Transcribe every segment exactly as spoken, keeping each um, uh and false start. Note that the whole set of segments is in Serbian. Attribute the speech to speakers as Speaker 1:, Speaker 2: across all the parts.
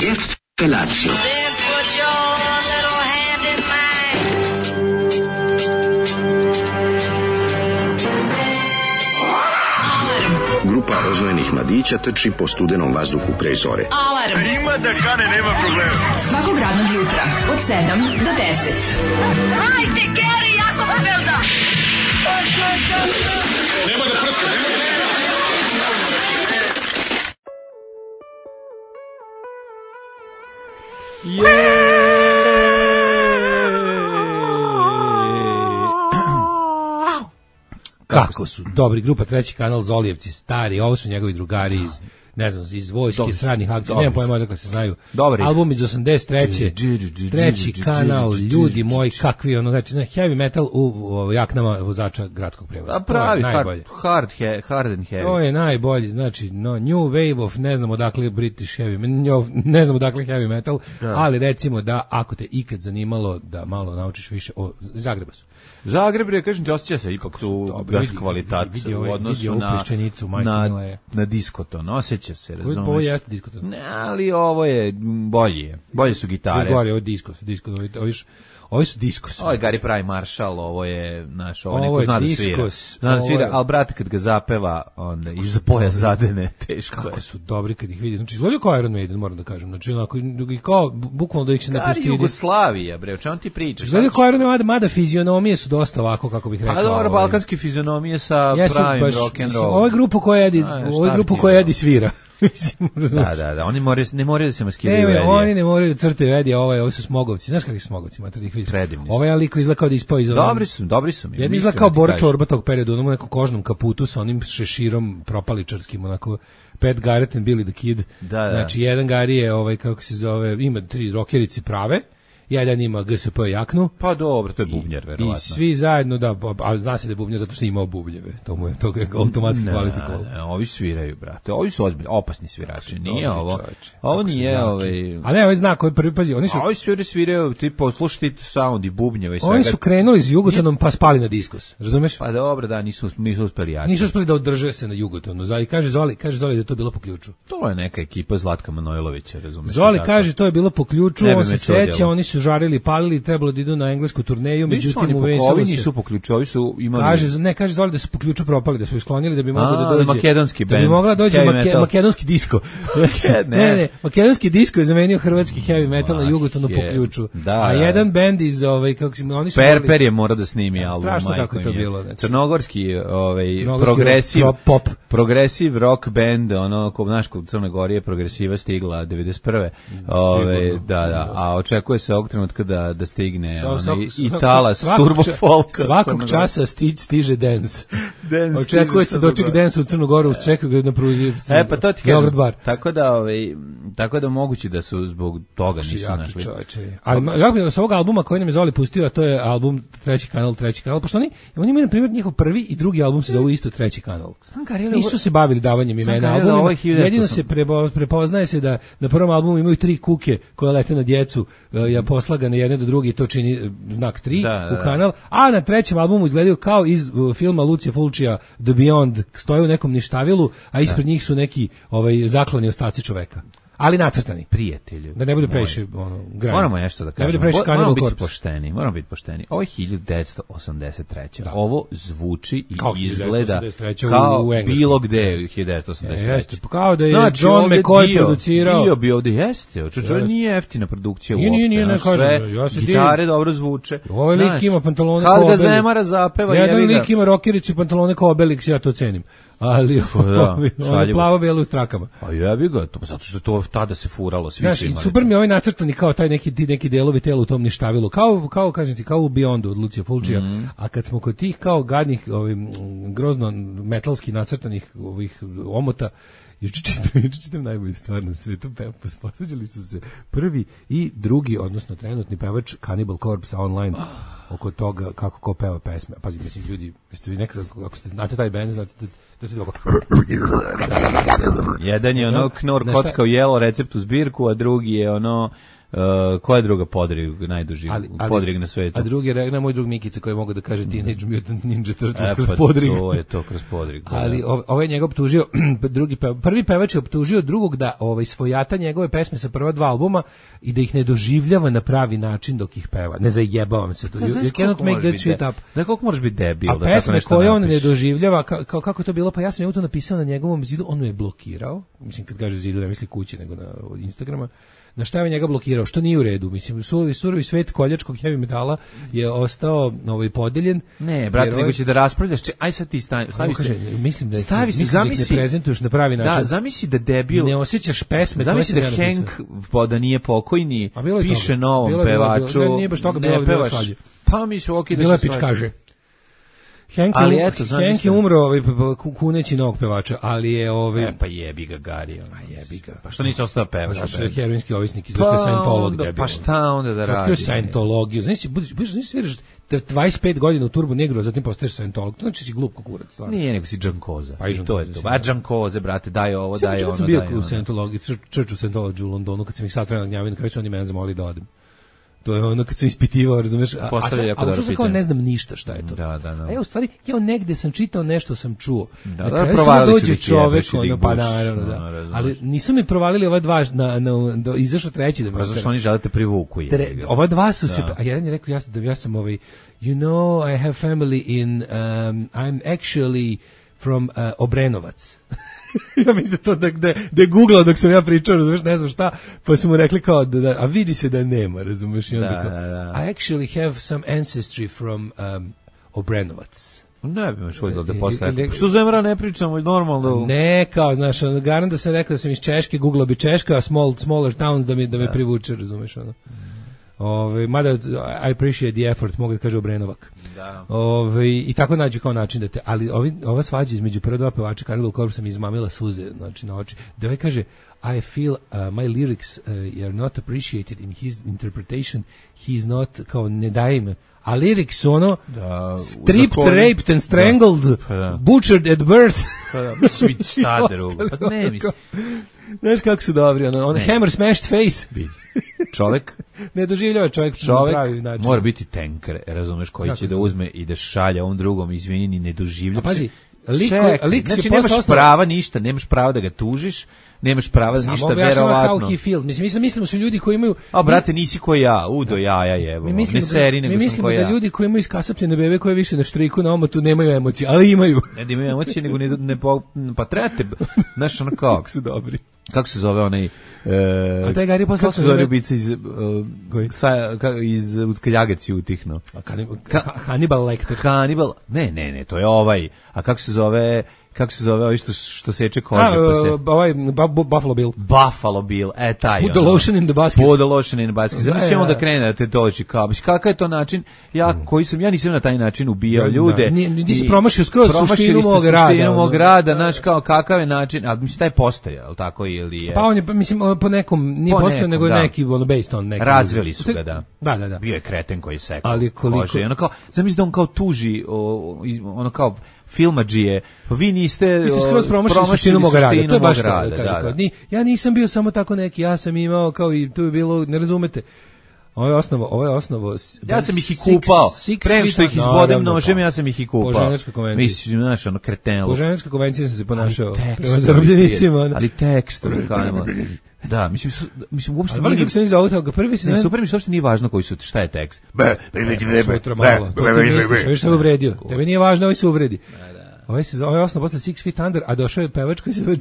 Speaker 1: Jetzt Felatio.
Speaker 2: Then put your little hand in mine.
Speaker 1: Grupa rozvojenih mladića trči po studenom vazduhu pre zore.
Speaker 3: Alarm. A ima da kane, nema problema. Svakog radnog jutra, od sedam do deset.
Speaker 2: Hajde, Geri, jako se velda.
Speaker 3: Nema da prska, nema da prska.
Speaker 4: Kako su dobri, grupa Treći kanal, Zolijevci stari, ovo su njegovi drugari iz, ne znam, iz vojske, sradnih akcija, nemam pojma odakle se znaju. Dobri. Album iz osamdeset treće. Treći kanal, ljudi moji, kakvi ono, znači heavy metal u, u jaknama vozača gradskog prevoza.
Speaker 5: A pravi, hard, hard, he, hard and heavy.
Speaker 4: To je najbolji, znači no, New Wave of, ne znam odakle British heavy, ne znam odakle heavy metal, da. Ali recimo da ako te ikad zanimalo da malo naučiš više o Zagreba su.
Speaker 5: Zagreb je, kažem ti, osjeća se ipak tu gas kvalitat u odnosu na, na, na diskoton, osjeća se, razumiješ?
Speaker 4: Ovo jeste diskoton.
Speaker 5: Ne, ali ovo je bolje, bolje su gitare.
Speaker 4: Ovo je disko, disko, ovo je, ovi su diskos.
Speaker 5: Ovo je Gary Pravi Marshall, ovo je, znaš, ovo, ovo neko zna da svira. Zna da svira, ali brate, kad ga zapeva, onda iza poja zadene, teško
Speaker 4: kako
Speaker 5: je.
Speaker 4: Kako su dobri kad ih vidi. Znači, izgledaju kao Iron Maiden, moram da kažem. Znači, onako, kao, bukvalno da ih se ne postidi.
Speaker 5: Kari Jugoslavija, bre, o čemu ti pričaš?
Speaker 4: Izgledaju kao Iron Maiden, mada fizionomije su dosta ovako, kako bih rekao.
Speaker 5: A dobro, balkanske fizionomije sa pravim rock'n'roll.
Speaker 4: Ovo je grupa koja jedi, ovo je grupa koja jedi svira.
Speaker 5: da, da, da, oni moraju, ne moraju da se maskiraju
Speaker 4: Edija. Oni ne moraju da crtaju Edija, ovaj, ovi su smogovci. Znaš kakvi su smogovci, mater, ih vidiš.
Speaker 5: Predivni su.
Speaker 4: Ovaj je liko izlakao da ispao iz ovom.
Speaker 5: Dobri su, dobri su mi.
Speaker 4: Jedan izlakao Bora Čorba tog perioda, onom nekom kožnom kaputu sa onim šeširom propaličarskim, onako, Pat Garrett and Billy the Kid.
Speaker 5: Da, da.
Speaker 4: Znači, jedan Gari je, ovaj, kako se zove, ima tri rokerice prave, jedan ima G S P jaknu.
Speaker 5: Pa dobro, to je bubnjar, verovatno.
Speaker 4: I svi zajedno, da, a zna se da je bubnjar zato što je imao bubljeve. To mu je to je automatski kvalifikovalo.
Speaker 5: Ne, ovi sviraju, brate. Ovi su ozbiljni, opasni svirači. Nije ovo.
Speaker 4: Čovječe,
Speaker 5: ovo nije ovaj.
Speaker 4: A ne, ovaj zna koji prvi pazi, oni su.
Speaker 5: Ovi sviraju, sviraju, ti poslušajte sound i bubnjeve i sve.
Speaker 4: Oni su krenuli s Jugotonom pa spali na diskus. Razumeš?
Speaker 5: Pa dobro, da, nisu nisu uspeli jači.
Speaker 4: Nisu uspeli da održe se na Jugotonu. Zali kaže Zoli, kaže Zoli da je to bilo po ključu.
Speaker 5: To je neka ekipa Zlatka Manojlovića, razumeš?
Speaker 4: Zoli kaže to je bilo po ključu, on se seća, oni su žarili, palili, trebalo da idu na englesku turneju, međutim u
Speaker 5: Veselu nisu po ključu, ovi su imali.
Speaker 4: Kaže, ne, kaže Zoli da su po ključu propali, da su isklonili da bi moglo da dođe
Speaker 5: makedonski bend.
Speaker 4: Da bi mogla doći make, makedonski disko. ne. ne, ne, makedonski disko je zamenio hrvatski heavy metal na Jugotonu po ključu.
Speaker 5: Da,
Speaker 4: a jedan bend iz ovaj kako se oni su
Speaker 5: Perper je mora da snimi album.
Speaker 4: Strašno kako je to bilo, znači.
Speaker 5: Crnogorski, ovaj progresiv
Speaker 4: pop,
Speaker 5: progresiv rock band, ono ko znaš kod Crne Gore je progresiva stigla devedeset prve. Ovaj da, da, a očekuje se ovog trenutka da da stigne onaj Italas turbo folk.
Speaker 4: Svakog časa stić stiže dance. dance očekuje se doček dance u Crnu Goru, čeka ga na pruzi.
Speaker 5: E pa to ti kažem. Tako da ovaj tako da moguće da su zbog toga nisu našli.
Speaker 4: Ali ja sa ovog albuma koji nam je Zoli pustio, a to je album Treći kanal, Treći kanal, pošto oni oni imaju na primjer njihov prvi i drugi album se zovu isto Treći kanal. Nisu se bavili davanjem imena albuma. Jedino se prepoznaje se da na prvom albumu imaju tri kuke koje lete na djecu, ja poslagane jedne do druge i to čini znak tri da, da, u kanal, a na trećem albumu izgledaju kao iz uh, filma Lucija Fulcija The Beyond, stoje u nekom ništavilu, a ispred da. njih su neki ovaj zakloni ostaci čoveka. Ali nacrtani.
Speaker 5: Prijatelju.
Speaker 4: Da ne bude previše ono granje.
Speaker 5: Moramo nešto da kažemo.
Speaker 4: Ne bude previše
Speaker 5: moramo biti pošteni, moramo biti pošteni. Ovo je hiljadu devetsto osamdeset treće. Da. Ovo zvuči i kao izgleda kao bilo gde u hiljadu devetsto osamdeset treće. Jeste,
Speaker 4: kao da je znači, John McCoy producirao.
Speaker 5: Bio bi ovde, jeste. Čo nije jeftina produkcija uopšte.
Speaker 4: Nije, nije, ne kažem. Ja se
Speaker 5: gitare dobro zvuče.
Speaker 4: Ovaj lik ima pantalone kao
Speaker 5: Obelix. Kad ga Zemara zapeva,
Speaker 4: jedan lik ima rokericu i pantalone kao Obelix, ja to cenim. Ali da, ono plavo bijelo u trakama.
Speaker 5: A jebi ga, to zato što to tada se furalo, svi
Speaker 4: znači, su imali. Super mi je ovaj nacrtani kao taj neki neki delovi tela u tom ništavilu, kao kao kažem ti kao u Beyondu od Lucija Fulcija. Mm. A kad smo kod tih kao gadnih, ovim grozno metalski nacrtanih ovih omota, juče čitam, juče čitam najbolju stvar na svetu, posvađali su se prvi i drugi, odnosno trenutni pevač Cannibal Corpse online oko toga kako ko peva pesme. Pazi, mislim, ljudi, jeste vi nekad, ako ste znate taj band, znate da da se dogo.
Speaker 5: Jedan je ono knor kockao jelo recept u zbirku, a drugi je ono Uh, koja je druga podrig, najduži ali, ali, podrig na svetu?
Speaker 4: A drugi, na moj drug Mikica koji mogu da kaže Teenage Mutant Ninja Turtles e, kroz pa podrig.
Speaker 5: To je to kroz podrig.
Speaker 4: Ali ovaj njega optužio, drugi pev, prvi pevač je optužio drugog da ovaj svojata njegove pesme sa prva dva albuma i da ih ne doživljava na pravi način dok ih peva. Ne zajebavam se to. You cannot make that shit up.
Speaker 5: Da koliko možeš biti debil?
Speaker 4: A
Speaker 5: da
Speaker 4: pesme koje on ne doživljava, ka, ka, kako je to bilo, pa ja sam njemu to napisao na njegovom zidu, on je blokirao. Mislim, kad kaže zidu, ne misli kući, nego na Instagrama. Na šta je njega blokirao, što nije u redu. Mislim, surovi, surovi svet koljačkog heavy metala je ostao ovaj, podeljen.
Speaker 5: Ne, brate, nego će da raspravljaš. Aj sad ti stavi, stavi se.
Speaker 4: Mislim da,
Speaker 5: stavi
Speaker 4: mislim
Speaker 5: se, zamisli,
Speaker 4: da ih ne prezentuješ na pravi način.
Speaker 5: Da, zamisli da debil.
Speaker 4: Ne osjećaš pesme.
Speaker 5: Zamisli da Hank, da nije pokojni, piše novom bilo, pevaču. Bilo,
Speaker 4: ne, nije baš toga bilo,
Speaker 5: ne pevaš.
Speaker 4: Pa
Speaker 5: mi su okej da
Speaker 4: se svađa. Kaže. Hank, ali je, eto, Hank je umro ovaj, kuneći novog pevača, ali je... Ovaj...
Speaker 5: E, pa jebi ga Gari.
Speaker 4: Pa jebi ga.
Speaker 5: Pa što nisi ostao pevač?
Speaker 4: Zato što je heroinski ovisnik, zato što je Scientolog debil.
Speaker 5: Pa šta onda da radi?
Speaker 4: Otkrio Scientologiju. Znaš, znaš sviraš dvadeset pet godina u Turbo Negru, a zatim postaješ Scientolog. To znači si glup kukurac. Stvarno.
Speaker 5: Nije, nego si Džankoza.
Speaker 4: Pa i
Speaker 5: to je to. A Džankoze, brate, daj ovo, daj ono, daj ono.
Speaker 4: Sam bio u Scientologiji, Church of Scientology u Londonu, kad sam ih sad vremena gnjavio, na kraju su oni mene zamolili da odem. To je ono kad sam ispitivao, razumeš? A, a, a što sam kao ne znam ništa šta je to.
Speaker 5: Da, da, da.
Speaker 4: A ja u stvari, ja negde sam čitao nešto, sam čuo.
Speaker 5: Da,
Speaker 4: na
Speaker 5: da,
Speaker 4: kraju sam dođe čovek, ono, pa naravno, da. No, ali nisu mi provalili ova dva, na, na, do, izašao treći da mi...
Speaker 5: Pa zašto oni želite privuku?
Speaker 4: Tre, ova dva su da. se... A jedan je rekao, ja, da, ja sam ovaj, you know, I have family in, um, I'm actually from uh, Obrenovac. Ja mislim to da gde da je googlao dok sam ja pričao, razumeš, ne znam šta, pa su mu rekli kao da, da a vidi se da nema, razumeš, i onda da, kao, da, da. I actually have some ancestry from um, Obrenovac.
Speaker 5: Ne bi me šuljilo da posle. Što zemra ne pričamo normalno?
Speaker 4: Ne, kao, znaš, garant da sam rekao da sam iz Češke, googlao bi Češka, small, smaller towns da mi, da me privuče, razumeš, ono. Ove, mada I appreciate the effort, mogu da kaže Obrenovak.
Speaker 5: Da.
Speaker 4: Ove, i tako nađu kao način da te, ali ovi, ova svađa između prva dva pevača Cannibal Corpse sam izmamila suze, znači na oči. Da ovaj kaže, I feel uh, my lyrics uh, are not appreciated in his interpretation, he is not, kao ne daje im, a lyrics su ono
Speaker 5: da,
Speaker 4: stripped, raped and strangled, da. Pa da. Butchered at birth.
Speaker 5: Pa da, mislim, šta drugo? Pa ne, mislim.
Speaker 4: Znaš kako su dobri, ono, on hammer smashed face.
Speaker 5: Bidi. Čovek
Speaker 4: ne doživljava čovjek,
Speaker 5: čovjek
Speaker 4: pravi način.
Speaker 5: Mora biti tanker, razumeš, koji kako će da uzme i da šalje ovom drugom, izvini, ni ne doživlja.
Speaker 4: A pazi, lik, lik
Speaker 5: znači nemaš osnov... prava ništa, nemaš prava da ga tužiš, nemaš prava da ništa, verovatno.
Speaker 4: How he feels. Mislim, mislim, mislimo su ljudi koji imaju...
Speaker 5: A, brate, nisi ko ja, udo jaja jevo. Mi mislimo, ne seri, nego
Speaker 4: mi mislimo da ja. Ljudi koji imaju iskasapljene bebe koje više na štriku na omotu nemaju emocije, ali imaju.
Speaker 5: Ne da imaju emocije, nego ne, ne pa trebate, znaš, ono kao...
Speaker 4: Kako su dobri.
Speaker 5: Kako se zove onaj...
Speaker 4: E, a taj Gari posle...
Speaker 5: Kako se zove ubica iz... Uh, sa, ka, iz Utkaljagaci utihno?
Speaker 4: Hannibal Lecter.
Speaker 5: Hannibal... Ne, ne, ne, to je ovaj... A kako se zove... Kako se zove ovaj što, što seče kože? A, pa se...
Speaker 4: ovaj Buffalo Bill.
Speaker 5: Buffalo Bill, e taj.
Speaker 4: Put the lotion in the basket.
Speaker 5: Put the lotion in the basket. Znači da, onda krene da te dođi kao, kakav je to način, ja koji sam, ja nisam na taj način ubijao ljude.
Speaker 4: Nisi si promašio skroz suštinu mog rada.
Speaker 5: Suštinu mog rada, znaš kao kakav je način, a mislim taj postoje, al tako ili je.
Speaker 4: Pa on je, mislim, po nekom, nije postoje, nego je neki, ono, based on neki.
Speaker 5: Razveli su ga, da.
Speaker 4: Da, da, da.
Speaker 5: Bio je kreten koji je sekao.
Speaker 4: Ali koliko...
Speaker 5: Kože, ono kao, zamisli da on kao tuži, ono kao, filmadžije, pa vi niste...
Speaker 4: Vi ste skroz promašili suštinu mog rada, to je baš rada, da, da, da. Ni, ja nisam bio samo tako neki, ja sam imao, kao i tu je bilo, ne razumete, ovo je osnovo, ovo je osnovo...
Speaker 5: Ja sam ih i kupao, prema što ih izbodem nožem, ja sam ih i kupao.
Speaker 4: Po Ženevskoj konvenciji.
Speaker 5: Mislim, znaš, ono, kretenlo.
Speaker 4: Po Ženevskoj konvenciji sam se ponašao prema zarobljenicima.
Speaker 5: Ali tekstovi, kanemo. Da, mislim, mislim uopšte
Speaker 4: nije. Ali kako se ni zove toga, prvi se
Speaker 5: ne super mi što uopšte nije važno koji su, šta je tekst.
Speaker 4: Be, sutra malo. To ti misliš, već se uvredio. Tebe nije važno, ovaj se uvredi. Ovaj se zove osnov posle Six Feet Under, a došao je pevač koji se zove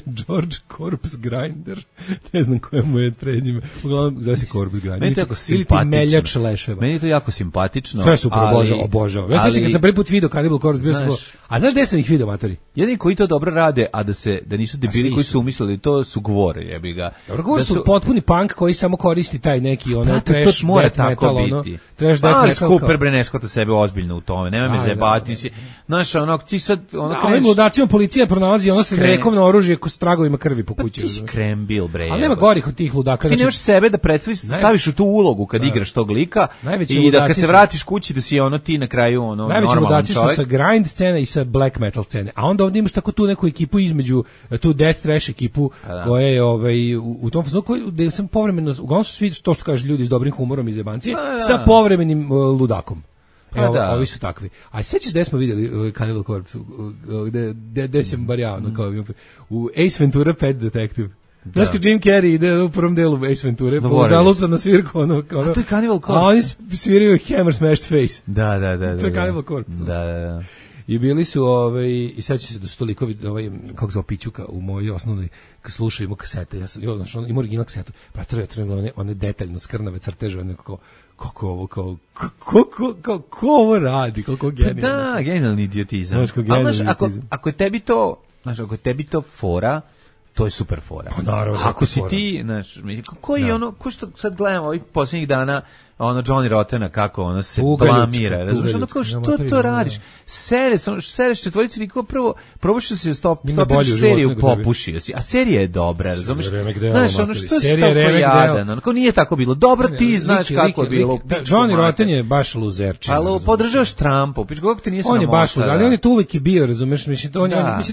Speaker 4: George Corpse Grinder. Ne znam koje mu je prezime. Uglavnom zove se Corpse Grinder.
Speaker 5: Meni to jako simpatično.
Speaker 4: Ili ti meljač leševa.
Speaker 5: Meni je to jako simpatično.
Speaker 4: Sve super, obožavam, obožavam. Ja sećam kad sam prvi put video Cannibal Corpse, znaš, a znaš gde sam ih video, matori?
Speaker 5: Jedini koji to dobro rade, a da se da nisu debili koji su umislili, to su Gvore, jebi ga.
Speaker 4: Dobro, Gvore su potpuni punk koji samo koristi taj neki ono trash
Speaker 5: death metal, ono.
Speaker 4: Trash death metal.
Speaker 5: Cooper bre ne shvata sebe ozbiljno u tome. Nema me zajebati. Znaš, ono ono, ti sad, ono,
Speaker 4: da, ovim ludacima policija pronalazi ono sa vekovno oružje s tragovima krvi po kući.
Speaker 5: Pa ti si krembil, bre.
Speaker 4: Ali nema gorih od tih ludaka.
Speaker 5: Ti znači, nemaš sebe da pretstaviš, staviš u tu ulogu kad da. igraš tog lika i da kad se vratiš kući da si ono ti na kraju ono normalan čovjek. Najveći ludaci su sa grind scene i sa black metal scene. A onda ovdje imaš tako tu neku ekipu između, tu death trash ekipu da. koja je ovaj, u, u tom fazonu koji da sam povremeno, uglavnom su svi to što kaže ljudi s dobrim humorom iz jebancije, da. sa povremenim uh, ludakom. Pa evo, da. Ovi su takvi. A sećaš da smo vidjeli uh, Cannibal Corpse, gde, gde, gde sam bar ja, ono, kao, u Ace Ventura Pet Detective. Da. Znaš kad Jim Carrey ide u prvom delu Ace Venture, po zalupa na svirku, ono, ono, a to je Cannibal Corpse.
Speaker 4: A oni sviraju Hammer Smashed Face.
Speaker 5: Da, da, da.
Speaker 4: To je
Speaker 5: da,
Speaker 4: Cannibal Corpse.
Speaker 5: Da, da, da.
Speaker 4: I bili su, ovaj, i sad će se da su toliko, ovaj, kako zove Pićuka u mojoj osnovnoj, kad slušaju kasete, ja sam, jo, znaš, on ima original kasetu, pa treba, treba, one, one detaljno skrnave crteže, one kako, kako ovo, kao, kako, kako, kako ovo radi, kako genijalno.
Speaker 5: Pa da, genijalni idiotizam. Znaš, kako genijalni idiotizam. Ako, ako je tebi to, znaš, ako je tebi to fora, to je super fora.
Speaker 4: Pa naravno.
Speaker 5: Ako si ti, znaš, koji da. ono, ko što sad gledamo ovih posljednjih dana, ono Johnny Rottena kako ono se blamira, razumiješ, ono kao što to radiš, sere, sereš četvorici likova, prvo probaš da se stop, stopiš seriju, popušio si, a serija je dobra, razumiješ, znaš, ono što se tako jadan, ono kao nije tako bilo, dobro ti znaš kako je bilo.
Speaker 4: Johnny Rotten je baš luzerčin.
Speaker 5: Ali podržavaš Trumpa, piš kako ti nije sramota.
Speaker 4: On je baš luzerčin, ali on je tu uvijek i bio, razumiješ, mislim,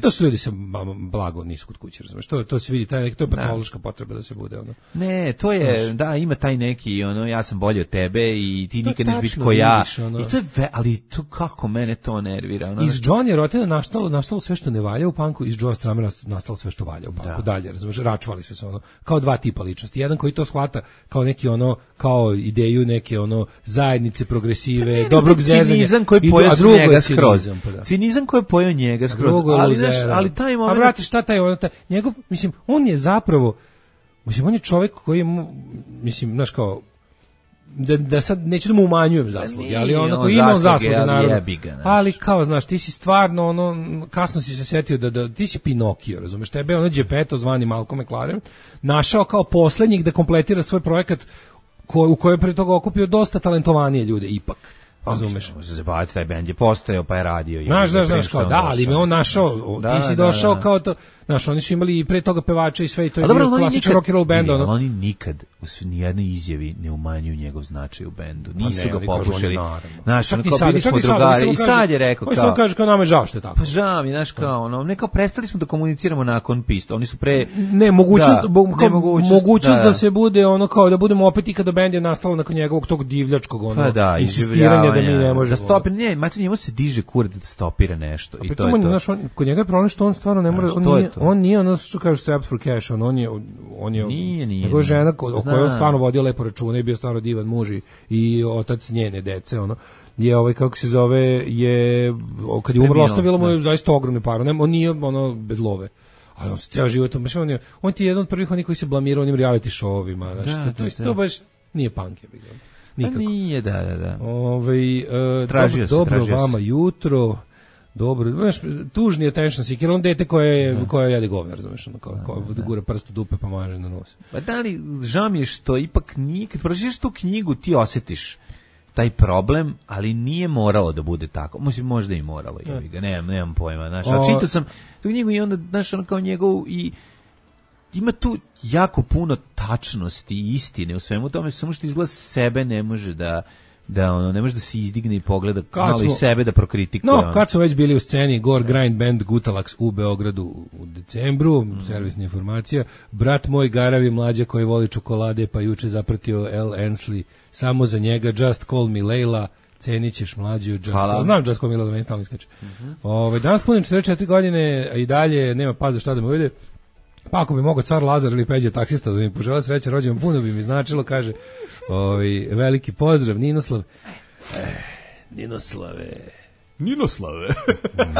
Speaker 4: to su ljudi sa blago nisu kod kuće, razumiješ, to se vidi, to je patološka potreba da se bude, ono.
Speaker 5: Ne, to je, da, ima taj neki, ono, ja sam bolji od tebe i ti nikad neš biti ko ja. Ono. I to je ve, ali to kako mene to nervira. Ono.
Speaker 4: Iz Johnny Rottena nastalo, nastalo sve što ne valja u panku, iz Joe Stramera nastalo sve što valja u panku. Da. Dalje, razumiješ, račvali su se ono, kao dva tipa ličnosti. Jedan koji to shvata kao neki ono, kao ideju neke ono zajednice, progresive, ne, dobrog zezanja.
Speaker 5: Cinizam koji pojao njega skroz. Pa da. Cinizam koji je pojao njega skroz. Ali, znaš, ali taj moment...
Speaker 4: A vrati, šta taj, ono, taj, njegov, mislim, on je zapravo, mislim, on je čovjek koji je, mislim, znaš kao, Da, da sad neću da mu umanjujem zasluge, ali ono koji ima zasluge, naravno. Ali kao, znaš, ti si stvarno, ono, kasno si se setio da, da ti si Pinokio, razumeš, tebe ono Geppetto zvani Malcolm McLaren našao kao poslednjih da kompletira svoj projekat ko, u kojoj pre toga okupio dosta talentovanije ljude, ipak. Razumeš?
Speaker 5: Može se zabaviti, taj bend je postojao, pa je radio.
Speaker 4: Znaš, znaš, znaš, kao, da, ali me on našao, da, ti si došao da, da. kao to, znaš, oni su imali i pre toga pevača i sve i to je bio klasičan rock and roll band.
Speaker 5: Ali oni nikad u nijednoj izjavi ne umanjuju njegov značaj u bendu. Nisu ga pokušali. Znaš, ono kao bili smo drugari i sad je rekao kao...
Speaker 4: Oni samo kažu kao nama je žao što je tako.
Speaker 5: Pa žao mi, znaš, kao, ono, ne kao prestali smo da komuniciramo nakon pista, oni su pre...
Speaker 4: Ne, mogućnost da se bude, ono, kao da budemo opet i kada bend je nastalo nakon njegovog tog divljačkog, ono, insistiranja da mi ne možemo.
Speaker 5: Da stopi, ne, mater, njemu se diže kurac da stopira nešto i to je to.
Speaker 4: Znaš, kod njega je problem što on stvarno ne može, on nije ono što kažu strapped for cash, on, on je, on je,
Speaker 5: nije, nije,
Speaker 4: nego žena ko, o kojoj on stvarno vodio lepo računa i bio stvarno divan muž i, i otac njene dece, ono, je ovaj, kako se zove, je, kad je umrlo, ostavilo mu je zaista ogromne pare, on nije, ono, bez love. Ali on se cijel život, on, je, on ti je jedan od prvih onih koji se blamirao onim reality show-ovima, znaš, da, to, to, to baš nije punk, je bilo. Nikako.
Speaker 5: Nije, da, da, da.
Speaker 4: Ove, uh, tražio dobro, se, dobro vama jutro. Dobro, znaš, tužni je attention seeker, on dete koje je, koje jede govnar, znaš, ono, kao, kao da gura prst u dupe pa maže na nos.
Speaker 5: Pa da li, žao mi je što ipak nije, kad pročiš tu knjigu ti osjetiš taj problem, ali nije moralo da bude tako. Mislim, možda i moralo, jebi ga, nemam, nemam pojma, znaš, ali čitao sam tu knjigu i onda, znaš, ono kao njegov i ima tu jako puno tačnosti i istine u svemu tome, samo što izgleda sebe ne može da da ono ne može da se izdigne i pogleda malo i sebe da prokritikuje.
Speaker 4: No, kad su već bili u sceni Gore Grind Band Gutalax u Beogradu u decembru, mm. servisna informacija, brat moj Garavi mlađa koji voli čokolade pa juče zapratio L. Ensley, samo za njega Just Call Me Leila, cenit ćeš mlađu Just Call. Znam Just Call Me Leila, da meni stalno iskače. Mm-hmm. Ove, danas punim četrdeset četiri godine i dalje nema paza šta da me uvede. Pa ako bi mogao car Lazar ili Peđa taksista da mi požele sreće rođendan, puno bi mi značilo, kaže, ovaj, veliki pozdrav, Ninoslav. Eh, Ninoslave.
Speaker 5: Ninoslave.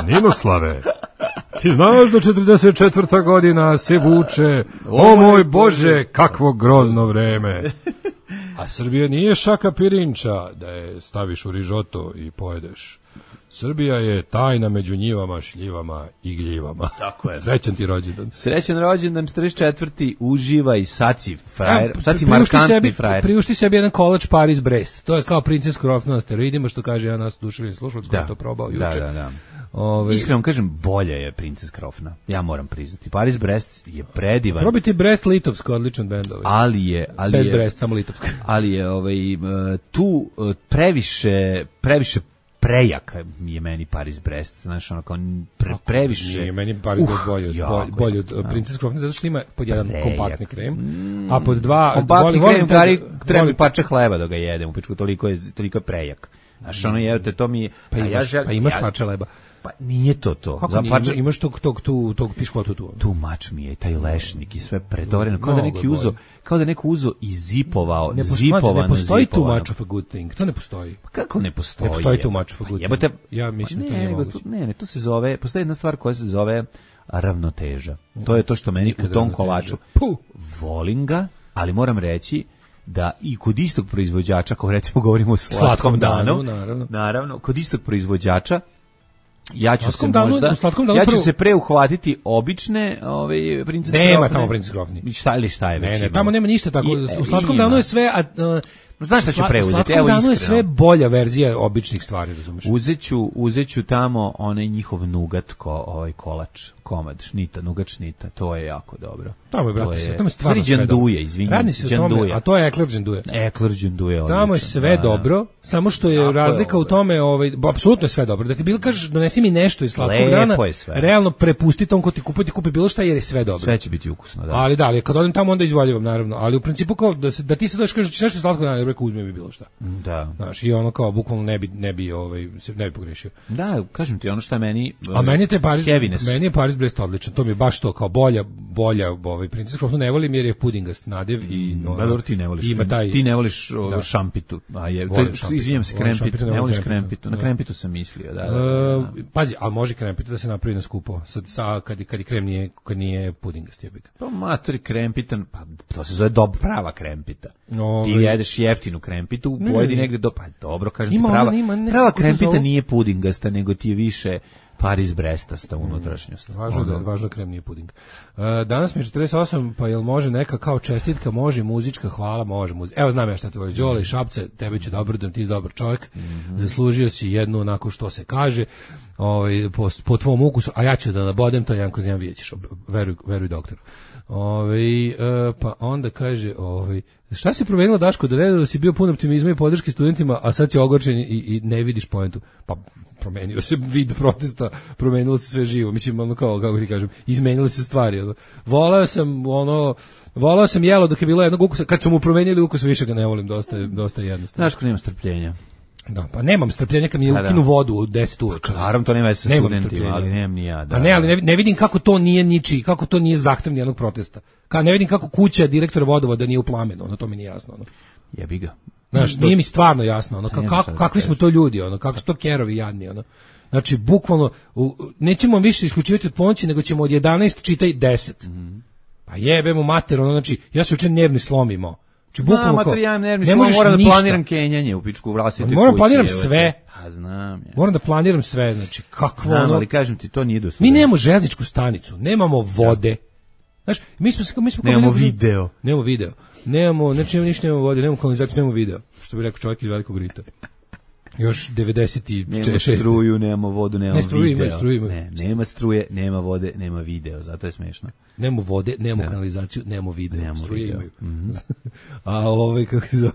Speaker 4: Ninoslave. Ti znaš da četrdeset četvrta godina se vuče, o moj Bože, kakvo grozno vreme. A Srbija nije šaka pirinča da je staviš u rižoto i pojedeš. Srbija je tajna među njivama, šljivama i gljivama.
Speaker 5: Tako je.
Speaker 4: Srećan ti rođendan.
Speaker 5: Srećan rođendan, četrdeset četvrti uživaj, sad si frajer, ja, sad si markantni
Speaker 4: sebi,
Speaker 5: frajer.
Speaker 4: Priušti sebi jedan college Paris Brest. To je kao Princes Krofna na steroidima, što kaže ja nas duševni slušalac koji je to probao juče.
Speaker 5: Da, da, da. Ove, iskreno kažem, bolje je Princess Krofna. Ja moram priznati. Paris Brest je predivan.
Speaker 4: Probajte Brest Litovsko, odličan bend ovaj.
Speaker 5: Ali je, ali
Speaker 4: bez
Speaker 5: je,
Speaker 4: Brest, samo Litovsko.
Speaker 5: Ali je ovaj tu previše previše prejaka je meni Paris Brest, znaš, ono kao pre, previše.
Speaker 4: Nije meni Paris Brest uh, bolje, bolje, bolje od Princess Krofna, zato što ima pod jedan prejak. Kompaktni krem, mm, a pod dva
Speaker 5: kompaktni krem, gari, treba mi parče hleba da ga jedem, u pičku, toliko je, toliko je prejak. Znaš, ono je, to mi...
Speaker 4: Pa imaš, ja žel, pa imaš ja, parče hleba.
Speaker 5: Pa nije to to.
Speaker 4: Kako nije, parče, imaš tog, tog, tog, tog piškotu tu?
Speaker 5: Tu mač mi je, taj lešnik i sve predoreno, kao da neki uzo, kao da neko uzo i zipovao,
Speaker 4: ne
Speaker 5: zipovano,
Speaker 4: ne postoji
Speaker 5: zipovano.
Speaker 4: too much of a good thing, to ne postoji.
Speaker 5: Pa kako ne postoji?
Speaker 4: Ne postoji too much of a good
Speaker 5: thing. Jebote,
Speaker 4: ja mislim da to nije moguće.
Speaker 5: Ne, ne, to se zove, postoji jedna stvar koja se zove ravnoteža. To je to što meni u tom kolaču. Puh. Volim ga, ali moram reći da i kod istog proizvođača, kao recimo govorimo o slatkom, slatkom danu, danu naravno. naravno, kod istog proizvođača ja ću se danu, možda ja ću prvo... se pre uhvatiti obične ovaj Princess Krofne.
Speaker 4: Nema tamo Princess Krofne.
Speaker 5: Šta ili šta je već?
Speaker 4: Ne, ne, tamo nema ništa tako. I, u slatkom danu je sve a, uh,
Speaker 5: znaš šta ću preuzeti?
Speaker 4: Evo iskreno. U slatkom danu je sve bolja verzija običnih stvari, razumeš?
Speaker 5: Uzeću, uzeću tamo onaj njihov nugat ko ovaj kolač, komad šnita, nugat šnita, to je jako dobro.
Speaker 4: Tamo je, brate, sve, tamo je stvarno sve
Speaker 5: džanduje, izvinjam se,
Speaker 4: džanduje. A to je Ekler džanduje.
Speaker 5: Ekler džanduje.
Speaker 4: Tamo je sve dobro, samo što je razlika u tome, ovaj, apsolutno je sve dobro. Da ti bilo kažeš, donesi mi nešto iz slatkog dana, realno prepusti tom ko ti kupuje, ti kupi bilo šta jer je sve dobro.
Speaker 5: Sve će biti ukusno, da.
Speaker 4: Ali da, ali kad odem tamo onda izvoljivam, naravno. Ali u principu kao da, se, da ti se dođeš kažeš da ćeš nešto iz slatkog dana, rekao uzme mi bilo šta.
Speaker 5: Da.
Speaker 4: Znaš, i ono kao bukvalno ne bi, ne bi, ovaj, se ne bi pogrešio.
Speaker 5: Da, kažem ti, ono što je meni...
Speaker 4: A meni je Paris, meni je Paris Brest odličan, to mi je baš to, kao bolja, bolja, ovaj, Princess Krofnu ne volim jer je pudingast nadev i... No,
Speaker 5: da, dobro, ti ne voliš,
Speaker 4: ima taj,
Speaker 5: ti ne voliš o, da. šampitu, a je, to, izvinjam se, krempitu, ne voliš krempitu, na krempitu sam mislio, da, da, da, da.
Speaker 4: Uh, pazi, ali može krempitu da se napravi na skupo, sad, sa, kad, kad je krem nije, kad nije pudingast, je bika.
Speaker 5: Pa matori krempitan, pa to se zove dob, prava krempita. Ove, ti jedeš jeftinu krempitu, pojedi negde do, pa dobro, kažem ti, prava, ima, ne, prava krempita zove... nije pudingasta, nego ti je više Paris Brestasta unutrašnjost.
Speaker 4: Važno da, važno krem nije puding. Uh, danas mi je četrdeset osam, pa jel može neka kao čestitka, može muzička, hvala, može muzička. Evo znam ja šta te voli, Đole i Šapce, tebe ću dobro da ti si dobar čovjek, mm-hmm. zaslužio si jednu onako što se kaže, ovaj, po, po tvom ukusu, a ja ću da nabodem, to Janko Zjan vidjet ćeš, veruj, veruj doktoru. Ovaj, uh, pa onda kaže, ovaj, šta se promenilo Daško, da ne da si bio pun optimizma i podrške studentima, a sad si ogorčen i, i ne vidiš poentu? Pa promenio se vid protesta, promenilo se sve živo, mislim, ono kao, kako ti kažem, izmenile se stvari. Ono. Volao sam, ono, volao sam jelo dok je bilo jednog ukusa, kad su mu promenili ukus, više ga ne volim, dosta, dosta jednostavno.
Speaker 5: Daško, nema strpljenja.
Speaker 4: Da, pa nemam strpljenja kad mi je ukinu vodu u deset uveče.
Speaker 5: Naravno, to nema sa studentima, ali nemam ni ja. Da.
Speaker 4: A ne, ali ne, ne vidim kako to nije ničiji, kako to nije zahtev nijednog protesta. Ka ne vidim kako kuća direktora vodovoda nije u plamenu, ono to mi nije jasno. Ono.
Speaker 5: Jebi ga.
Speaker 4: Znaš, nije mi stvarno jasno, ono, kako, kako, kakvi smo to ljudi, ono, kako su to kerovi jadni, ono. Znači, bukvalno, u, nećemo više isključivati od ponoći, nego ćemo od jedanaest čitaj deset. Mm-hmm. Pa jebemo mater, ono, znači, ja se učin nervni slomimo.
Speaker 5: Znam, mater, ja nervni slom, moram da planiram kenjanje u pičku vlastite kući.
Speaker 4: Moram da planiram sve.
Speaker 5: A znam ja.
Speaker 4: Moram da planiram sve, znači, kakvo
Speaker 5: znam,
Speaker 4: ono...
Speaker 5: ali kažem ti, to nije dosta.
Speaker 4: Mi nemamo željezničku stanicu, nemamo vode. Znaš, mi smo... Mi smo
Speaker 5: nemamo video.
Speaker 4: Nemamo video. Nemamo, znači ništa nemamo vode, nemamo kanalizaciju, nemamo video. Što bi rekao čovjek iz Velikog Rita. Još devedeset šest.
Speaker 5: Nema struju, nemamo vodu, nemamo
Speaker 4: ne, struju,
Speaker 5: video.
Speaker 4: Ima, struju, ima.
Speaker 5: Ne, nema struje, nema vode, nema video, zato je smešno.
Speaker 4: Nemamo vode, nemamo ne. kanalizaciju, nemamo video.
Speaker 5: Nemamo
Speaker 4: struje
Speaker 5: video.
Speaker 4: Imaju. Mm-hmm. A ovaj, kako se zove,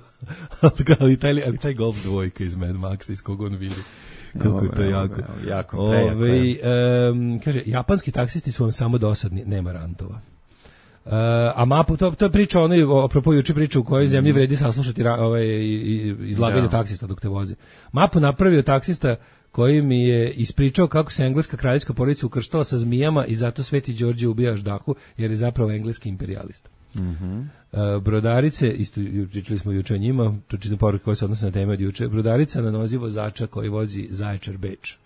Speaker 4: ali taj, ali taj golf dvojka iz Mad Maxa, iz kog on vidi. Kako je to jako.
Speaker 5: jako
Speaker 4: Ove, um, kaže, japanski taksisti su vam samo dosadni, nema rantova. Uh, a mapu, to, to je priča, ono, apropo juče priča u kojoj zemlji vredi saslušati ovaj, izlaganje da. taksista dok te voze. Mapu napravio taksista koji mi je ispričao kako se engleska kraljevska porodica ukrštala sa zmijama i zato Sveti Đorđe ubija ždahu, jer je zapravo engleski imperijalista.
Speaker 5: Mm-hmm.
Speaker 4: Uh, brodarice, isto pričali smo juče o njima, to čitam poruke koje se odnose na teme od juče, brodarica na nozi vozača koji vozi Zaječar Beč.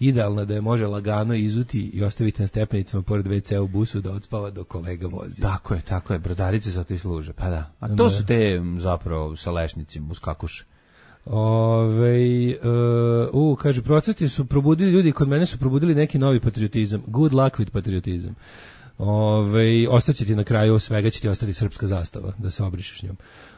Speaker 4: Idealno da je može lagano izuti i ostaviti na stepenicama pored ve ce u busu da odspava dok kolega vozi.
Speaker 5: Tako je, tako je, brodarice za to i služe, pa da. A to su te zapravo sa lešnicima, uskakuše.
Speaker 4: Ove, uh, uh, kaže, procesi su probudili ljudi, kod mene su probudili neki novi patriotizam. Good luck with patriotizam. Ove, ostaće ti na kraju svega, će ti ostati srpska zastava, da se obrišeš njom.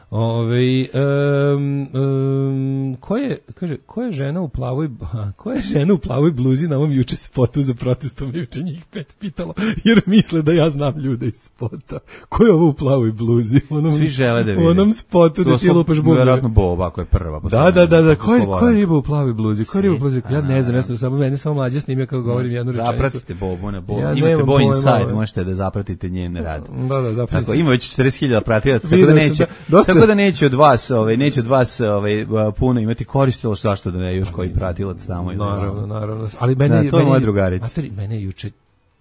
Speaker 4: Ove, um, um, ko je, kaže, ko je žena u plavoj, ko je žena u plavoj bluzi na ovom juče spotu za protestom, juče njih pet pitalo, jer misle da ja znam ljude iz spota. Ko je ovo u plavoj bluzi? Onom,
Speaker 5: Svi žele da vide.
Speaker 4: U onom spotu da ti lupaš bubnje.
Speaker 5: Vjerojatno Boba, koja je prva.
Speaker 4: Da, da, da, da, ko je, ko je riba u plavoj bluzi? Ko je riba u plavoj bluzi? Ja ne znam, ja sam samo, mene samo mlađa snimio kako govorim jednu rečenicu.
Speaker 5: Zapratite Bobu na Bobu. Ja imate Bo Inside, možete da zapratite njen rad.
Speaker 4: Da, da, zapratite.
Speaker 5: Tako, ima već četrdeset hiljada pratilaca, tako da neće, tako da neće od vas, ovaj, neće od vas ovaj, puno imati koristilo, zašto da ne još koji pratilac tamo.
Speaker 4: Naravno, naravno. Ali mene,
Speaker 5: da, to je moja drugarica.
Speaker 4: Mene je juče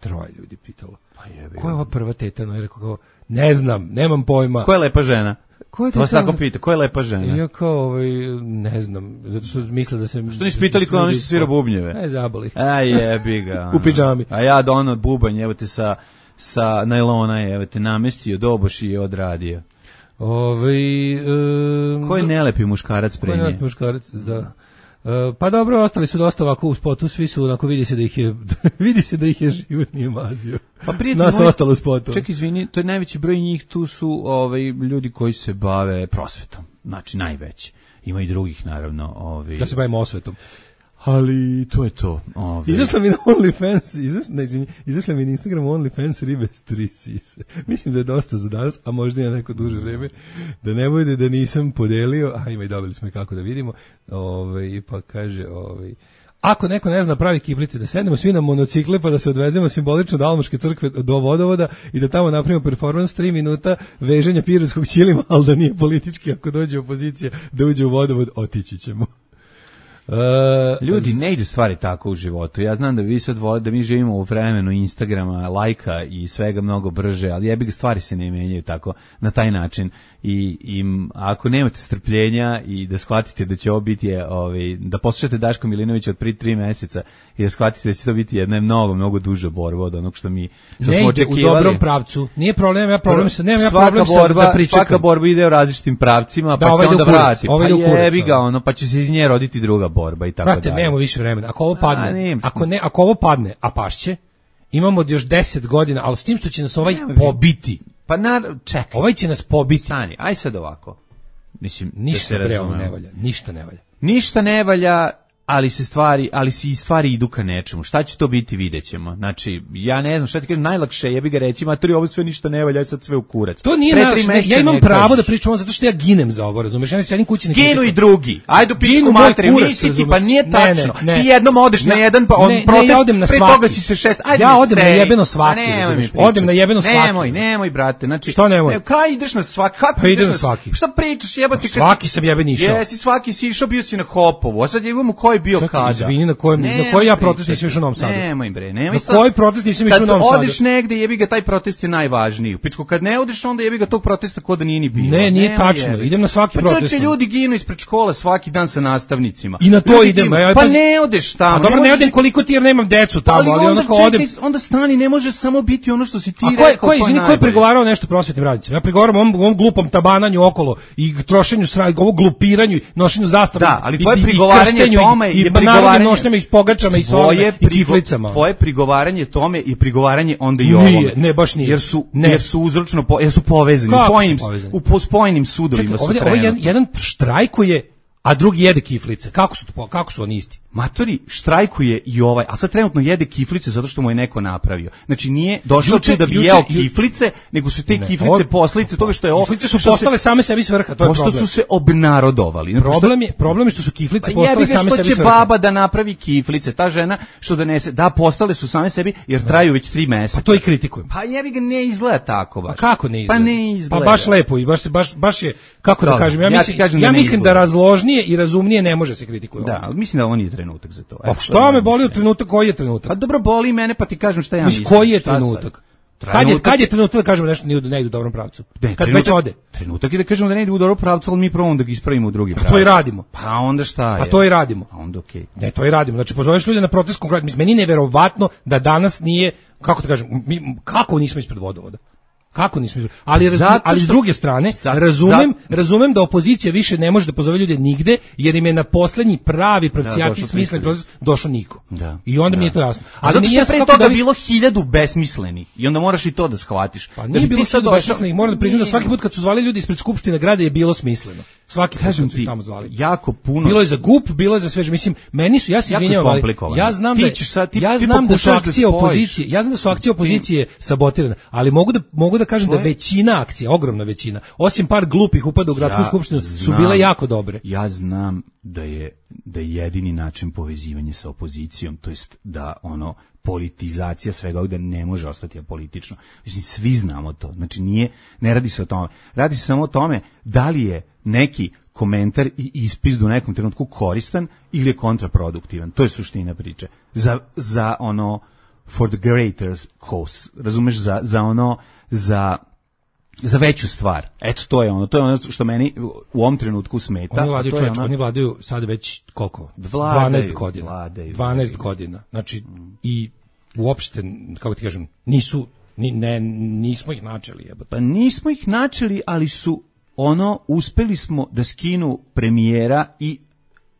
Speaker 4: troje ljudi pitalo. Pa jebi. Ko je ova prva teta? No, je rekao kao, ne znam, nemam pojma.
Speaker 5: Ko je lepa žena? Ko je to se tako pita, ko je lepa žena?
Speaker 4: Ja kao, ovaj, ne znam, zato što misle da se...
Speaker 5: Što nisi pitali ko ono što svira bubnjeve?
Speaker 4: Ne, zaboli.
Speaker 5: A jebi ga.
Speaker 4: U pidžami.
Speaker 5: A ja da ono bubanj, evo te sa, sa najlona, evo te namestio, doboš i odradio.
Speaker 4: Ovaj um,
Speaker 5: ko je nelepi muškarac pre nje? Ko je
Speaker 4: nelepi muškarac, da. Uh, pa dobro, ostali su dosta ovako u spotu, svi su onako, vidi se da ih je vidi se da ih je život nije mazio.
Speaker 5: Pa prijatelj
Speaker 4: nas
Speaker 5: moj,
Speaker 4: ostalo u spotu.
Speaker 5: Ček, izvini, to je najveći broj njih, tu su ovaj ljudi koji se bave prosvetom. Znači najveći. Ima i drugih naravno, ovaj.
Speaker 4: Ja se bavim osvetom.
Speaker 5: Ali to je to. Ove.
Speaker 4: Izašla mi na OnlyFans, izašla, ne, izvini, izašla mi na Instagram OnlyFans ribe s tri sise. Mislim da je dosta za danas, a možda je neko duže vreme, da ne bude da nisam podelio, a ima i dobili smo i kako da vidimo, ove, pa kaže, ove, ako neko ne zna pravi kiflice, da sednemo svi na monocikle pa da se odvezemo simbolično do Almoške crkve do vodovoda i da tamo napravimo performans tri minuta veženja pirotskog ćilima, ali da nije politički, ako dođe opozicija da uđe u vodovod, otići ćemo.
Speaker 5: Uh, Ljudi, ne idu stvari tako u životu. Ja znam da vi sad volite, da mi živimo u vremenu Instagrama, lajka i svega mnogo brže, ali jebi ga, stvari se ne menjaju tako na taj način. I, i ako nemate strpljenja i da shvatite da će ovo biti, ovaj, da poslušate Daško Milinovića od prije tri meseca i da shvatite da će to biti jedna mnogo, mnogo duža borba od onog što mi što
Speaker 4: ne
Speaker 5: smo
Speaker 4: ide
Speaker 5: očekivali.
Speaker 4: U dobrom pravcu. Nije problem, ja problem sa, nemam ja
Speaker 5: svaka
Speaker 4: problem
Speaker 5: borba,
Speaker 4: sa da pričekam.
Speaker 5: Svaka borba ide u različitim pravcima,
Speaker 4: da,
Speaker 5: pa
Speaker 4: ovaj
Speaker 5: se onda
Speaker 4: kurac,
Speaker 5: vrati.
Speaker 4: ovaj
Speaker 5: Pa jebi ga ono, pa će se iz nje roditi druga borba i tako
Speaker 4: Brate,
Speaker 5: dalje.
Speaker 4: nemamo više vremena. Ako ovo padne, a, ako ne, ako ovo padne, a pašće, imamo još deset godina, ali s tim što će nas ovaj ne, pobiti.
Speaker 5: Pa na, čekaj.
Speaker 4: Ovaj će nas pobiti.
Speaker 5: Stani, aj sad ovako. Mislim,
Speaker 4: ništa
Speaker 5: da se
Speaker 4: ne valja, ništa ne valja.
Speaker 5: Ništa ne valja, ali se stvari, ali se i stvari idu ka nečemu. Šta će to biti, videćemo. Znači, ja ne znam šta ti kažem, najlakše je bi ga reći, matori, ovo sve ništa ne valja, sad sve u kurac.
Speaker 4: To nije naš, ja imam pravo kažeš da pričam ovo zato što ja ginem za ovo, razumeš? Ja ne sedim kući,
Speaker 5: ginu i drugi. Ajde u pičku materi, nisi ti, pa nije tačno.
Speaker 4: Ne, ne,
Speaker 5: ti jednom odeš
Speaker 4: ne,
Speaker 5: na jedan pa on
Speaker 4: ne,
Speaker 5: protest,
Speaker 4: ne, ja odem na
Speaker 5: pre
Speaker 4: svaki.
Speaker 5: toga si se šest. Ajde,
Speaker 4: ja odem na jebeno svaki, odem na jebeno svaki.
Speaker 5: Nemoj, nemoj, brate. Znači,
Speaker 4: što nemoj?
Speaker 5: Ne, kaj ideš na svaki? Kako
Speaker 4: pa
Speaker 5: ideš
Speaker 4: na svaki?
Speaker 5: Šta pričaš, jebote?
Speaker 4: Svaki sam jeben išao.
Speaker 5: Jesi, svaki si išao, bio si na Hopovu. A sad imamo koji bio kada.
Speaker 4: Na kojem, na koji ja protest nisam išao u Novom Sadu?
Speaker 5: Nemoj bre, nemoj.
Speaker 4: Na koji protest nisam išao u Novom Sadu?
Speaker 5: Kad odeš negde, jebi ga, taj protest je najvažniji. Pičko, kad ne odeš, onda jebi ga, tog protesta ko da nije ni bilo.
Speaker 4: Ne, nije tačno. Idem na svaki protest.
Speaker 5: Pa čoče, ljudi ginu ispred škola svaki dan sa nastavnicima.
Speaker 4: I na to idem.
Speaker 5: Pa ne odeš tamo.
Speaker 4: A dobro, ne odem koliko ti jer nemam decu tamo, ali onako odem.
Speaker 5: Onda stani, ne može samo biti ono što si ti
Speaker 4: rekao. A ko je, izvini, ko je pregovarao nešto prosvetnim radnicima? Ja pregovaram o ovom glupom tabananju okolo i trošenju sranja, ovo glupiranju, nošenju zastava.
Speaker 5: Da, ali tvoje prigovaranje tome
Speaker 4: je prigovaranje nošnjama i pogačama i solama i kiflicama.
Speaker 5: Tvoje prigovaranje tome i prigovaranje onda i ovome.
Speaker 4: Nije, ne, baš nije.
Speaker 5: Jer su, ne. jer su uzročno, po, jer su povezani.
Speaker 4: Kako
Speaker 5: spojenim,
Speaker 4: su povezani?
Speaker 5: U po spojenim sudovima
Speaker 4: Čekaj,
Speaker 5: su
Speaker 4: ovdje,
Speaker 5: trenutno.
Speaker 4: Ovaj jedan štrajkuje, a drugi jede kiflice. Kako su to, kako su oni isti?
Speaker 5: Matori, štrajkuje i ovaj, a sad trenutno jede kiflice zato što mu je neko napravio. Znači nije došao tu da bi jeo kiflice, nego su te ne, kiflice posljedice toga što je ovo.
Speaker 4: Kiflice su postale se, same sebi svrha, to je problem.
Speaker 5: Pošto su se obnarodovali.
Speaker 4: Problem je, problem je što su kiflice
Speaker 5: pa
Speaker 4: postale same sebi svrha.
Speaker 5: Što će baba da napravi kiflice, ta žena što donese, da postale su same sebi jer traju već tri meseca.
Speaker 4: Pa to i kritikujem.
Speaker 5: Pa jebi ga, ne izgleda tako baš.
Speaker 4: A kako ne izgleda?
Speaker 5: Pa ne izgleda.
Speaker 4: Pa baš lepo i baš baš baš je kako da kažem, ja mislim ja, ja mislim da razložnije i razumnije ne može se kritikuje.
Speaker 5: Da, ali mislim da on je trenutak za to.
Speaker 4: Šta me boli u trenutak, koji je trenutak?
Speaker 5: Pa dobro, boli mene, pa ti kažem šta ja mislim.
Speaker 4: Koji je trenutak? Kad je, kad je trenutak da kažemo nešto ne, ne ide u dobrom pravcu?
Speaker 5: Ne,
Speaker 4: kad već ode.
Speaker 5: Trenutak je da kažemo da ne ide u dobrom pravcu, ali mi probamo da ga ispravimo u drugi pravac.
Speaker 4: Pa to i radimo.
Speaker 5: Pa onda šta je?
Speaker 4: Pa to i radimo.
Speaker 5: A onda okej.
Speaker 4: Okay. Ne, to i radimo. Znači, pozoveš ljude na protest konkretno. Meni je neverovatno da danas nije, kako da kažem, mi, kako nismo ispred vodovoda? Kako nismo izvoli? Ali, raz, ali s druge strane, zato, razumem, zato, razumem da opozicija više ne može da pozove ljude nigde, jer im je na poslednji pravi pravcijati da, smislen proces došao niko.
Speaker 5: Da,
Speaker 4: I onda
Speaker 5: da.
Speaker 4: mi je to jasno.
Speaker 5: Ali zato što je pre toga da vi... bilo hiljadu besmislenih i onda moraš i to da shvatiš.
Speaker 4: Pa nije da bilo hiljadu besmislenih, moram da priznam da svaki put kad su zvali ljudi ispred Skupštine grada je bilo smisleno. Svaki put su tamo zvali.
Speaker 5: Jako puno.
Speaker 4: Bilo je za G U P, bilo je za sve, mislim, meni su, ja se izvinjavam, ali ja znam da
Speaker 5: sad, ti,
Speaker 4: ja znam da su akcije opozicije, ja znam da su akcije opozicije sabotirane, ali mogu da mogu da kažem da većina akcija, ogromna većina, osim par glupih upada u gradsku ja skupštinu, su bile jako dobre.
Speaker 5: Ja znam da je da je jedini način povezivanja sa opozicijom, to jest da ono politizacija svega ovdje ne može ostati apolitično. Mislim, svi znamo to. Znači, nije, ne radi se o tome. Radi se samo o tome da li je neki komentar i ispis u nekom trenutku koristan ili je kontraproduktivan. To je suština priče. Za, za ono, for the greater cause. Razumeš, za, za ono, za za veću stvar. Eto, to je ono, to je ono što meni u ovom trenutku smeta.
Speaker 4: Oni vladaju, čovječ, ona... oni vladaju sad već koliko?
Speaker 5: Vladaju,
Speaker 4: dvanaest godina.
Speaker 5: Vladaju,
Speaker 4: dvanaest
Speaker 5: vladaju.
Speaker 4: godina. Znači, mm. i uopšte, kako ti kažem, nisu, ni, ne, nismo ih načeli. Jebate.
Speaker 5: Pa nismo ih načeli, ali su ono, uspeli smo da skinu premijera i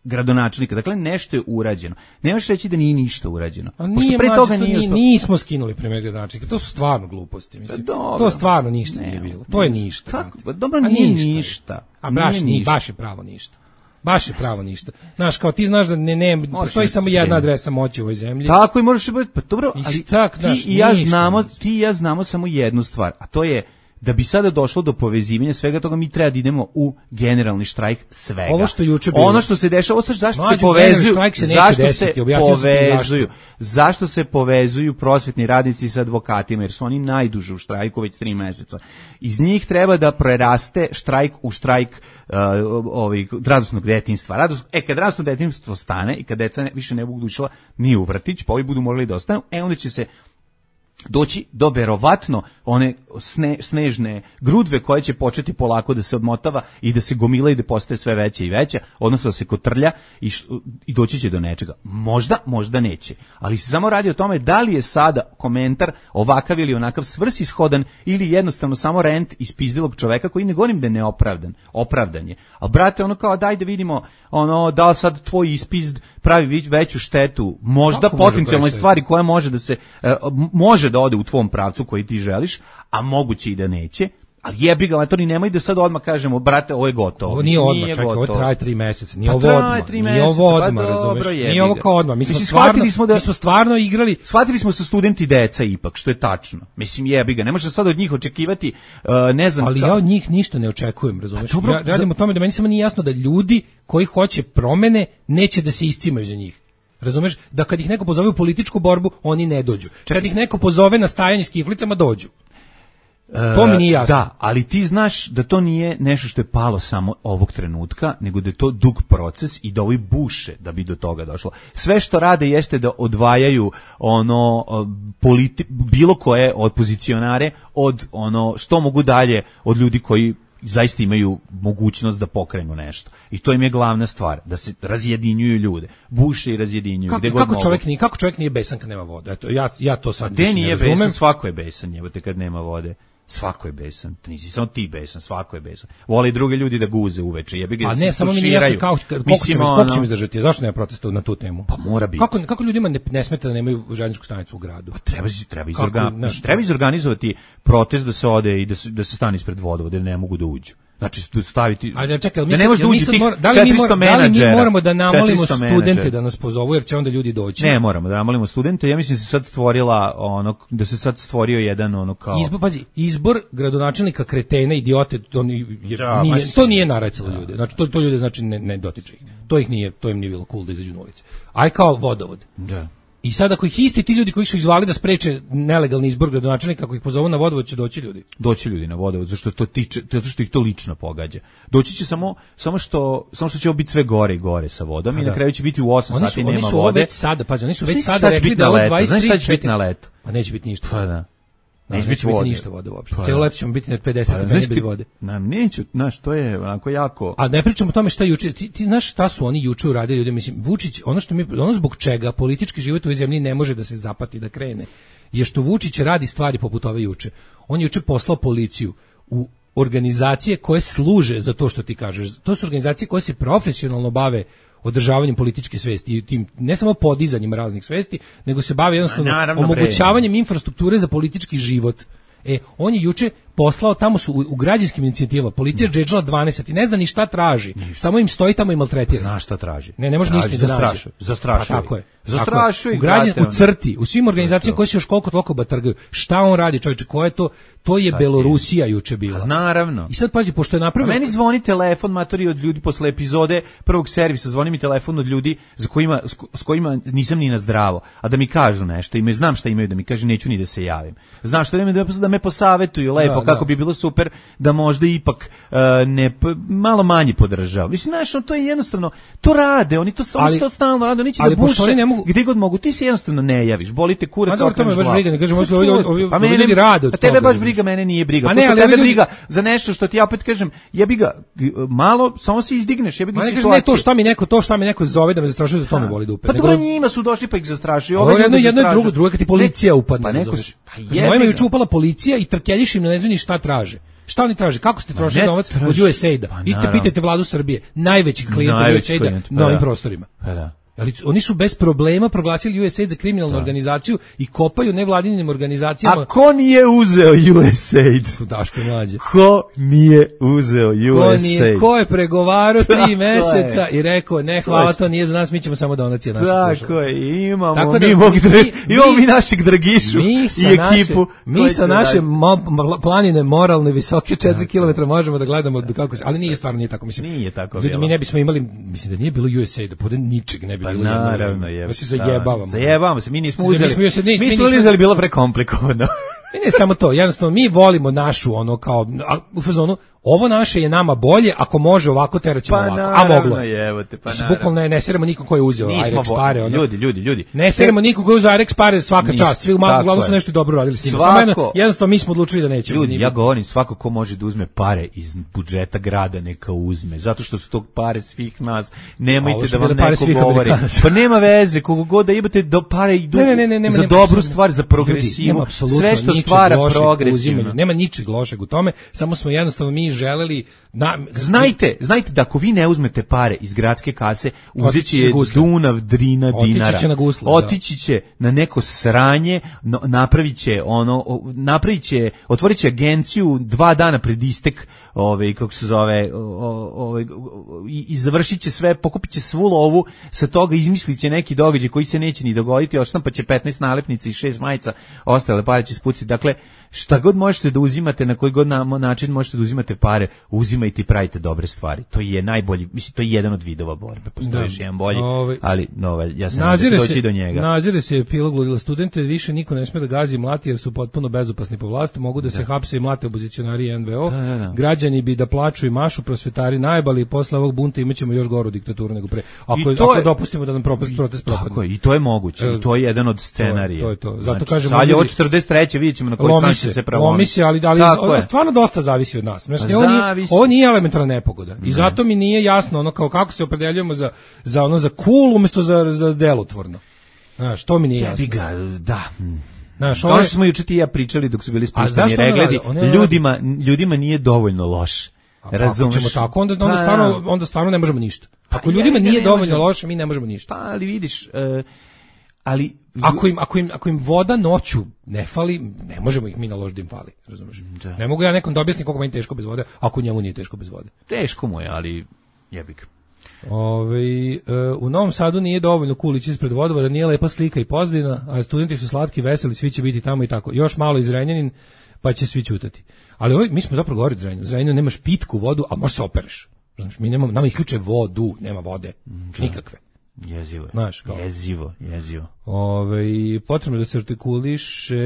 Speaker 5: gradonačelnika. Dakle, nešto je urađeno. Nemaš reći da nije ništa urađeno.
Speaker 4: A nije, pre toga nije to nismo skinuli premijer gradonačelnika. To su stvarno gluposti. Mislim.
Speaker 5: Dobro,
Speaker 4: to stvarno ništa
Speaker 5: ne,
Speaker 4: nije bilo. To je ništa.
Speaker 5: Kako? Pa, dobro, nije ništa. ništa.
Speaker 4: A baš, nije baš je pravo ništa. Baš je pravo ništa. Znaš, kao ti znaš da ne, ne postoji samo jedna adresa moći u ovoj zemlji.
Speaker 5: Tako i možeš biti, pa dobro, ali tak, ti, i ja znamo, ti i ja znamo samo jednu stvar, a to je da bi sada došlo do povezivanja svega toga, mi treba da idemo u generalni štrajk svega.
Speaker 4: Ovo što juče bilo.
Speaker 5: Ono što se dešava, sad zašto Mlađu, se povezuju, se zašto desiti, se povezuju, zašto. zašto se povezuju prosvetni radnici sa advokatima, jer su oni najduže u štrajku već tri meseca. Iz njih treba da preraste štrajk u štrajk uh, ovih radosnog detinjstva. Rados, e, kad radosno detinjstvo stane i kad deca ne, više ne budu išla ni u vrtić, pa ovi budu morali da ostanu, e onda će se doći do verovatno one sne, snežne grudve koje će početi polako da se odmotava i da se gomila i da postaje sve veća i veća, odnosno da se kotrlja i, š, i doći će do nečega. Možda, možda neće. Ali se samo radi o tome da li je sada komentar ovakav ili onakav svrsishodan ili jednostavno samo rent ispizdilog čoveka koji ne govorim da je neopravdan. Opravdan je. Ali brate, ono kao daj da vidimo ono, da li sad tvoj ispizd pravi veću štetu, možda potencijalnoj stvari koja može da se uh, može da ode u tvom pravcu koji ti želiš, a moguće i da neće. Ali jebi ga, to ni nemoj da sad odmah kažemo, brate, ovo je gotovo.
Speaker 4: Ovo nije odmah, čekaj, ovo traje tri meseca, nije pa ovo odmah, nije ovo odmah, pa razumeš, dobro, nije ovo kao odmah. Mi smo, mislim, stvarno, smo da, mi smo stvarno igrali.
Speaker 5: Shvatili smo sa studenti deca ipak, što je tačno. Mislim, jebi ga, ne možeš sad od njih očekivati, uh, ne znam.
Speaker 4: Ali ka... ja od njih ništa ne očekujem, razumeš. Dobro, ja radim za... o tome da meni samo nije jasno da ljudi koji hoće promene neće da se iscimaju za njih. Razumeš? Da kad ih neko pozove u političku borbu, oni ne dođu. Čekaj. Kad ih neko pozove na stajanje s kiflicama, dođu. To mi nije jasno.
Speaker 5: Da, ali ti znaš da to nije nešto što je palo samo ovog trenutka, nego da je to dug proces i da ovi buše da bi do toga došlo. Sve što rade jeste da odvajaju ono politi- bilo koje opozicionare od ono što mogu dalje od ljudi koji zaista imaju mogućnost da pokrenu nešto. I to im je glavna stvar, da se razjedinjuju ljude. Buše i razjedinjuju.
Speaker 4: Kako,
Speaker 5: gde
Speaker 4: kako
Speaker 5: god
Speaker 4: čovjek nije, kako čovjek nije besan kad nema vode? Eto, ja, ja to sad
Speaker 5: više
Speaker 4: ne razumem.
Speaker 5: Gde nije besan, svako je besan, jebote, kad nema vode. Svako je besan. Nisi samo ti besan, svako je besan. Vole i drugi ljudi da guze uveče. Jebi ga.
Speaker 4: A ne, samo mi nije jasno kako koliko ćemo koliko ćemo izdržati. Zašto nema protesta na tu temu?
Speaker 5: Pa mora biti.
Speaker 4: Kako kako ljudima ne, ne smeta da nemaju željezničku stanicu u gradu?
Speaker 5: Pa treba treba izorganizovati, treba izorganizovati protest da se ode i da se da se stane ispred vodovoda, da ne mogu da uđu. Znači staviti.
Speaker 4: Ajde, čekaj, da ne možeš ući tih da li mi moramo, da li mi moramo da namolimo studente da nas pozovu jer će onda ljudi doći.
Speaker 5: Ne moramo da namolimo studente. Ja mislim da se sad stvorila ono da se sad stvorio jedan ono kao
Speaker 4: izbor, pazi, izbor gradonačelnika kretena, idiote, to nije, ja, nije to nije naracilo ljude. Znači to to ljude znači ne, ne dotiče ih. To ih nije, to im nije bilo cool da izađu na ulicu. Aj kao vodovod.
Speaker 5: Da.
Speaker 4: I sad ako ih isti ti ljudi koji su izvali da spreče nelegalni izbor gradonačelnika, ako ih pozovu na vodovod, će doći ljudi.
Speaker 5: Doći ljudi na vodovod, zato što to tiče, zato što ih to lično pogađa. Doći će samo samo što samo što će biti sve gore i gore sa vodom i na kraju će biti u osam sati nema vode.
Speaker 4: Oni su ovo već sada, pa oni su već sada rekli da ovo dvadeset tri,
Speaker 5: znaš šta će biti na letu?
Speaker 4: Pa neće biti ništa.
Speaker 5: Pa da.
Speaker 4: Neće biti ništa vode uopšte. Cijelo leto ćemo biti na pedeset stepeni bez vode.
Speaker 5: Nam neću, znaš, to je onako jako.
Speaker 4: A ne pričamo o tome šta juče, ti, ti znaš šta su oni juče uradili ljudi, mislim, Vučić, ono što mi, ono zbog čega politički život u ovoj zemlji ne može da se zapati da krene, je što Vučić radi stvari poput ove juče. on je juče poslao policiju u organizacije koje služe za to što ti kažeš. To su organizacije koje se profesionalno bave održavanjem političke svesti i tim ne samo podizanjem raznih svesti, nego se bave jednostavno naravno, omogućavanjem bre. infrastrukture za politički život. E, on je juče poslao, tamo su u, u građanskim inicijativama, policija džedžala dvanaest i ne zna ni šta traži, ništa. Samo im stoji tamo i maltretira.
Speaker 5: Zna šta traži.
Speaker 4: Ne, ne može ništa da
Speaker 5: zastrašuje. Zastrašuje.
Speaker 4: Tako je.
Speaker 5: Zastrašuje.
Speaker 4: U, građan, u crti, u svim organizacijama koje se još koliko toliko batrgaju. Šta on radi, čovječe, ko je to? To je Belorusija juče bila.
Speaker 5: Naravno.
Speaker 4: I sad pazi, pošto je napravio...
Speaker 5: A meni zvoni telefon, matori, od ljudi posle epizode prvog servisa, zvoni mi telefon od ljudi za kojima, s kojima nisam ni na zdravo, a da mi kažu nešto, imaju, znam šta imaju da mi kaže, neću ni da se javim. Znam šta imaju da, da me posavetuju lepo, da, kako da. bi bilo super da možda ipak uh, ne, malo manje podržava. Mislim, znaš, to je jednostavno, to rade, oni to, ali, oni to stalno rade, oni će da buše, ne mogu... gde god mogu, ti se jednostavno ne javiš, bolite kurac, okreneš glavu.
Speaker 4: Pa mene ljudi rade od
Speaker 5: tebe baš briga, mene nije briga. A ne, ali tebe briga za nešto što ti ja opet kažem, jebi ga malo, samo se izdigneš, jebi ga situacija.
Speaker 4: Ne, to šta mi neko, to šta mi neko zove da me zastrašuje, za to me boli dupe.
Speaker 5: Pa dobro, njima su došli pa ih zastrašuju.
Speaker 4: Ovo jedno jedno i drugo, drugo kad ti policija upadne.
Speaker 5: Pa neko,
Speaker 4: pa je čupala policija i trkeljiš im, ne znaju ni šta traže. Šta oni traže? Kako ste trošili novac od U S A I D-a? Idite pitajte vladu Srbije, najveći klijent U S A I D-a na ovim prostorima.
Speaker 5: Pa da.
Speaker 4: Ali oni su bez problema proglasili U S A I D za kriminalnu da. organizaciju i kopaju nevladinim organizacijama.
Speaker 5: A ko nije uzeo U S A I D?
Speaker 4: Daško mlađe.
Speaker 5: Ko nije uzeo U
Speaker 4: ko
Speaker 5: S A I D?
Speaker 4: Nije, ko je pregovarao tri meseca i rekao ne, hvala, to nije za nas, mi ćemo samo donacije naše slušalce.
Speaker 5: Tako je, imamo, Tako da, mi, mi, dra, mi, imamo mi našeg Dragišu mi i ekipu.
Speaker 4: Naše, mi sa naše mo, planine moralne visoke četiri kilometra možemo da gledamo kako se, ali nije stvarno nije tako. Mislim,
Speaker 5: nije tako
Speaker 4: ljudi, mi ne bismo imali, mislim da nije bilo U S A I D-a, pored ničeg ne bi
Speaker 5: pa
Speaker 4: bilo.
Speaker 5: Naravno je.
Speaker 4: Mi se zajebavamo.
Speaker 5: Zajebavamo se, mi nismo uzeli.
Speaker 4: Mi, mi,
Speaker 5: mi smo uzeli bilo prekomplikovano.
Speaker 4: I ne samo to, jednostavno mi volimo našu ono kao u fazonu ovo naše je nama bolje, ako može ovako teraćemo
Speaker 5: pa
Speaker 4: ovako, a moglo.
Speaker 5: Je, te, pa
Speaker 4: bukvalno ne, ne seremo nikom ko je uzeo Irex pare. Ono.
Speaker 5: Ljudi, ljudi, ljudi.
Speaker 4: Ne seremo nikom ko je uzeo Irex pare, svaka Ništa, čast. Svi uglavnom su nešto dobro radili s njima. Samo jedno, jednostavno mi smo odlučili da nećemo.
Speaker 5: Ljudi, ja govorim, svako ko može da uzme pare iz budžeta grada, neka uzme. Zato što su to pare svih nas. Nemojte da vam neko govori. Pa nema veze, kogo god da imate do pare idu
Speaker 4: ne, ne, ne, ne,
Speaker 5: za
Speaker 4: nema,
Speaker 5: dobru
Speaker 4: nema,
Speaker 5: stvar, za progresivu. Sve što stvara progresivno.
Speaker 4: Nema ničeg lošeg u tome, samo smo jednostavno mi želeli na,
Speaker 5: znajte, znajte da ako vi ne uzmete pare iz gradske kase, uzeći je Dunav, Drina, Dinara.
Speaker 4: Otići će na gusle.
Speaker 5: Otići će na neko sranje, no, napravit će ono, napravit će, otvorit će agenciju dva dana pred istek, ovaj, kako se zove, ovaj, i, i završit će sve, pokupit će svu lovu, sa toga izmislit će neki događaj koji se neće ni dogoditi, odštampat će petnaest nalepnica i šest majica, ostale pare će spuciti. Dakle, šta god možete da uzimate, na koji god način možete da uzimate pare, uzimajte i pravite dobre stvari. To je najbolji, mislim, to je jedan od vidova borbe. Postoji još jedan bolji, Ove, ali no, ja sam ne da doći do njega.
Speaker 4: Nazire se epilog ludila studente, više niko ne sme da gazi i mlati jer su potpuno bezopasni po vlasti, mogu da, da. se hapse i mlate opozicionari i N V O. Da, da, da. Građani bi da plaču i mašu, prosvetari najbali, posle ovog bunta imaćemo još goru diktaturu nego pre. Ako, ako je, dopustimo da nam propast, protest propadne.
Speaker 5: Tako je, i to je moguće, i to je jedan od scenarija.
Speaker 4: To je to. Zato
Speaker 5: znači,
Speaker 4: kažemo,
Speaker 5: sad je od četrdeset treće vidjet ćemo na koji strani će se pravomi.
Speaker 4: Ali, ali, ali stvarno dosta zavisi od nas. Znači, ovo, nije, ovo nije elementarna nepogoda. I zato mi nije jasno ono kao kako se opredeljujemo za, za ono za cool umjesto za, za delotvorno. Znaš, to mi nije jasno.
Speaker 5: Ga, da.
Speaker 4: Znaš,
Speaker 5: kao što smo juče ti ja pričali dok su bili spuštani regledi, ljudima, ljudima nije dovoljno loš. Razumeš?
Speaker 4: Ako ćemo tako, onda, onda, stvarno, onda stvarno ne možemo ništa. Ako ljudima nije dovoljno loše, mi ne možemo ništa.
Speaker 5: Pa, ali vidiš, uh, ali
Speaker 4: Ako im, ako, im, ako im voda noću ne fali, ne možemo ih mi naložiti da im fali, razumiješ? Da. Ne mogu ja nekom da objasnim koliko meni teško bez vode, ako njemu nije teško bez vode.
Speaker 5: Teško mu je, ali jebik.
Speaker 4: Ove, e, u Novom Sadu nije dovoljno kulić ispred vodovora, nije lepa slika i pozadina, a studenti su slatki, veseli, svi će biti tamo i tako. Još malo iz Zrenjanin, pa će svi ćutati. Ali ovaj, mi smo zapravo govorili Zrenjaninu. Zrenjaninu nemaš pitku vodu, a možeš se opereš. Znači, mi nemamo, nama isključe vodu, nema vode, da. Nikakve.
Speaker 5: Jezivo je.
Speaker 4: Znaš, kao.
Speaker 5: Jezivo, jezivo.
Speaker 4: Ove, potrebno da se artikuliše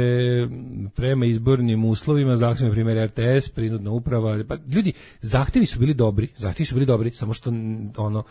Speaker 4: prema izbornim uslovima, zahtjevima, primjer R T S, prinudna uprava. Pa, ljudi, zahtjevi su bili dobri, zahtjevi su bili dobri, samo što ono,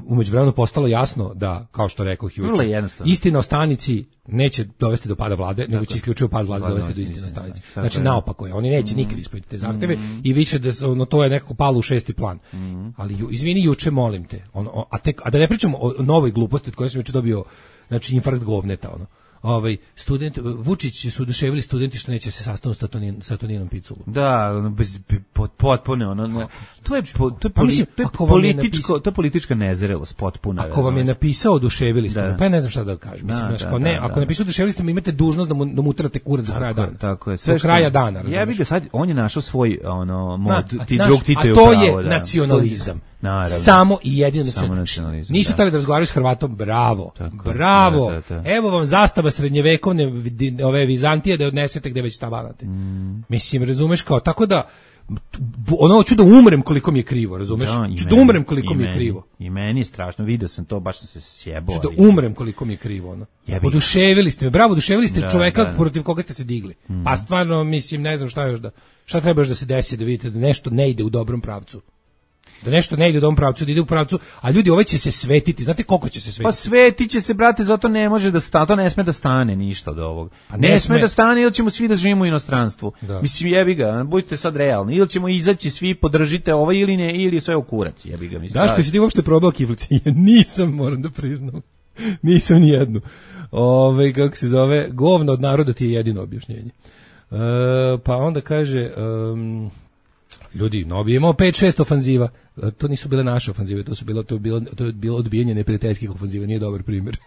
Speaker 4: umeđu vremenu postalo jasno da, kao što rekao juče, istina o stanici neće dovesti do pada vlade, nego će isključivo pad vlade dovesti do istine o stanici. Znači, naopako je, oni neće mm. nikad ispuniti te zahtjeve mm. i više da ono, to je nekako palo u šesti plan. Mm. Ali, ju, izvini, juče, molim te, ono, a, tek, a da ne pričamo o novoj gluposti od koje sam juče dobio, znači, infarkt govneta, ono. ovaj student Vučić su oduševili studenti što neće se sastanu sa Tonin, sa Toninom Piculom.
Speaker 5: Da, bez potpuno ono, ono to je po, to je, poli, mislim, to je političko, to je politička nezrelost potpuna.
Speaker 4: Ako vam je napisao oduševili ste, da. Pa ja ne znam šta da kažem. Mislim, da, da, ne, da, ako da. napisao oduševili ste, imate dužnost da mu da mu utrate kurac do kraja dana.
Speaker 5: Tako je,
Speaker 4: sve do kraja dana.
Speaker 5: Ja bih ga sad, on je našao svoj ono mod,
Speaker 4: da,
Speaker 5: ti drug Tito je
Speaker 4: pravo. A to
Speaker 5: pravo,
Speaker 4: je
Speaker 5: da.
Speaker 4: nacionalizam.
Speaker 5: Naravno.
Speaker 4: Samo i jedino nacionalizam. Nisu tali da razgovaraju s Hrvatom, bravo. Tako, bravo. Da, da, da. Evo vam zastava srednjevekovne ove Vizantije da odnesete gde već tabanate. Mm. Mislim, razumeš kao, tako da ono hoću da umrem koliko mi je krivo, razumeš? Da, ću da umrem koliko mi je krivo.
Speaker 5: I meni je strašno, vidio sam to, baš sam se sjebao.
Speaker 4: Ću da umrem koliko mi je krivo, ono. Oduševili ste me, bravo, oduševili ste da, čoveka da, da. protiv koga ste se digli. Mm. Pa stvarno, mislim, ne znam šta još da, šta treba još da se desi da vidite da nešto ne ide u dobrom pravcu. Da nešto ne ide u dobrom pravcu, da ide u pravcu, a ljudi ovaj će se svetiti. Znate koliko će se svetiti?
Speaker 5: Pa svetiće se, brate, zato ne može da stane, to ne sme da stane ništa od ovog. Pa ne, ne sme da stane, ili ćemo svi da živimo u inostranstvu. Da. Mislim, jebi ga, budite sad realni. Ili ćemo izaći svi, podržite ovo ili ne, ili sve u kurac, jebi ga. Mislim,
Speaker 4: Daško, si ti uopšte probao kiflice? Nisam, moram da priznam. Nisam ni jednu. Ove, kako se zove, govno od naroda ti je jedino objašnjenje. E, pa onda kaže... Um, ljudi, no bi imao pet šest ofanziva. To nisu bile naše ofanzive, to su bilo to je bilo to je bilo odbijanje neprijateljskih ofanziva, nije dobar primjer.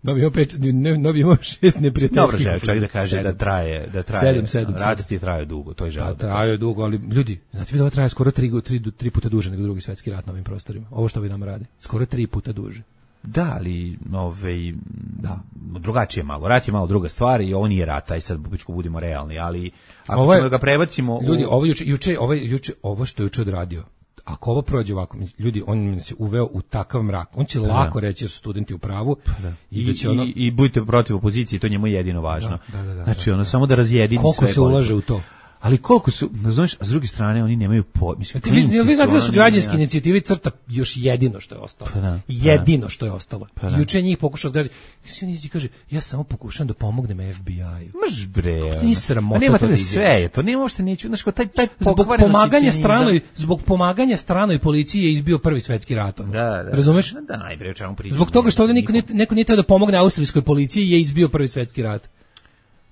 Speaker 4: No bi imao pet, no bi imao šest neprijateljskih.
Speaker 5: Dobro, čovjek da kaže sedam. da traje, da traje.
Speaker 4: sedam, sedam,
Speaker 5: raditi traje dugo, to je žal.
Speaker 4: Da, traje dugo, ali ljudi, znate vi da ovo traje skoro tri puta duže nego Drugi svjetski rat na ovim prostorima. Ovo što vi nam radi, skoro tri puta duže.
Speaker 5: Da, ali ovaj da, drugačije malo. Rat je malo druga stvar i ovo nije rat, aj sad bubičko budemo realni, ali ako ovo je, ćemo ga prebacimo
Speaker 4: ljudi,
Speaker 5: u...
Speaker 4: ovo juče juče ovo juče ovo što je juče odradio. Ako ovo prođe ovako, ljudi, on se uveo u takav mrak. On će da, lako reći da su studenti u pravu
Speaker 5: da.
Speaker 4: i,
Speaker 5: I,
Speaker 4: da će ono...
Speaker 5: i, i budite protiv opozicije, to njemu je jedino važno.
Speaker 4: Da, da, da,
Speaker 5: znači, ono,
Speaker 4: da,
Speaker 5: samo da razjedini
Speaker 4: koliko
Speaker 5: sve.
Speaker 4: Se ulaže u to?
Speaker 5: Ali koliko su, znaš, a s druge strane oni nemaju po, mislim,
Speaker 4: ti vi, vi znate da su građanske inicijative crta još jedino što je ostalo. Pa da, jedino što je ostalo.
Speaker 5: Pa da.
Speaker 4: Juče njih pokušao da kaže, nisi kaže, ja samo pokušam da pomognem F B I-u.
Speaker 5: Maš bre.
Speaker 4: Kako ti nisi sramota?
Speaker 5: Nema to sve je, to nema uopšte neću, znaš, taj taj
Speaker 4: zbog pomaganja stranoj, zbog pomaganja stranoj policiji je izbio Prvi svetski rat.
Speaker 5: Da, da.
Speaker 4: Razumeš?
Speaker 5: Da, najbre, o čemu pričam.
Speaker 4: Zbog toga što ovde niko neko nije teo da pomogne austrijskoj policiji je izbio Prvi svetski rat.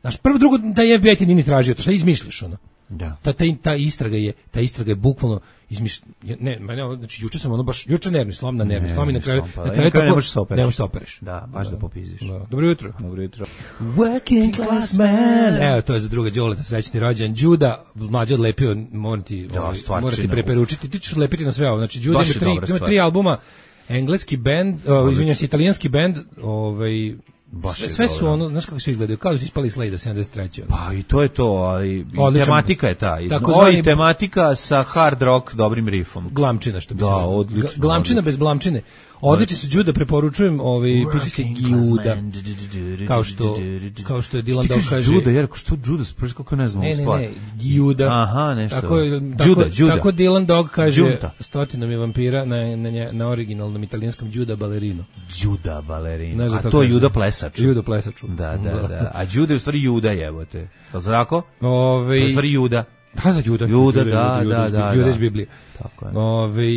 Speaker 4: Znaš, prvo drugo da je F B I ti nije tražio, to šta izmišljaš ono?
Speaker 5: Da.
Speaker 4: Ta, ta, ta istraga je, ta istraga je bukvalno izmiš, ne, ne, znači juče sam ono baš juče nervni slom na nervni slom i na kraju
Speaker 5: na kraju tako, ne možeš se opereš.
Speaker 4: Ne možeš se opereš.
Speaker 5: Da, baš da, da popiziš.
Speaker 4: Da. Dobro jutro.
Speaker 5: Dobro jutro.
Speaker 4: Working class man. Evo, to je za druga Đoleta, srećni rođendan. Đuda, mlađe odlepio, moram ti,
Speaker 5: da,
Speaker 4: ovaj, moram ti preporučiti, ti ćeš lepiti na sve ovo. Znači Đuda ima tri, ima tri albuma, engleski bend, uh, izvinjavam se, italijanski bend, ovaj sve, sve su ono, znaš kako svi izgledaju, kao da su ispali Slade sedamdeset treće
Speaker 5: Pa i to je to, ali odličan, tematika je ta. Oj, tematika sa hard rock dobrim riffom.
Speaker 4: Glamčina što bi
Speaker 5: da,
Speaker 4: se
Speaker 5: odlično.
Speaker 4: Glamčina odlično. Bez blamčine. Odlični su Đuda, preporučujem, ovaj piše se Giuda. Kao što kao što je Dylan Dog kaže.
Speaker 5: Đuda, jer što Đuda, preko kako ne znam stvar.
Speaker 4: Ne, ne, Giuda.
Speaker 5: Aha, nešto.
Speaker 4: Tako
Speaker 5: Đuda, Đuda.
Speaker 4: Tako Dylan Dog kaže stotinama je vampira na na na originalnom italijanskom Đuda Ballerino.
Speaker 5: Đuda Ballerino. A to je Juda plesač.
Speaker 4: Juda plesač.
Speaker 5: Da, da, da. A Đuda je u stvari Juda, jebote. Je li tako?
Speaker 4: Ovaj
Speaker 5: u stvari Juda.
Speaker 4: Da, da, Juda.
Speaker 5: Juda, da, da, da.
Speaker 4: Juda iz Biblije.
Speaker 5: Tako je.
Speaker 4: Ove,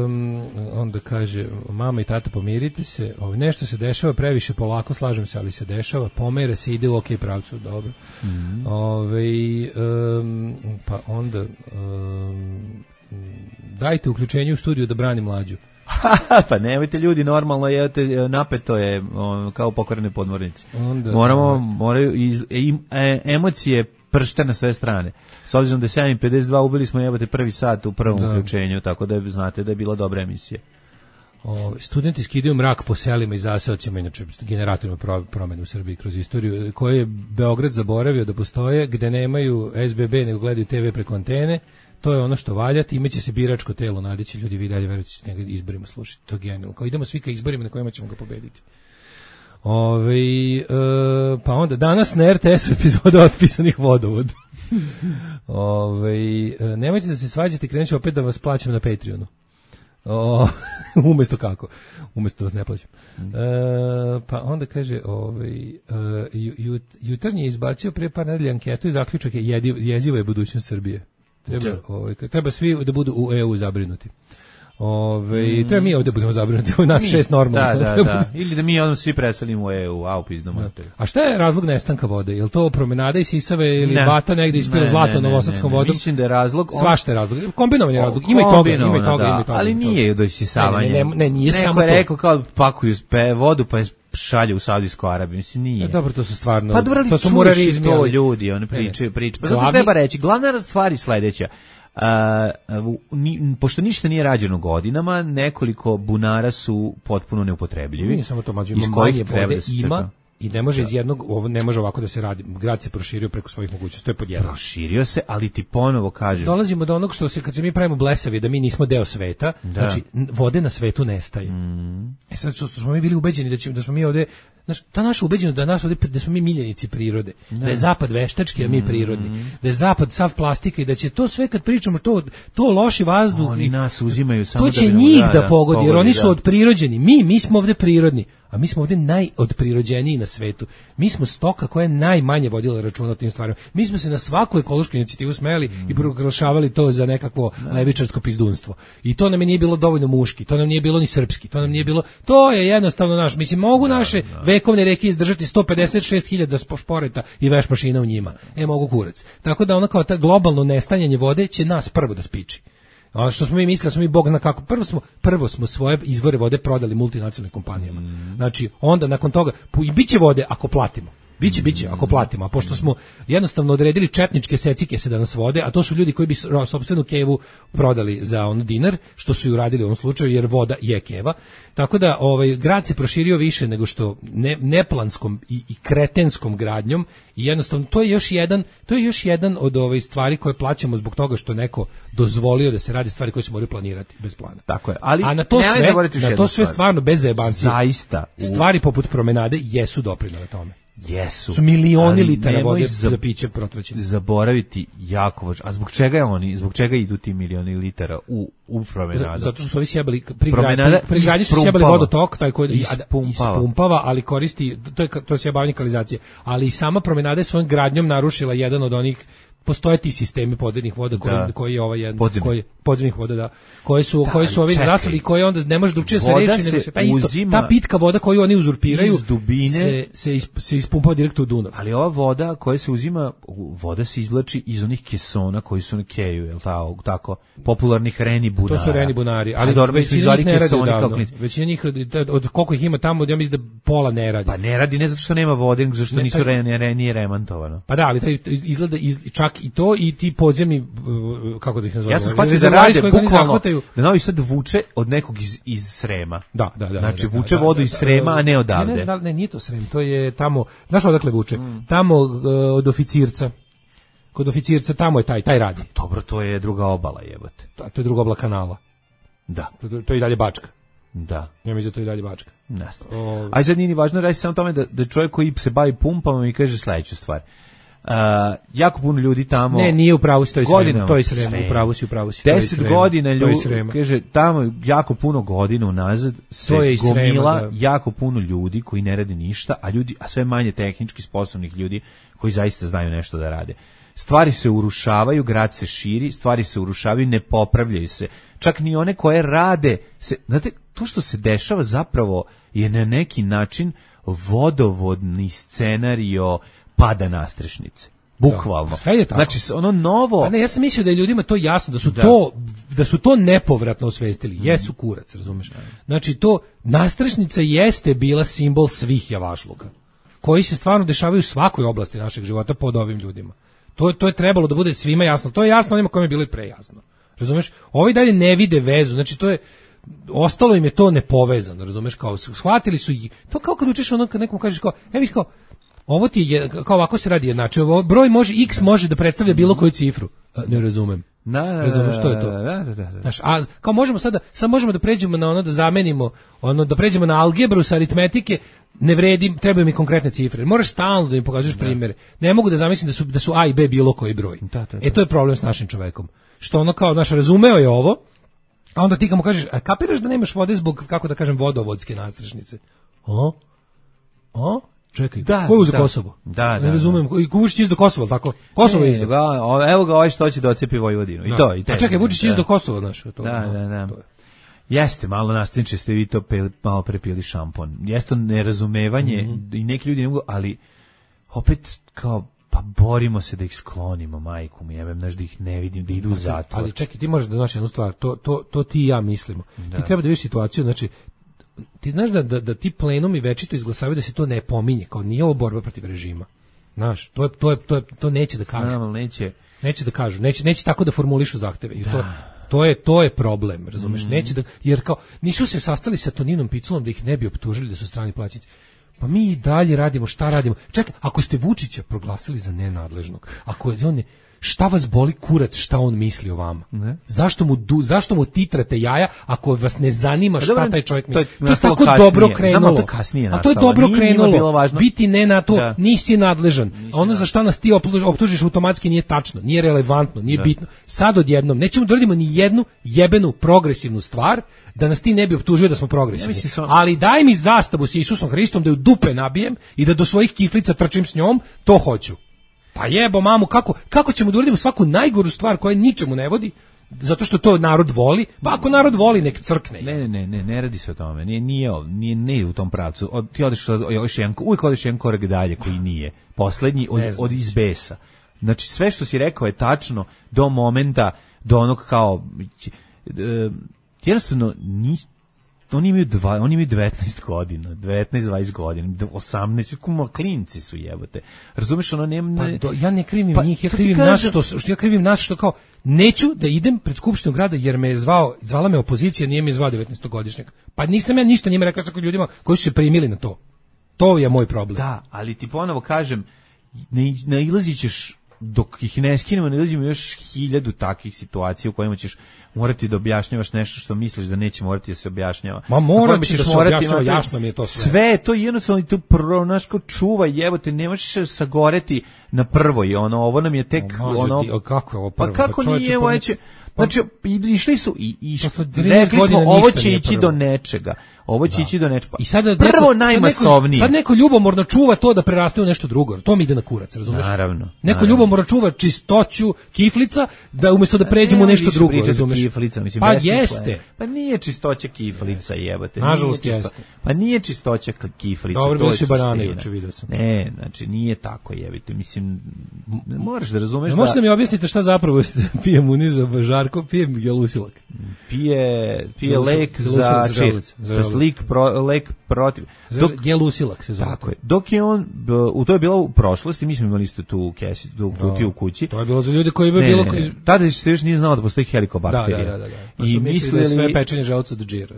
Speaker 4: um, onda kaže, mama i tata pomirite se, ove, nešto se dešava previše polako, slažem se, ali se dešava, pomera se, ide u ok pravcu, dobro.
Speaker 5: Mm -hmm.
Speaker 4: Ove, um, pa onda, um, dajte uključenje u studiju da brani mlađu.
Speaker 5: Pa nemojte ljudi, normalno je, napeto je on, kao pokvarene podmornice.
Speaker 4: Onda,
Speaker 5: Moramo, moraju iz, e, emocije pršte na sve strane. S obzirom da je sedam pedeset dva ubili smo jebate prvi sat u prvom da. uključenju, tako da je, znate da je bila dobra emisija.
Speaker 4: O, studenti skidaju mrak po selima i zaseocima, inače generatorima pro, promene u Srbiji kroz istoriju, koje je Beograd zaboravio da postoje, gde nemaju S B B nego gledaju T V preko antene. To je ono što valja, time će se biračko telo nadići, ljudi vi dalje verujete da njega izborima slušati. To je genijalno. Kao idemo svi ka izborima na kojima ćemo ga pobediti. Ove, e, pa onda danas na R T S-u epizoda otpisanih vodovoda. Ove, e, nemojte da se svađate, krenut ću opet da vas plaćam na Patreonu. O, umesto kako? Umesto da vas ne plaćam. E, pa onda kaže, ovaj, jut, jutarnji je izbacio prije par nedelja anketu i zaključak je jediv, jeziva je budućnost Srbije. Treba, ovaj, treba svi da budu u E U zabrinuti. Ove, mm. treba mi ovde budemo zabrinuti, u nas mi, šest normalno.
Speaker 5: Da, da, da. Ili da mi odmah svi preselimo u E U, a upizno mater.
Speaker 4: A šta je razlog nestanka vode? Je li to promenada i sisave ili ne. Vata negde ispira zlato novosadskom vodom?
Speaker 5: Mislim da je razlog... On...
Speaker 4: Svašta je razlog. Kombinovan je razlog. Ima i toga, ima i toga,
Speaker 5: da,
Speaker 4: ima i toga.
Speaker 5: Ali nije do isisavanja.
Speaker 4: Ne, ne, ne, ne, nije
Speaker 5: Neko
Speaker 4: samo to.
Speaker 5: Neko je rekao kao pakuju pe vodu pa je šalje u Saudijsku Arabiju, mislim nije.
Speaker 4: Ja, dobro, to su stvarno...
Speaker 5: Pa dobro,
Speaker 4: to su murarizmi,
Speaker 5: to ljudi, oni pričaju, pričaju. Pa zato Glavni... treba reći, glavna stvar je sledeća. Uh, ni, pošto ništa nije rađeno godinama, nekoliko bunara su potpuno neupotrebljivi.
Speaker 4: Nije samo to, mađu, ima manje vode, da ima i ne može da. iz jednog, ovo ne može ovako da se radi. Grad se proširio preko svojih mogućnosti, to je pod jedan.
Speaker 5: Proširio se, ali ti ponovo kažem.
Speaker 4: Dolazimo do onog što se, kad se mi pravimo blesavi, da mi nismo deo sveta, da. Znači, vode na svetu nestaje. Mm. E sad, što smo mi bili ubeđeni da, će, da smo mi ovde, znaš, ta naša ubeđenost da nas ovde, da smo mi miljenici prirode, da, da je zapad veštački, a mi prirodni, mm. da je zapad sav plastika i da će to sve kad pričamo, to, to loši vazduh,
Speaker 5: oni nas uzimaju samo
Speaker 4: to će
Speaker 5: da
Speaker 4: njih da,
Speaker 5: da
Speaker 4: pogodi,
Speaker 5: pogodi,
Speaker 4: jer oni
Speaker 5: da.
Speaker 4: su odprirođeni, mi, mi smo ovde prirodni. A mi smo ovde najodprirođeniji na svetu. Mi smo stoka koja je najmanje vodila računa o tim stvarima. Mi smo se na svaku ekološku inicijativu smeli mm. i proglašavali to za nekakvo no. levičarsko pizdunstvo. I to nam je nije bilo dovoljno muški, to nam nije bilo ni srpski, to nam nije bilo... To je jednostavno naš. Mislim, mogu no, naše no. vekovne reke izdržati sto pedeset šest hiljada šporeta i veš mašina u njima. E, mogu kurac. Tako da ono kao ta globalno nestanjanje vode će nas prvo da spiči. A što smo mi mislili, smo mi bog zna kako. Prvo smo prvo smo svoje izvore vode prodali multinacionalnim kompanijama. Mm. Znači, onda nakon toga i biće vode ako platimo. Biće, biće, ako platimo. A pošto smo jednostavno odredili četničke secike se da nas vode, a to su ljudi koji bi sopstvenu kevu prodali za on dinar, što su i uradili u ovom slučaju, jer voda je keva. Tako da ovaj grad se proširio više nego što ne, neplanskom i, i kretenskom gradnjom i jednostavno to je još jedan, to je još jedan od ove stvari koje plaćamo zbog toga što neko dozvolio da se radi stvari koje se moraju planirati bez plana.
Speaker 5: Tako je. Ali
Speaker 4: a na to sve, na to sve stvarno bez zajebancije.
Speaker 5: Zaista.
Speaker 4: Stvari poput promenade jesu doprinele tome.
Speaker 5: Jesu.
Speaker 4: Su milioni litara vode za piće protraćeni.
Speaker 5: Zaboraviti jako važno. A zbog čega oni, zbog čega idu ti milioni litara u u promenadu?
Speaker 4: Zato što su ovi sjebali pri gradnji su sjebali vodotok, taj koji ispumpava. ispumpava, ali koristi to je to je sjebavanje kanalizacije, ali i sama promenada je svojom gradnjom narušila jedan od onih postoje ti sistemi podvodnih voda koji da. koji je ovaj jedan Podzemni. koji podzemnih voda da koji su da, koji su ovi zastali i koji onda ne može drugčije se reći nego se ta isto ta pitka voda koju oni uzurpiraju
Speaker 5: iz dubine
Speaker 4: se se, isp, se ispumpava direktno u Dunav.
Speaker 5: Ali ova voda koja se uzima, voda se izvlači iz onih kesona koji su na keju, je l' tako, tako popularnih reni bunara.
Speaker 4: To su reni bunari, ali dobro već izvali kesoni kako većina njih od koliko ih ima tamo, ja mislim da pola ne radi.
Speaker 5: Pa ne radi ne zato što nema vode, nego zato što ne, nisu taj, reni, reni remontovano.
Speaker 4: Pa da, ali taj izgleda iz, čak i to i ti podzemni kako da ih nazovemo.
Speaker 5: Ja sam shvatio da rade bukvalno da Novi Sad vuče od nekog iz, iz Srema.
Speaker 4: Da, da, da.
Speaker 5: Znači
Speaker 4: da,
Speaker 5: vuče
Speaker 4: da,
Speaker 5: vodu
Speaker 4: da,
Speaker 5: iz Srema, a ne odavde.
Speaker 4: Ne, ne, ne, nije to Srem, to je tamo, znaš odakle vuče? Mm. Tamo uh, od Oficirca. Kod Oficirca tamo je taj, taj radi.
Speaker 5: Dobro, to je druga obala, jebote.
Speaker 4: Da, to je druga obala kanala.
Speaker 5: Da.
Speaker 4: To, to, to je i dalje Bačka.
Speaker 5: Da.
Speaker 4: Ja mislim da to je i dalje Bačka.
Speaker 5: Jasno. Aj sad nije ni važno reći samo tome da, da čovjek koji se bavi pumpama mi kaže sledeću stvar. Uh, jako puno ljudi tamo.
Speaker 4: Ne, nije u pravu si, to je Srema, to je Srema, u pravu si, u pravu si.
Speaker 5: deset godina ljudi, kaže, tamo jako puno godina unazad se gomila Srema, da. jako puno ljudi koji ne rade ništa, a ljudi, a sve manje tehnički sposobnih ljudi koji zaista znaju nešto da rade. Stvari se urušavaju, grad se širi, stvari se urušavaju, ne popravljaju se. Čak ni one koje rade, se, znate, to što se dešava zapravo je na neki način vodovodni scenario pada nastrešnice. Bukvalno.
Speaker 4: Sve je tako.
Speaker 5: Znači ono novo.
Speaker 4: A ne, ja sam mislio da je ljudima to jasno, da su da. to da su to nepovratno osvestili. Mm. Jesu kurac, razumeš? Znači to nastrešnica jeste bila simbol svih javašluka, koji se stvarno dešavaju u svakoj oblasti našeg života pod ovim ljudima. To to je trebalo da bude svima jasno. To je jasno onima kojima je bilo i pre jasno. Razumeš? Ovi dalje ne vide vezu. Znači to je ostalo im je to nepovezano, razumeš? Kao shvatili su i to kao kad učiš ono kad nekom kažeš kao, e viš kao ovo ti je, kao ovako se radi jednače, ovo broj može, x može da predstavlja bilo koju cifru. A, ne razumem.
Speaker 5: Da, da,
Speaker 4: razumem što je to.
Speaker 5: Da, da, da, da.
Speaker 4: Znaš, a kao možemo sada, sad možemo da pređemo na ono da zamenimo, ono da pređemo na algebru sa aritmetike, ne vredi, trebaju mi konkretne cifre. Moraš stalno da mi pokažeš da. primjere. Ne mogu da zamislim da su da su a i b bilo koji broj.
Speaker 5: Da, da, da.
Speaker 4: E to je problem s našim čovekom. Što ono kao, znaš, razumeo je ovo, a onda ti kao mu kažeš, a kapiraš da nemaš vode zbog, kako da kažem, vodovodske nastrešnice? O? O? Čekaj,
Speaker 5: da,
Speaker 4: ko je uzeo
Speaker 5: da,
Speaker 4: Kosovo?
Speaker 5: Da, da.
Speaker 4: Ne razumem, i Vučić izdo Kosovo, tako? Kosovo je izdo.
Speaker 5: Evo ga ovaj što hoće da ocepi Vojvodinu. I to, i te.
Speaker 4: A čekaj, Vučić izdo Kosovo, znaš, to.
Speaker 5: Da, da, da.
Speaker 4: To je.
Speaker 5: Jeste, malo nastavniče ste vi to pe, malo prepili šampon. Jeste to nerazumevanje mm-hmm. i neki ljudi ne mogu, ali opet kao pa borimo se da ih sklonimo, majku mi jebem, znaš da ih ne vidim, da idu u zatvor.
Speaker 4: Ali čekaj, ti možeš da znaš jednu stvar, to, to, to ti i ja mislimo. Da. Ti treba da vidiš situaciju, znači, ti znaš da, da, da ti plenumi večito izglasavaju da se to ne pominje, kao nije ovo borba protiv režima. Znaš, to, je, to, je, to, je, to neće da kažu.
Speaker 5: Znam, neće.
Speaker 4: Neće da kažu, neće, neće tako da formulišu zahteve. I da. to, to, je, to je problem, razumeš? Mm. Neće da, jer kao, nisu se sastali sa Toninom Piculom da ih ne bi optužili da su strani plaćenici. Pa mi i dalje radimo, šta radimo? Čekaj, ako ste Vučića proglasili za nenadležnog, ako je on ne, šta vas boli kurac, šta on misli o vama? Ne? Zašto mu du, zašto mu titrate jaja ako vas ne zanima šta dobro, taj čovjek misli? To je, to je tako kasnije. Dobro krenulo.
Speaker 5: To kasnije
Speaker 4: a to je dobro nije, krenulo. Biti ne na to, da. Nisi nadležan. Nisi ono za šta nas ti optužiš automatski nije tačno, nije relevantno, nije da. Bitno. Sad odjednom nećemo da radimo ni jednu jebenu progresivnu stvar da nas ti ne bi optužio da smo progresivni. Ja sam... Ali daj mi zastavu s Isusom Hristom da ju dupe nabijem i da do svojih kiflica trčim s njom, to hoću. Pa jebo mamu, kako, kako ćemo da uradimo svaku najgoru stvar koja ničemu ne vodi, zato što to narod voli, pa ako narod voli nek crkne.
Speaker 5: Ne, ne, ne, ne, ne radi se o tome, nije, nije, nije, nije u tom pravcu, od, ti odeš još jedan, uvijek odeš jedan korak dalje koji nije, poslednji od, od izbesa. Znači sve što si rekao je tačno do momenta, do onog kao, e, jednostavno, nis, oni imaju dva, oni imaju devetnaest godina, devetnaest dvadeset godina, osamnaest, kuma klinci su jebote. Razumeš, ono nema
Speaker 4: pa do, ja ne krivim pa, njih, ja krivim nas što, što ja krivim nas što kao neću da idem pred skupštinu grada jer me je zvao, zvala me opozicija, nije me zvao devetnaestogodišnjak. Pa nisam ja ništa njima rekao sa ljudima koji su se primili na to. To je moj problem.
Speaker 5: Da, ali ti ponovo kažem, ne nailazićeš dok ih ne skinemo, ne ilazimo još hiljadu takvih situacija u kojima ćeš morati da objašnjavaš nešto što misliš da neće morati da se objašnjava.
Speaker 4: Ma morat ćeš da se objašnjava, jasno mi je to sve.
Speaker 5: Sve, to jednostavno tu pronaško čuva, jebote, ne možeš sagoreti na prvoj, ono, ovo nam je tek,
Speaker 4: o,
Speaker 5: ono...
Speaker 4: Ti, kako je ovo prvo?
Speaker 5: Pa kako pa nije, ovo će... Znači, išli su i, i rekli smo, ovo će ići do nečega. Ovo će da. ići do nečega. I sada prvo neko, najmasovnije.
Speaker 4: Sad neko, sad neko ljubomorno čuva to da preraste u nešto drugo. To mi ide na kurac, razumeš?
Speaker 5: Naravno.
Speaker 4: Neko
Speaker 5: naravno.
Speaker 4: ljubomorno čuva čistoću kiflica da umjesto da pređemo u nešto drugo, razumeš?
Speaker 5: Kiflica, mislim,
Speaker 4: pa jeste.
Speaker 5: Pa nije čistoća kiflica, jebote.
Speaker 4: Nažalost jeste.
Speaker 5: Pa nije čistoća kiflica.
Speaker 4: Dobro, bili su banane juče, vidio sam.
Speaker 5: Ne, znači nije tako, jebite. Mislim, moraš da razumeš da...
Speaker 4: Možete da mi objasnite šta zapravo pije Muniza Žarko, pije Gelusilak.
Speaker 5: Pije, pije lek za čir. Lek, pro, lek protiv.
Speaker 4: Dok, Gelusilak se zove.
Speaker 5: Tako je. Dok je on, u to je bilo u prošlosti, mi smo imali isto tu kesi, tu kutiju u kući.
Speaker 4: To je bilo za ljude koji bi bilo...
Speaker 5: Ne, ne, tada se još nije znao da postoji helikobakterija.
Speaker 4: Da, da, da. da. Pa I mislili da je sve pečenje želuca do džira.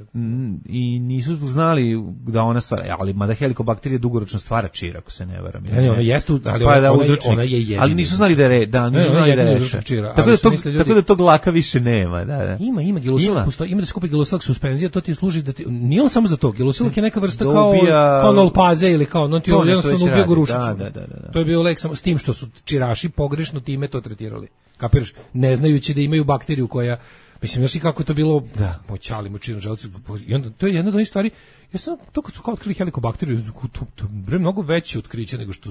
Speaker 5: I nisu znali da ona stvara, ali mada helikobakterija dugoročno stvara čir, ako se ne varam.
Speaker 4: Ne, ne, ona jeste, ali pa, ona, ona, ona je jedina.
Speaker 5: Ali nisu znali da je, da, nisu ne, znali da je reša. Tako da, to, ljudi... tako da tog laka više nema. Da, da.
Speaker 4: Ima, ima Gelusilak, postoji, ima da se kupi Gelusilak suspenzija, to ti služi da ti, nije on samo za to, Gelusilak je neka vrsta kao, ubija... kao Nolpaze ili kao, no ti je jednostavno ubio gorušicu. Da, da, da, da. To je bio lek samo s tim što su čiraši pogrešno time to tretirali. Kapiraš? Ne znajući da imaju bakteriju koja, mislim, znaš i kako je to bilo, da, moćali, močinu, želucu, i onda, to je jedna od onih stvari, ja sam, to kad su kao otkrili helikobakteriju, to, to je mnogo veće otkriće nego što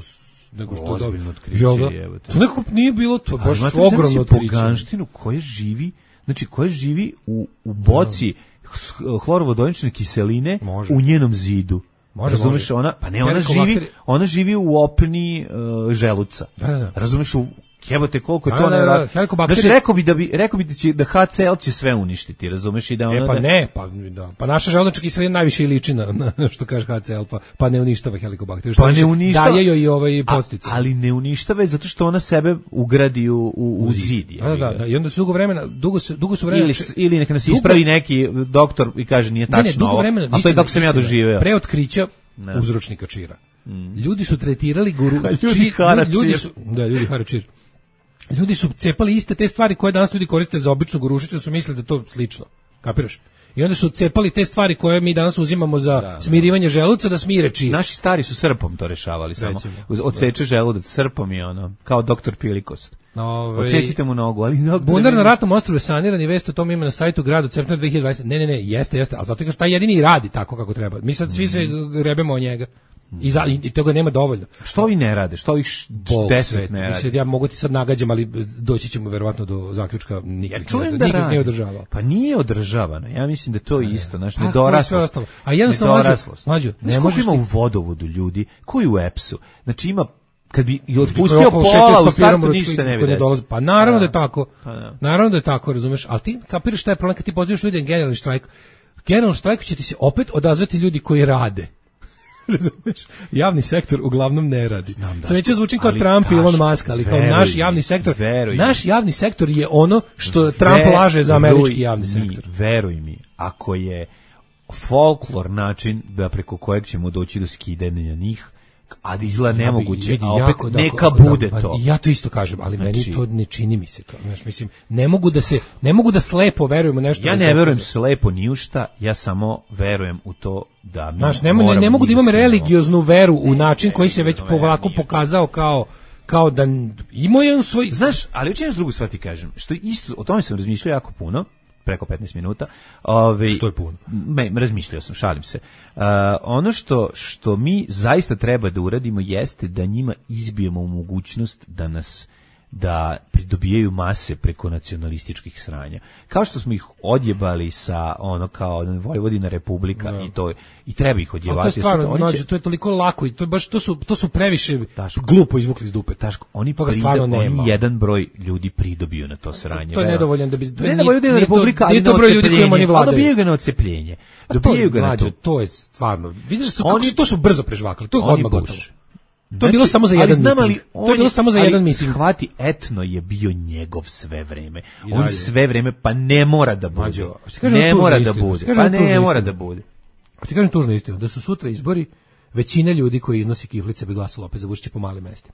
Speaker 4: nego što
Speaker 5: ozbiljno otkriće,
Speaker 4: evo to. To nekako nije bilo, to baš ogromno otkriće.
Speaker 5: Poganštinu koja živi, znači koja živi u, u boci hlorovodonične kiseline može. U njenom zidu. Može, razumeš, može. Ona, pa ne, ona živi, ona živi u opni uh, želuca. Da, da, da. Razumeš, u jebote koliko je to nevjerojatno. Znači rekao bi da bi rekao bi da će da H C L će sve uništiti, razumeš, i da ona.
Speaker 4: E pa ne, pa da. Pa naša želučna kiselina najviše liči na, na što kaže H C L, pa pa ne uništava helikobakteriju.
Speaker 5: Pa ne uništava.
Speaker 4: Daje joj i ovaj podsticaj.
Speaker 5: Ali ne uništava je zato što ona sebe ugradi u u, u zid.
Speaker 4: Da, da, da. I onda su dugo vremena, dugo se dugo su vremena
Speaker 5: ili, ili neka nas ispravi neki doktor i kaže nije tačno. Ne, ne, dugo vremena, a to je kako sam ja doživeo.
Speaker 4: Pre otkrića uzročnika čira. Mm. Ljudi su tretirali guru, ljudi, či, ljudi su, da, ljudi haračir. Ljudi su cepali iste te stvari koje danas ljudi koriste za običnu gorušicu, su mislili da to slično. Kapiraš? I onda su cepali te stvari koje mi danas uzimamo za da, smirivanje želuca da smire čir.
Speaker 5: Naši stari su srpom to rešavali samo. Odseče želudac srpom i ono, kao doktor Pilikost. Ove... Odsecite mu nogu, ali
Speaker 4: bunar na ratnom ostrvu je saniran i vest o tom ima na sajtu grada od septembra dve hiljade dvadesete. Ne, ne, ne, jeste, jeste, ali zato kaže taj jedini radi tako kako treba. Mi sad svi se grebemo o njega. I, za, i toga nema dovoljno.
Speaker 5: Što ovi ne rade? Što ovih deset ne rade?
Speaker 4: Mislim, ja mogu ti sad nagađam, ali doći ćemo verovatno do zaključka nikad,
Speaker 5: ja čujem
Speaker 4: ne,
Speaker 5: da
Speaker 4: nikad nije održavao.
Speaker 5: Pa nije održavano. Ja mislim da to je isto, znači nedoraslost.
Speaker 4: A jednostavno
Speaker 5: nedoraslost.
Speaker 4: Mlađo,
Speaker 5: ne možeš ima u vodovodu ljudi, koji u EPS-u. Znači ima kad bi otpustio pola u startu ništa ne bi desilo.
Speaker 4: Pa naravno da je tako. Naravno da je tako, razumeš, ali ti kapiraš taj problem kad ti pozivaš ljudi na generalni štrajk. Generalni štrajk će ti se opet odazvati ljudi koji rade. Razumeš? Javni sektor uglavnom ne radi. Sad neće zvučim kao Trump i Elon Musk, ali kao naš javni sektor, naš javni sektor je ono što Trump laže za američki javni sektor.
Speaker 5: Veruj mi, ako je folklor način da preko kojeg ćemo doći do skidanja njih, a da izgleda nemoguće, a opet jako, neka da, bude da, to.
Speaker 4: Ja to isto kažem, ali znači, meni to ne čini mi se to. Znaš, mislim, ne mogu da se, ne mogu da slepo verujemo nešto.
Speaker 5: Ja ne verujem slepo ni u šta, ja samo verujem u to da mi
Speaker 4: znaš, ne, ne, ne mogu da imam religioznu veru u način koji se već polako pokazao kao kao da ima jedan svoj...
Speaker 5: Znaš, ali učiniš drugu stvar ti kažem, što isto, o tome sam razmišljao jako puno, preko petnaest minuta. Ove,
Speaker 4: što je puno?
Speaker 5: Me, razmišljao sam, šalim se. Uh, ono što, što mi zaista treba da uradimo jeste da njima izbijemo mogućnost da nas da pridobijaju mase preko nacionalističkih sranja. Kao što smo ih odjebali sa ono kao Vojvodina Republika no. i to i treba ih odjebati.
Speaker 4: To je stvarno, oni će... to je toliko lako i to je baš to su to su previše Taško, glupo izvukli iz dupe.
Speaker 5: Taško, oni prida, oni jedan broj ljudi pridobiju na to sranje.
Speaker 4: To je nedovoljan da bi
Speaker 5: ne da Vojvodina Republika, ali
Speaker 4: to broj ljudi koji oni vladaju.
Speaker 5: Dobijaju ga na odcepljenje. Dobijaju ga na to.
Speaker 4: To je stvarno. Vidiš su kako to su brzo prežvakali. To je odmah gotovo. To je bilo samo za jedan
Speaker 5: znam, ali
Speaker 4: to je bilo samo za jedan miting.
Speaker 5: Shvati, etno je bio njegov sve vreme. On sve vreme pa ne mora da bude. Mađo, ne mora da bude. Pa ne mora da bude.
Speaker 4: A ti kažem tužno istinu, da su sutra izbori, većina ljudi koji iznosi kiflice bi glasala opet za Vučića po malim mestima.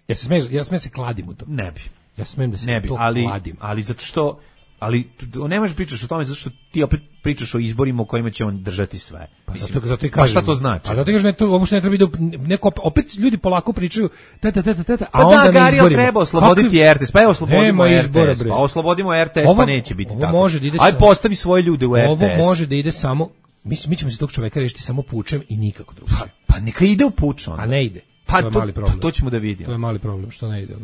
Speaker 4: Ja se smem, ja smem se kladim u to.
Speaker 5: Ne bi.
Speaker 4: Ja smem da se
Speaker 5: ne bi,
Speaker 4: to
Speaker 5: ali,
Speaker 4: kladim.
Speaker 5: Ali zato što ali ne možeš pričaš o tome zato što ti opet pričaš o izborima u kojima će on držati sve.
Speaker 4: Pa zato, zato i kažem.
Speaker 5: Pa šta to znači?
Speaker 4: A zato kažem ne to uopšte ne treba da neko opet ljudi polako pričaju teta teta teta, a
Speaker 5: pa
Speaker 4: onda
Speaker 5: da, na izborima treba osloboditi R T S. Pa evo oslobodimo R T S. Pa oslobodimo R T S,
Speaker 4: ovo,
Speaker 5: pa neće biti
Speaker 4: ovo
Speaker 5: tako.
Speaker 4: Može da ide
Speaker 5: aj postavi svoje ljude u R T S.
Speaker 4: Ovo može da ide samo mi, mi ćemo se tog čoveka rešiti samo pučem i nikako drugačije.
Speaker 5: Pa, pa neka ide u puč on.
Speaker 4: A ne ide.
Speaker 5: Pa
Speaker 4: to je
Speaker 5: to,
Speaker 4: mali problem.
Speaker 5: Pa to ćemo da vidimo.
Speaker 4: To je mali problem što ne ide.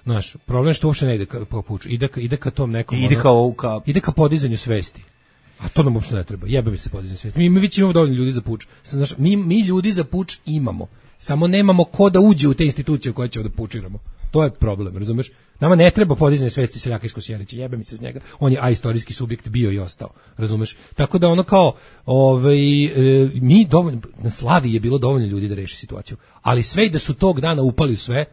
Speaker 4: Znaš, problem što uopšte ne ide ka po puču. Ide ka, ide ka tom nekom
Speaker 5: ide
Speaker 4: ono,
Speaker 5: kao ka
Speaker 4: ide ka podizanju svesti. A to nam uopšte ne treba. Jebe mi se podizanje svesti. Mi mi već imamo dovoljno ljudi za puč. Znaš, mi mi ljudi za puč imamo. Samo nemamo ko da uđe u te institucije koje ćemo da pučiramo. To je problem, razumeš? Nama ne treba podizanje svesti seljaka iz Kosjerića. Jebe mi se s njega. On je aistorijski subjekt bio i ostao, razumeš? Tako da ono kao ovaj e, mi dovoljno na Slavi je bilo dovoljno ljudi da reši situaciju. Ali sve i da su tog dana upali u sve,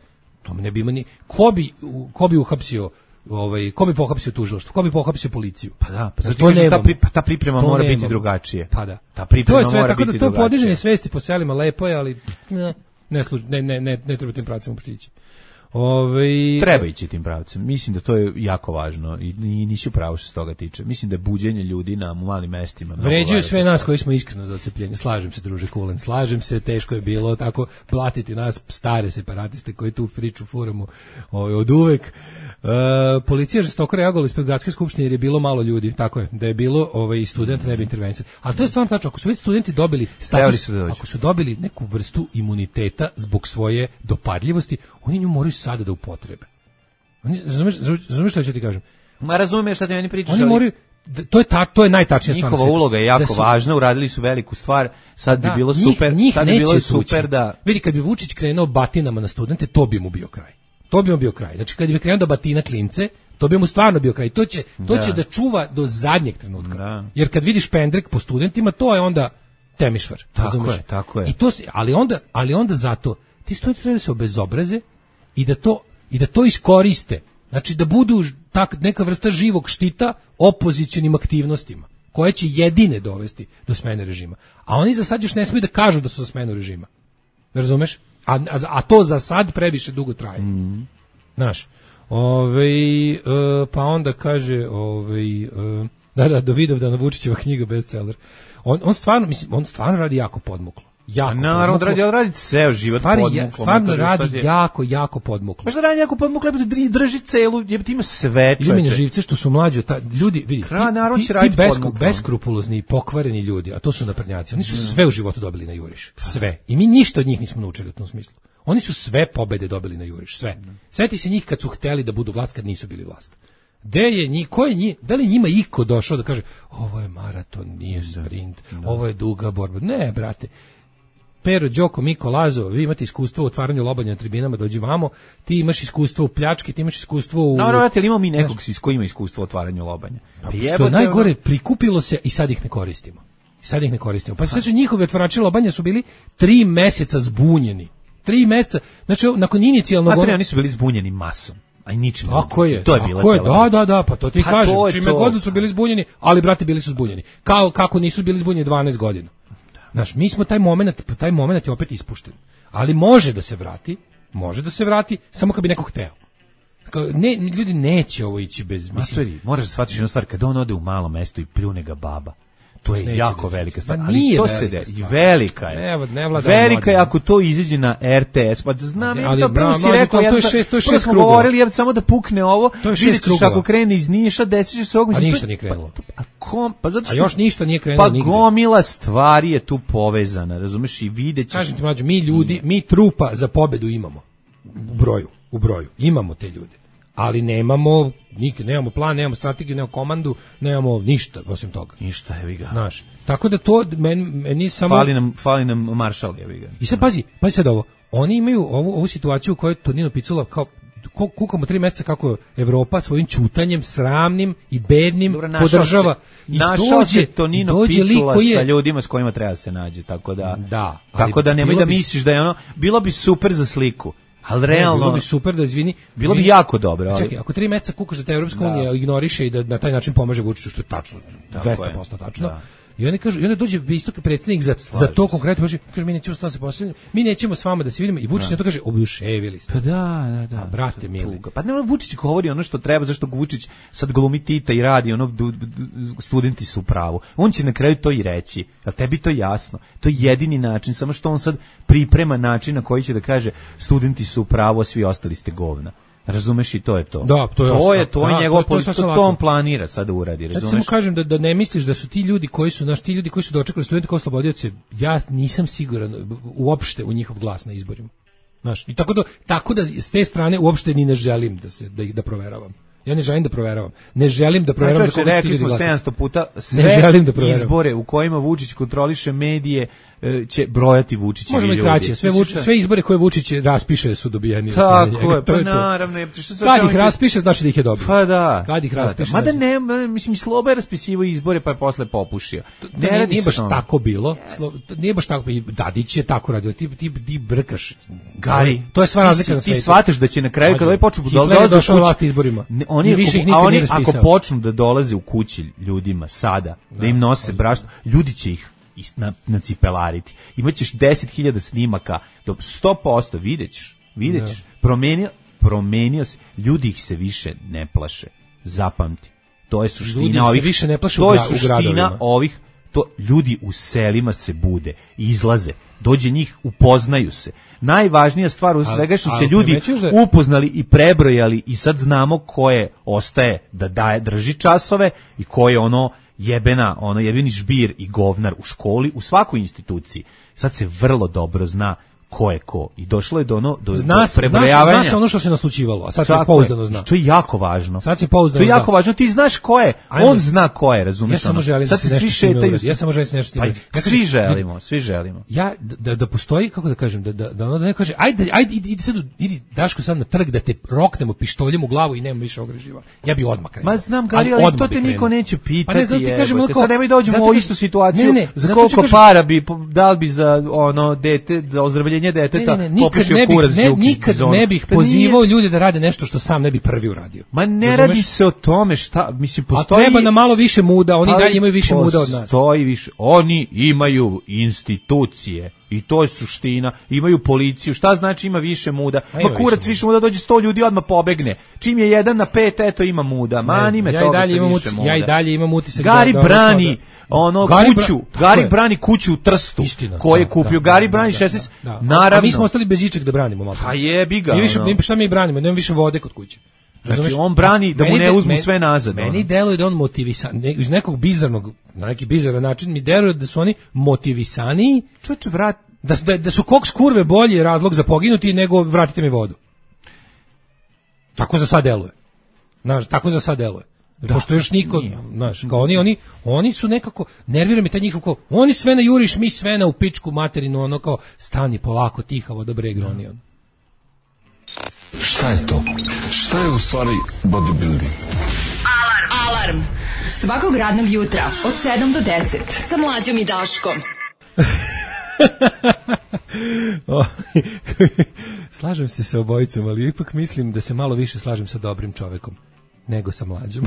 Speaker 4: to ne bi imali. Ko bi ko bi uhapsio ovaj ko bi pohapsio tužilaštvo, ko bi pohapsio policiju?
Speaker 5: Pa da, pa zato to ta, pri, ta priprema mora nemamo. Biti drugačije.
Speaker 4: Pa da.
Speaker 5: Ta priprema
Speaker 4: to je sve,
Speaker 5: mora
Speaker 4: tako
Speaker 5: biti
Speaker 4: da to
Speaker 5: drugačije.
Speaker 4: podizanje svesti po selima lepo je, ali ne ne služ, ne ne ne, ne treba tim pravcem uopšte. Ove...
Speaker 5: Treba ići tim pravcem. Mislim da to je jako važno i, i nisi u pravu što se toga tiče. Mislim da je buđenje ljudi na malim mestima.
Speaker 4: Vređaju sve nas koji smo iskreno za odcepljenje. Slažem se, druže Kulen, slažem se, teško je bilo tako platiti nas stare separatiste koji tu priču furamo ovaj, od uvek. E, policija žestoko reagovala ispred gradske skupštine jer je bilo malo ljudi, tako je, da je bilo ovaj student ne bi intervencija. Ali to je stvarno tačno, ako su već studenti dobili status, su da ako su dobili neku vrstu imuniteta zbog svoje dopadljivosti, oni nju moraju sada da upotrebe. Oni razumeš, razumeš šta ću ti kažem?
Speaker 5: Ma razumeš šta ti oni pričaš?
Speaker 4: Oni moraju to je ta, to je najtačnija stvar.
Speaker 5: Njihova uloga je jako su, važna, uradili su veliku stvar. Sad da, bi bilo njih, super, njih sad bi bilo super da
Speaker 4: vidi kad bi Vučić krenuo batinama na studente, to bi mu bio kraj. To bi mu bio kraj. Znači kad bi krenuo da batina klince, to bi mu stvarno bio kraj. To će to da. će da čuva do zadnjeg trenutka. Da. Jer kad vidiš pendrek po studentima, to je onda temišvar.
Speaker 5: Tako
Speaker 4: razumeš?
Speaker 5: je, tako je.
Speaker 4: I to ali onda, ali onda zato ti studenti treba da se obezobraze i da to i da to iskoriste. Znači da budu tak neka vrsta živog štita opozicionim aktivnostima koje će jedine dovesti do smene režima. A oni za sad još ne smiju da kažu da su za smenu režima. Razumeš? A, a, a to za sad previše dugo traje.
Speaker 5: Mm.
Speaker 4: Znaš, ovaj, e, pa onda kaže, ovaj, e, da, da, do Vidovdana Vučićeva knjiga bestseller. On, on stvarno, mislim, on stvarno radi jako podmuklo. jako.
Speaker 5: Naravno, radi, radi ceo život podmuklo.
Speaker 4: Stvarno radi jako, jako podmuklo.
Speaker 5: Pa što radi jako podmuklo, drži celu, jebate ima sve čoveče.
Speaker 4: Ljubimine živce što su mlađi, ta, ljudi, vidi,
Speaker 5: Kra,
Speaker 4: ti, ti, ti besku, beskrupulozni, pokvareni ljudi, a to su naprednjaci, oni su mm. sve u životu dobili na juriš. Sve. I mi ništa od njih nismo naučili u tom smislu. Oni su sve pobede dobili na juriš, sve. Sjeti se njih kad su hteli da budu vlast, kad nisu bili vlast. Gde je njih, ko je njih, da li njima iko došao da kaže ovo je maraton, nije sprint, da. Ovo je duga borba. Ne, brate. Pero, Đoko, Miko, Lazo, vi imate iskustvo u otvaranju lobanja na tribinama, dođi vamo, ti imaš iskustvo u pljački, ti imaš iskustvo u...
Speaker 5: Naravno, vrati, ali imamo mi nekog s ko ima iskustvo u otvaranju lobanja.
Speaker 4: Pa, što je najgore, prikupilo se i sad ih ne koristimo. I sad ih ne koristimo. Pa sve su njihovi otvarači lobanja su bili tri meseca zbunjeni. Tri meseca, znači, nakon inicijalnog...
Speaker 5: A tri, oni su bili zbunjeni masom. Aj ničim.
Speaker 4: Tako je.
Speaker 5: To je bila
Speaker 4: je, da, da, da, pa to ti pa kažem. Čime god su bili zbunjeni, ali brate bili su zbunjeni. Kao kako nisu bili zbunjeni dvanaest godina. Znaš, mi smo taj momenat, taj momenat je opet ispušten. Ali može da se vrati, može da se vrati, samo kad bi neko hteo. Ne, ljudi neće ovo ići bez...
Speaker 5: Mastori, moraš da shvatiš jednu stvar, kad on ode u malo mesto i pljune ga baba, to je neće jako neće. Velika stvar. Ali to se desi, velika je.
Speaker 4: Ne, ne
Speaker 5: velika je ako to izađe na R T S. Pa znam, ali, to prvo si rekao,
Speaker 4: to je šest, to je šest
Speaker 5: krugova. Govorili, ja samo da pukne ovo, vidjet ćeš ako krene iz Niša, desit će se ovog...
Speaker 4: A ništa nije krenulo.
Speaker 5: Pa, kom, pa zato što,
Speaker 4: a još ništa nije krenulo
Speaker 5: pa
Speaker 4: nigde.
Speaker 5: Pa gomila stvari je tu povezana, razumeš, i vidjet ćeš...
Speaker 4: Kažem ti, mlađe, mi ljudi, mi trupa za pobedu imamo. U broju, u broju. Imamo te ljude. Ali nemamo, nik, nemamo plan, nemamo strategiju, nemamo komandu, nemamo ništa osim toga.
Speaker 5: Ništa, jevi ga.
Speaker 4: Znaš, tako da to meni meni samo...
Speaker 5: Fali nam, fali nam maršal, jevi ga.
Speaker 4: I sad pazi, pazi sad ovo, oni imaju ovu, ovu situaciju u kojoj Tonino Picula kao kukamo tri mjeseca kako Evropa svojim ćutanjem sramnim i bednim Dobro, podržava
Speaker 5: se, i dođe Tonino dođe Picula je, sa ljudima s kojima treba se nađe, tako da
Speaker 4: da,
Speaker 5: tako da nemoj da bi, misliš da je ono bilo bi super za sliku. Ali realno,
Speaker 4: ne, bilo bi super da izvini.
Speaker 5: Bilo bi jako dobro, ali
Speaker 4: čekaj, ako tri meseca kukaš da te Evropska unija ignoriše i da na taj način pomaže Vučiću, što je tačno, dvesta posto tačno. Da. I oni kažu, i onda dođe istoki predsjednik za Slažim za to konkretno, kaže, kaže mi nećemo s nama se poslediti, mi nećemo s vama da se vidimo i Vučić na to kaže, obuševili ste.
Speaker 5: Pa da, da, da.
Speaker 4: A brate mili.
Speaker 5: Pa ne, Vučić govori ono što treba, zašto Vučić sad glumi Tita i radi, ono du, du, du, studenti su u pravu. On će na kraju to i reći. Jel tebi to jasno? To je jedini način, samo što on sad priprema način na koji će da kaže studenti su u pravu, a svi ostali ste govna. Razumeš, i to je to.
Speaker 4: Da, to je
Speaker 5: to je to je njegov to, to, to, to on planira sad da uradi, razumeš?
Speaker 4: Ja samo kažem da da ne misliš da su ti ljudi koji su naš ti ljudi koji su dočekali studente kao oslobodioce, ja nisam siguran uopšte u njihov glas na izborima. Znaš, i tako da tako da s te strane uopšte ni ne želim da se da ih da proveravam. Ja ne želim da proveravam. Ne želim da proveravam
Speaker 5: za koga ste ljudi sedamsto puta sve
Speaker 4: ne želim da
Speaker 5: izbore u kojima Vučić kontroliše medije će brojati Vučićevi ljudi.
Speaker 4: Možemo i kraće, sve, Vuč, sve izbore koje Vučić raspiše su dobijeni.
Speaker 5: Tako je, pa naravno.
Speaker 4: Kad ih raspiše, znači da ih je dobio.
Speaker 5: Pa da.
Speaker 4: Kad ih raspiše.
Speaker 5: Mada ne, mislim, Sloba je raspisivao izbore pa je posle popušio.
Speaker 4: Ne, ne nije baš tako bilo. Nije baš tako. Dadić je tako radio. Ti, ti, ti brkaš.
Speaker 5: Gari.
Speaker 4: To je sva razlika na
Speaker 5: svetu. Ti shvataš da će na kraju, kada ovaj počnu da dolaze u kući, izborima. Oni, a oni ako počnu da dolaze u kući ljudima sada, da im nose brašno, ljudi će ih Na, na cipelariti. Imaćeš deset hiljada snimaka, do sto posto videćeš, videćeš. Promenio, promenio se, ljudi ih se više ne plaše. Zapamti. To je suština ovih.
Speaker 4: Više ne plaše
Speaker 5: to
Speaker 4: u,
Speaker 5: je suština ovih. To ljudi u selima se bude, izlaze, dođe njih, upoznaju se. Najvažnija stvar u svega je što se ljudi da... upoznali i prebrojali i sad znamo ko je ostaje da daje drži časove i ko je ono jebena, ono jebeni žbir i govnar u školi, u svakoj instituciji. Sad se vrlo dobro zna ko je ko. I došlo je do ono do,
Speaker 4: zna,
Speaker 5: do prebrojavanja.
Speaker 4: Zna se ono što se naslučivalo, a sad Tako se pouzdano zna.
Speaker 5: To je jako važno.
Speaker 4: Sad se pouzdano
Speaker 5: To je jako zna. važno. Ti znaš ko je. Ajde. On zna ko je, razumiješ?
Speaker 4: Ja samo želim
Speaker 5: sad
Speaker 4: da se
Speaker 5: svi šetaju.
Speaker 4: Ja samo želim da nešto
Speaker 5: Ajde, ja svi želimo, svi želimo.
Speaker 4: Ja da da postoji, kako da kažem, da da da ono da ne kaže ajde ajde idi sad idi Daško sad na trg da te roknemo pištoljem u glavu i nema više ogreživa. Ja bi odmah krenuo.
Speaker 5: Ma znam, ali, ali to te niko neće pitati. Pa ne
Speaker 4: znam, ti kažem onako,
Speaker 5: sad nemoj dođemo u istu situaciju. Ne, ne, za koliko para bi dal bi za ono dete, za ozdravljenje deteta.
Speaker 4: Nikad ne bih, ne, nikad ne bih pozivao ljude da rade nešto što sam ne bi prvi uradio.
Speaker 5: Ma ne Razumeš? Radi se o tome šta, mislim, postoji...
Speaker 4: A treba na malo više muda, oni dalje imaju više muda od nas.
Speaker 5: Postoji više, oni imaju institucije. I to je suština. Imaju policiju. Šta znači ima više muda? Ma kurac više muda, dođe sto ljudi odmah pobegne. Čim je jedan na pet, eto ima muda. Mani me
Speaker 4: ja
Speaker 5: toga se
Speaker 4: više
Speaker 5: muda.
Speaker 4: Ja i dalje imam utisak.
Speaker 5: Gari da, brani ono Gari kuću. Bra... Gari je. brani kuću u Trstu.
Speaker 4: Istina,
Speaker 5: ko je
Speaker 4: da,
Speaker 5: kupio.
Speaker 4: Da,
Speaker 5: Gari
Speaker 4: da,
Speaker 5: brani
Speaker 4: da,
Speaker 5: šesnaest.
Speaker 4: Da, da.
Speaker 5: Naravno.
Speaker 4: A mi smo ostali bez ičeg da branimo. Malo.
Speaker 5: Pa jebi ga.
Speaker 4: Mi više, ono. Šta mi branimo? Nema više vode kod kuće.
Speaker 5: Znači on brani da mu ne uzmu meni, sve nazad.
Speaker 4: Meni deluje da on motivisan, ne, iz nekog bizarnog, na neki bizaran način mi deluje da su oni motivisaniji.
Speaker 5: Čoče, vrat.
Speaker 4: Da, da, da su koks kurve bolji razlog za poginuti nego vratite mi vodu. Tako za sad deluje. Znaš, tako za sad deluje. Da, pošto još niko, znaš, kao oni, oni, oni su nekako, nervira mi taj njihov kao, oni sve na juriš, mi sve na u pičku materinu, ono kao, stani polako, tihavo, dobre igroni, on.
Speaker 6: Šta je to? Šta je u stvari bodybuilding?
Speaker 3: Alarm! Alarm! Svakog radnog jutra od sedam do deset sa Mlađom i Daškom.
Speaker 4: Slažem se sa obojicom, ali ipak mislim da se malo više slažem sa dobrim čovekom nego sa Mlađom.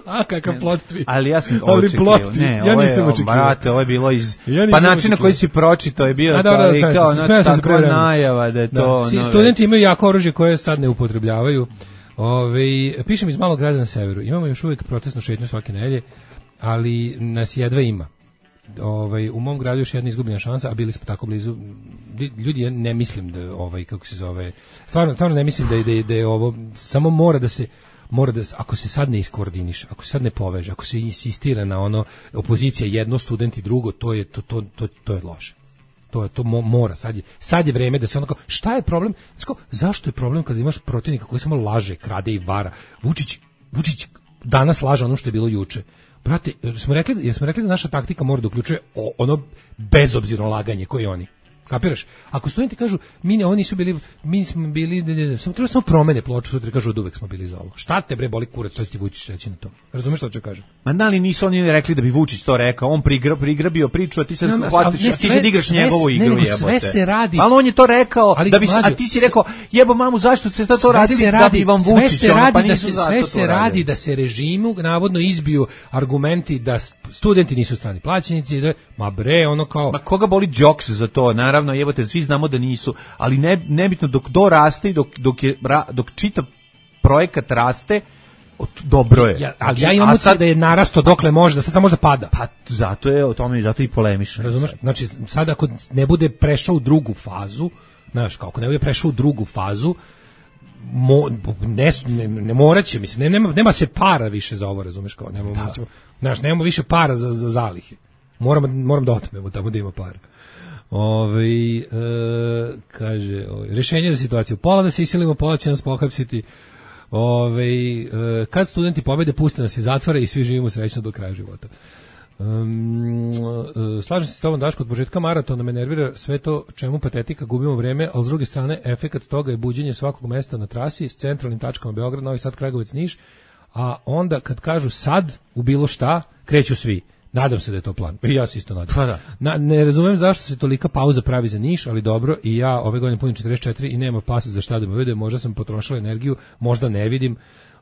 Speaker 4: A kakav plot twist.
Speaker 5: Ali ja sam očekivao. Ne, ja nisam očekivao. Brate, ovo je bilo iz ja pa način na koji si pročitao je bio taj kao na takva najava da je to.
Speaker 4: Da. Studenti imaju jako oružje koje sad ne upotrebljavaju. Ove, pišem iz malog grada na severu. Imamo još uvijek protestnu šetnju svake nedelje, ali nas jedva ima. Ovaj u mom gradu još jedna izgubljena šansa, a bili smo tako blizu. Ljudi, ja ne mislim da ovaj kako se zove. Stvarno, stvarno ne mislim da je, da je, da je ovo samo mora da se mora da ako se sad ne iskoordiniše, ako se sad ne poveže, ako se insistira na ono opozicija jedno, studenti drugo, to je to to to to je loše. To je to mora sad je sad je vreme da se onako šta je problem? Znači, zašto je problem kad imaš protivnika koji samo laže, krade i vara? Vučić Vučić danas laže ono što je bilo juče. Brate, smo rekli, jesmo rekli da naša taktika mora da uključuje ono bezobzirno laganje koji oni. Kapiraš? Ako studenti kažu mi ne, oni su bili, mi smo bili, ne, ne, ne, samo treba samo promene ploču, sutra kažu od uvek smo bili za ovo. Šta te bre boli kurac, šta će ti Vučić reći na to? Razumeš šta ću kažem?
Speaker 5: Ma da li nisu oni rekli da bi Vučić to rekao? On prigra, prigrabio priču, a ti sad no, hvatiš, ne, sve, ti sad igraš sve, njegovu igru, jebote.
Speaker 4: Sve se radi.
Speaker 5: Ali on je to rekao, ali, da bi, mlađo, a ti si rekao, jebo mamu, zašto ste to radili
Speaker 4: radi,
Speaker 5: da bi vam Vučić,
Speaker 4: sve se radi,
Speaker 5: pa
Speaker 4: da se, sve se radi da se režimu navodno izbiju argumenti da studenti nisu strani plaćenici, da, ma bre, ono kao...
Speaker 5: Ma koga boli džoks za to, naravno, jebote, svi znamo da nisu, ali ne, nebitno dok do raste, dok, dok, je, dok čitav projekat raste, dobro je.
Speaker 4: Ja, ali ja imam sad da je narasto dokle može, da sad samo može da pada.
Speaker 5: Pa zato je o tome, zato i polemiš.
Speaker 4: Razumeš? Znači, sad ako ne bude prešao u drugu fazu, znaš, kako ne bude prešao u drugu fazu, mo, ne, ne, ne moraće, mislim, ne, nema, nema se para više za ovo, razumeš, kao, nema, da. Ćemo, znaš, nema više para za, za zalihe. Moram, moram da otmemo tamo da ima para. Ove, e, kaže, ove, rješenje za situaciju, pola da se isilimo, pola će nas pohapsiti. Ove, e, kad studenti pobede, puste nas iz zatvora i svi živimo srećno do kraja života. Um, e, slažem se s tobom, Daško, od početka maratona me nervira sve to čemu patetika, gubimo vreme, ali s druge strane efekat toga je buđenje svakog mesta na trasi s centralnim tačkama Beograd, Novi Sad, Kragujevac, Niš, a onda kad kažu sad u bilo šta, kreću svi. Nadam se da je to plan. I ja se isto nadam.
Speaker 5: Pa da.
Speaker 4: Na, ne razumem zašto se tolika pauza pravi za Niš, ali dobro, i ja ove godine punim četrdeset četiri i nema pasa za šta da me vide, možda sam potrošila energiju, možda ne vidim,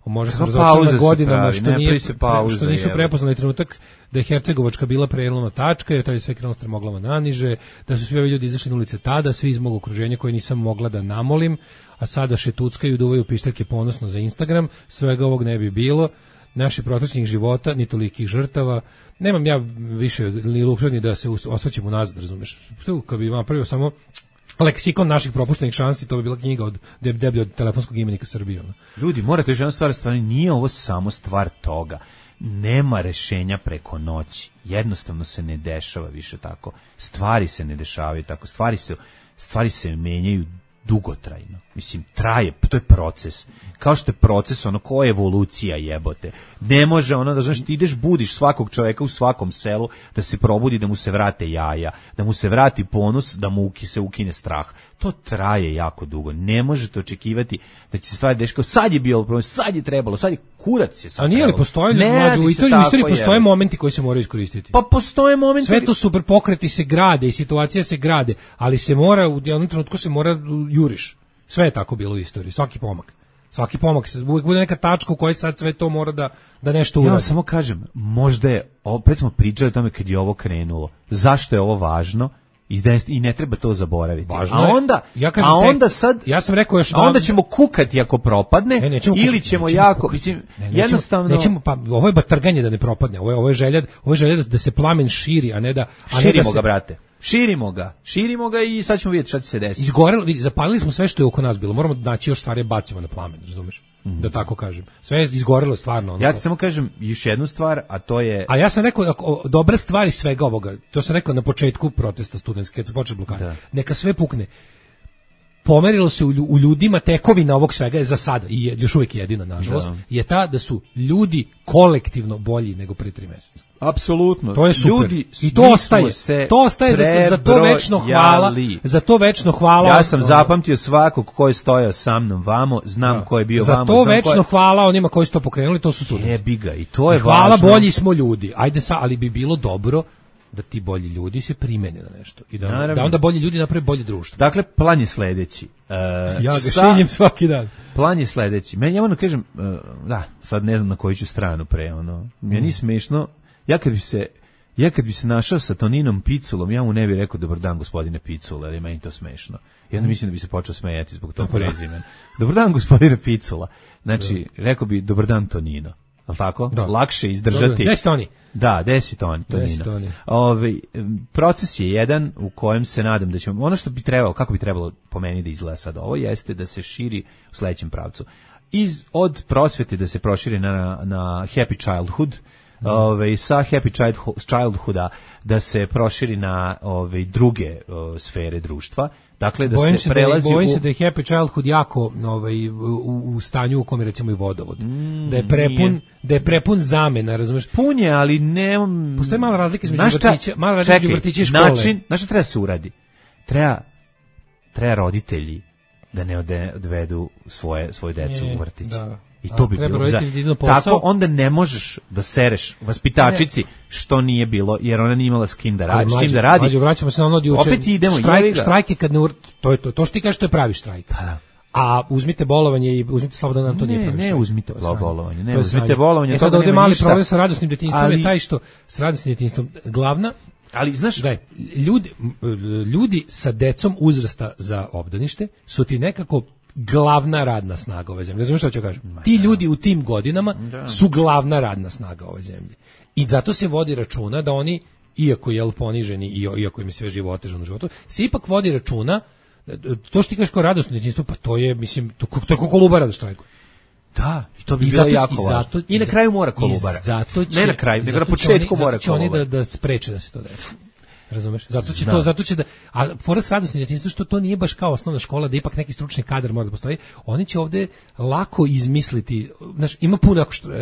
Speaker 4: možda sam razočarana godinama što, nije, pauze, što nisu prepoznali trenutak da je Hercegovačka bila prelomna tačka, jer tada je sve krenulo strmoglava naniže, da su svi ovi ljudi izašli na ulice tada, svi iz mog okruženja koje nisam mogla da namolim, a sada šetuckaju, duvaju pišteljke ponosno za Instagram, svega ovog ne bi bilo. Naših protočnih života, ni tolikih žrtava. Nemam ja više ni luksuz ni da se osvrćem unazad, razumeš. Kad bi napravio samo leksikon naših propuštenih šansi, to bi bila knjiga od deblje od telefonskog imenika Srbije. Ono.
Speaker 5: Ljudi, morate još jedna stvar, stvarno nije ovo samo stvar toga. Nema rešenja preko noći. Jednostavno se ne dešava više tako. Stvari se ne dešavaju tako. Stvari se, stvari se menjaju dugotrajno. Mislim, traje, to je proces. Kao što je proces, ono, ko je evolucija, jebote. Ne može ono, da znaš, ti ideš, budiš svakog čovjeka u svakom selu, da se probudi, da mu se vrate jaja, da mu se vrati ponos, da mu se ukine strah. To traje jako dugo. Ne možete očekivati da će se stvari deškati. Sad je bio problem, sad je trebalo, sad je kurac je sad.
Speaker 4: A nije li postoje, mlađu, u istoriji postoje momenti koji se moraju iskoristiti?
Speaker 5: Pa postoje momenti.
Speaker 4: Sve to super, pokreti se grade i situacija se grade, ali se mora, u jednom trenutku se mora juriš. Sve je tako bilo u istoriji, svaki pomak. Svaki pomak, uvijek bude neka tačka u kojoj sad sve to mora da, da nešto uradi.
Speaker 5: Ja vam samo kažem, možda je, opet smo pričali o tome kad je ovo krenulo. Zašto je ovo važno? I ne treba to zaboraviti.
Speaker 4: Važno
Speaker 5: a onda,
Speaker 4: ja kažem,
Speaker 5: a onda sad,
Speaker 4: ja sam rekao još
Speaker 5: a onda ćemo kukati ako propadne,
Speaker 4: ne, nećemo
Speaker 5: ili
Speaker 4: kukati,
Speaker 5: ćemo
Speaker 4: nećemo
Speaker 5: jako,
Speaker 4: kukati.
Speaker 5: mislim,
Speaker 4: ne, nećemo,
Speaker 5: jednostavno...
Speaker 4: Nećemo, pa ovo je batrganje da ne propadne, ovo je, ovo je želja, ovo je želja da, da se plamen širi, a ne da... A
Speaker 5: širimo
Speaker 4: ne da se,
Speaker 5: ga, brate. Širimo ga, širimo ga i sad ćemo vidjeti šta će se desiti.
Speaker 4: Izgorelo, zapalili smo sve što je oko nas bilo, moramo naći još stvari bacimo na plamen, razumeš? Mm. Da tako kažem. Sve je izgorelo stvarno. Ono.
Speaker 5: Ja ti samo kažem još jednu stvar, a to je...
Speaker 4: A ja sam rekao, ako, dobra stvar iz svega ovoga, to sam rekao na početku protesta studentske, kad se počeo blokada, neka sve pukne. Pomerilo se u ljudima tekovina ovog svega je za sada, i je, još uvijek jedina, nažalost, da. je ta da su ljudi kolektivno bolji nego pre tri mjeseca.
Speaker 5: Apsolutno.
Speaker 4: To je super.
Speaker 5: Ljudi,
Speaker 4: I to ostaje. To ostaje za, za to večno hvala. Za to večno hvala.
Speaker 5: Ja sam zapamtio svakog ko je stojao sa mnom vamo, znam da. ko je bio
Speaker 4: za
Speaker 5: vamo.
Speaker 4: Za to večno je... hvala onima koji su to pokrenuli, to su studenti.
Speaker 5: Jebi ga, i to je
Speaker 4: hvala
Speaker 5: važno.
Speaker 4: Bolji smo ljudi. Ajde sa, ali bi bilo dobro da ti bolji ljudi se primene na nešto i da, da onda bolji ljudi naprave bolje društvo.
Speaker 5: Dakle, plan je sledeći. Uh,
Speaker 4: ja ga šinjem svaki dan.
Speaker 5: Plan je sledeći. Meni, ja moram kažem, uh, da, sad ne znam na koju ću stranu pre, ono, meni mm. smešno, ja kad bi se, ja kad bi se našao sa Toninom Piculom, ja mu ne bih rekao dobar dan gospodine Picula, jer je meni to smešno. I onda mislim da bi se počeo smejati zbog tog prezimena. Dobar dan gospodine Picula. Znači, da. rekao bi dobar dan Tonino. Al tako? Da. Lakše izdržati.
Speaker 4: Deset toni.
Speaker 5: Da, deset toni, Tonino. Ove, proces je jedan u kojem se nadam da ćemo, ono što bi trebalo, kako bi trebalo po meni da izgleda sad ovo, jeste da se širi u sledećem pravcu. Iz, od prosvete da se proširi na, na happy childhood, mm. ove, sa happy childhooda da se proširi na ove, druge o, sfere društva. Dakle, da
Speaker 4: bojim
Speaker 5: se prelazi
Speaker 4: da, bojim
Speaker 5: u...
Speaker 4: se da je happy childhood jako ovaj, u, u stanju u kome recimo i vodovod. Mm, da je prepun, nije. da je prepun zamena, razumeš?
Speaker 5: Pun je, ali ne...
Speaker 4: Postoje mala razlika između vrtića, mala razlika između vrtića i škole.
Speaker 5: Način, znaš šta treba se uradi? Treba, treba roditelji da ne odvedu svoje, svoje decu u vrtić. Da. I to bi bilo za... Tako onda ne možeš da sereš vaspitačici ne. što nije bilo, jer ona nije imala s kim da radi. S kim da radi.
Speaker 4: Mađo, vraćamo se na ono od juče.
Speaker 5: Opet idemo.
Speaker 4: Štrajk, štrajke kad ne... To je to. To što ti kažeš, to je pravi štrajk.
Speaker 5: Pa da.
Speaker 4: A uzmite bolovanje i uzmite slobodan nam to
Speaker 5: ne,
Speaker 4: nije pravi
Speaker 5: ne
Speaker 4: štrajk.
Speaker 5: Uzmite bolovanje. Ne uzmite bolovanje.
Speaker 4: E sad ovdje mali problem sa radosnim detinjstvom ali... je taj što s radosnim detinjstvom glavna...
Speaker 5: Ali znaš,
Speaker 4: da ljudi, ljudi sa decom uzrasta za obdanište su ti nekako glavna radna snaga ove zemlje. Razumiješ što ću kažem? Ti ljudi u tim godinama da. su glavna radna snaga ove zemlje. I zato se vodi računa da oni, iako je poniženi i iako im je sve živo otežano u životu, se ipak vodi računa, to što ti kažeš kao radosno djetinjstvo, pa to je, mislim, to, to je kao Kolubara da štrajkuje.
Speaker 5: Da, i to bi I bilo zato, jako važno. Zato, I na kraju mora Kolubara.
Speaker 4: Zato će,
Speaker 5: ne na kraju, nego na početku
Speaker 4: oni,
Speaker 5: mora
Speaker 4: Kolubara.
Speaker 5: Oni
Speaker 4: da, da spreče da se to desi. Razumeš? Zato će to, zato će da, a porast radosni djetinjstvo što to nije baš kao osnovna škola, da ipak neki stručni kadar mora da postoji. Oni će ovde lako izmisliti, znaš, ima puno što, uh,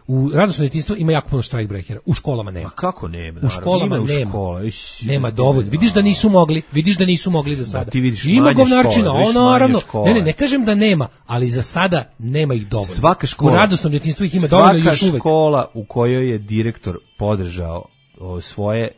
Speaker 4: u radosnom djetinjstvu ima jako puno štrajkbrehera, u školama nema.
Speaker 5: A kako nema?
Speaker 4: U školama
Speaker 5: ima
Speaker 4: nema.
Speaker 5: U škola. Iš,
Speaker 4: nema dovoljno. Vidiš da nisu mogli, vidiš da nisu mogli za sada.
Speaker 5: Da, ti vidiš
Speaker 4: ima govnarčina,
Speaker 5: ono
Speaker 4: naravno. Ne, ne, ne kažem da nema, ali za sada nema ih dovoljno.
Speaker 5: Svaka škola,
Speaker 4: u radosnom djetinjstvu ih ima dovoljno još uvek.
Speaker 5: Svaka škola u kojoj je direktor podržao svoje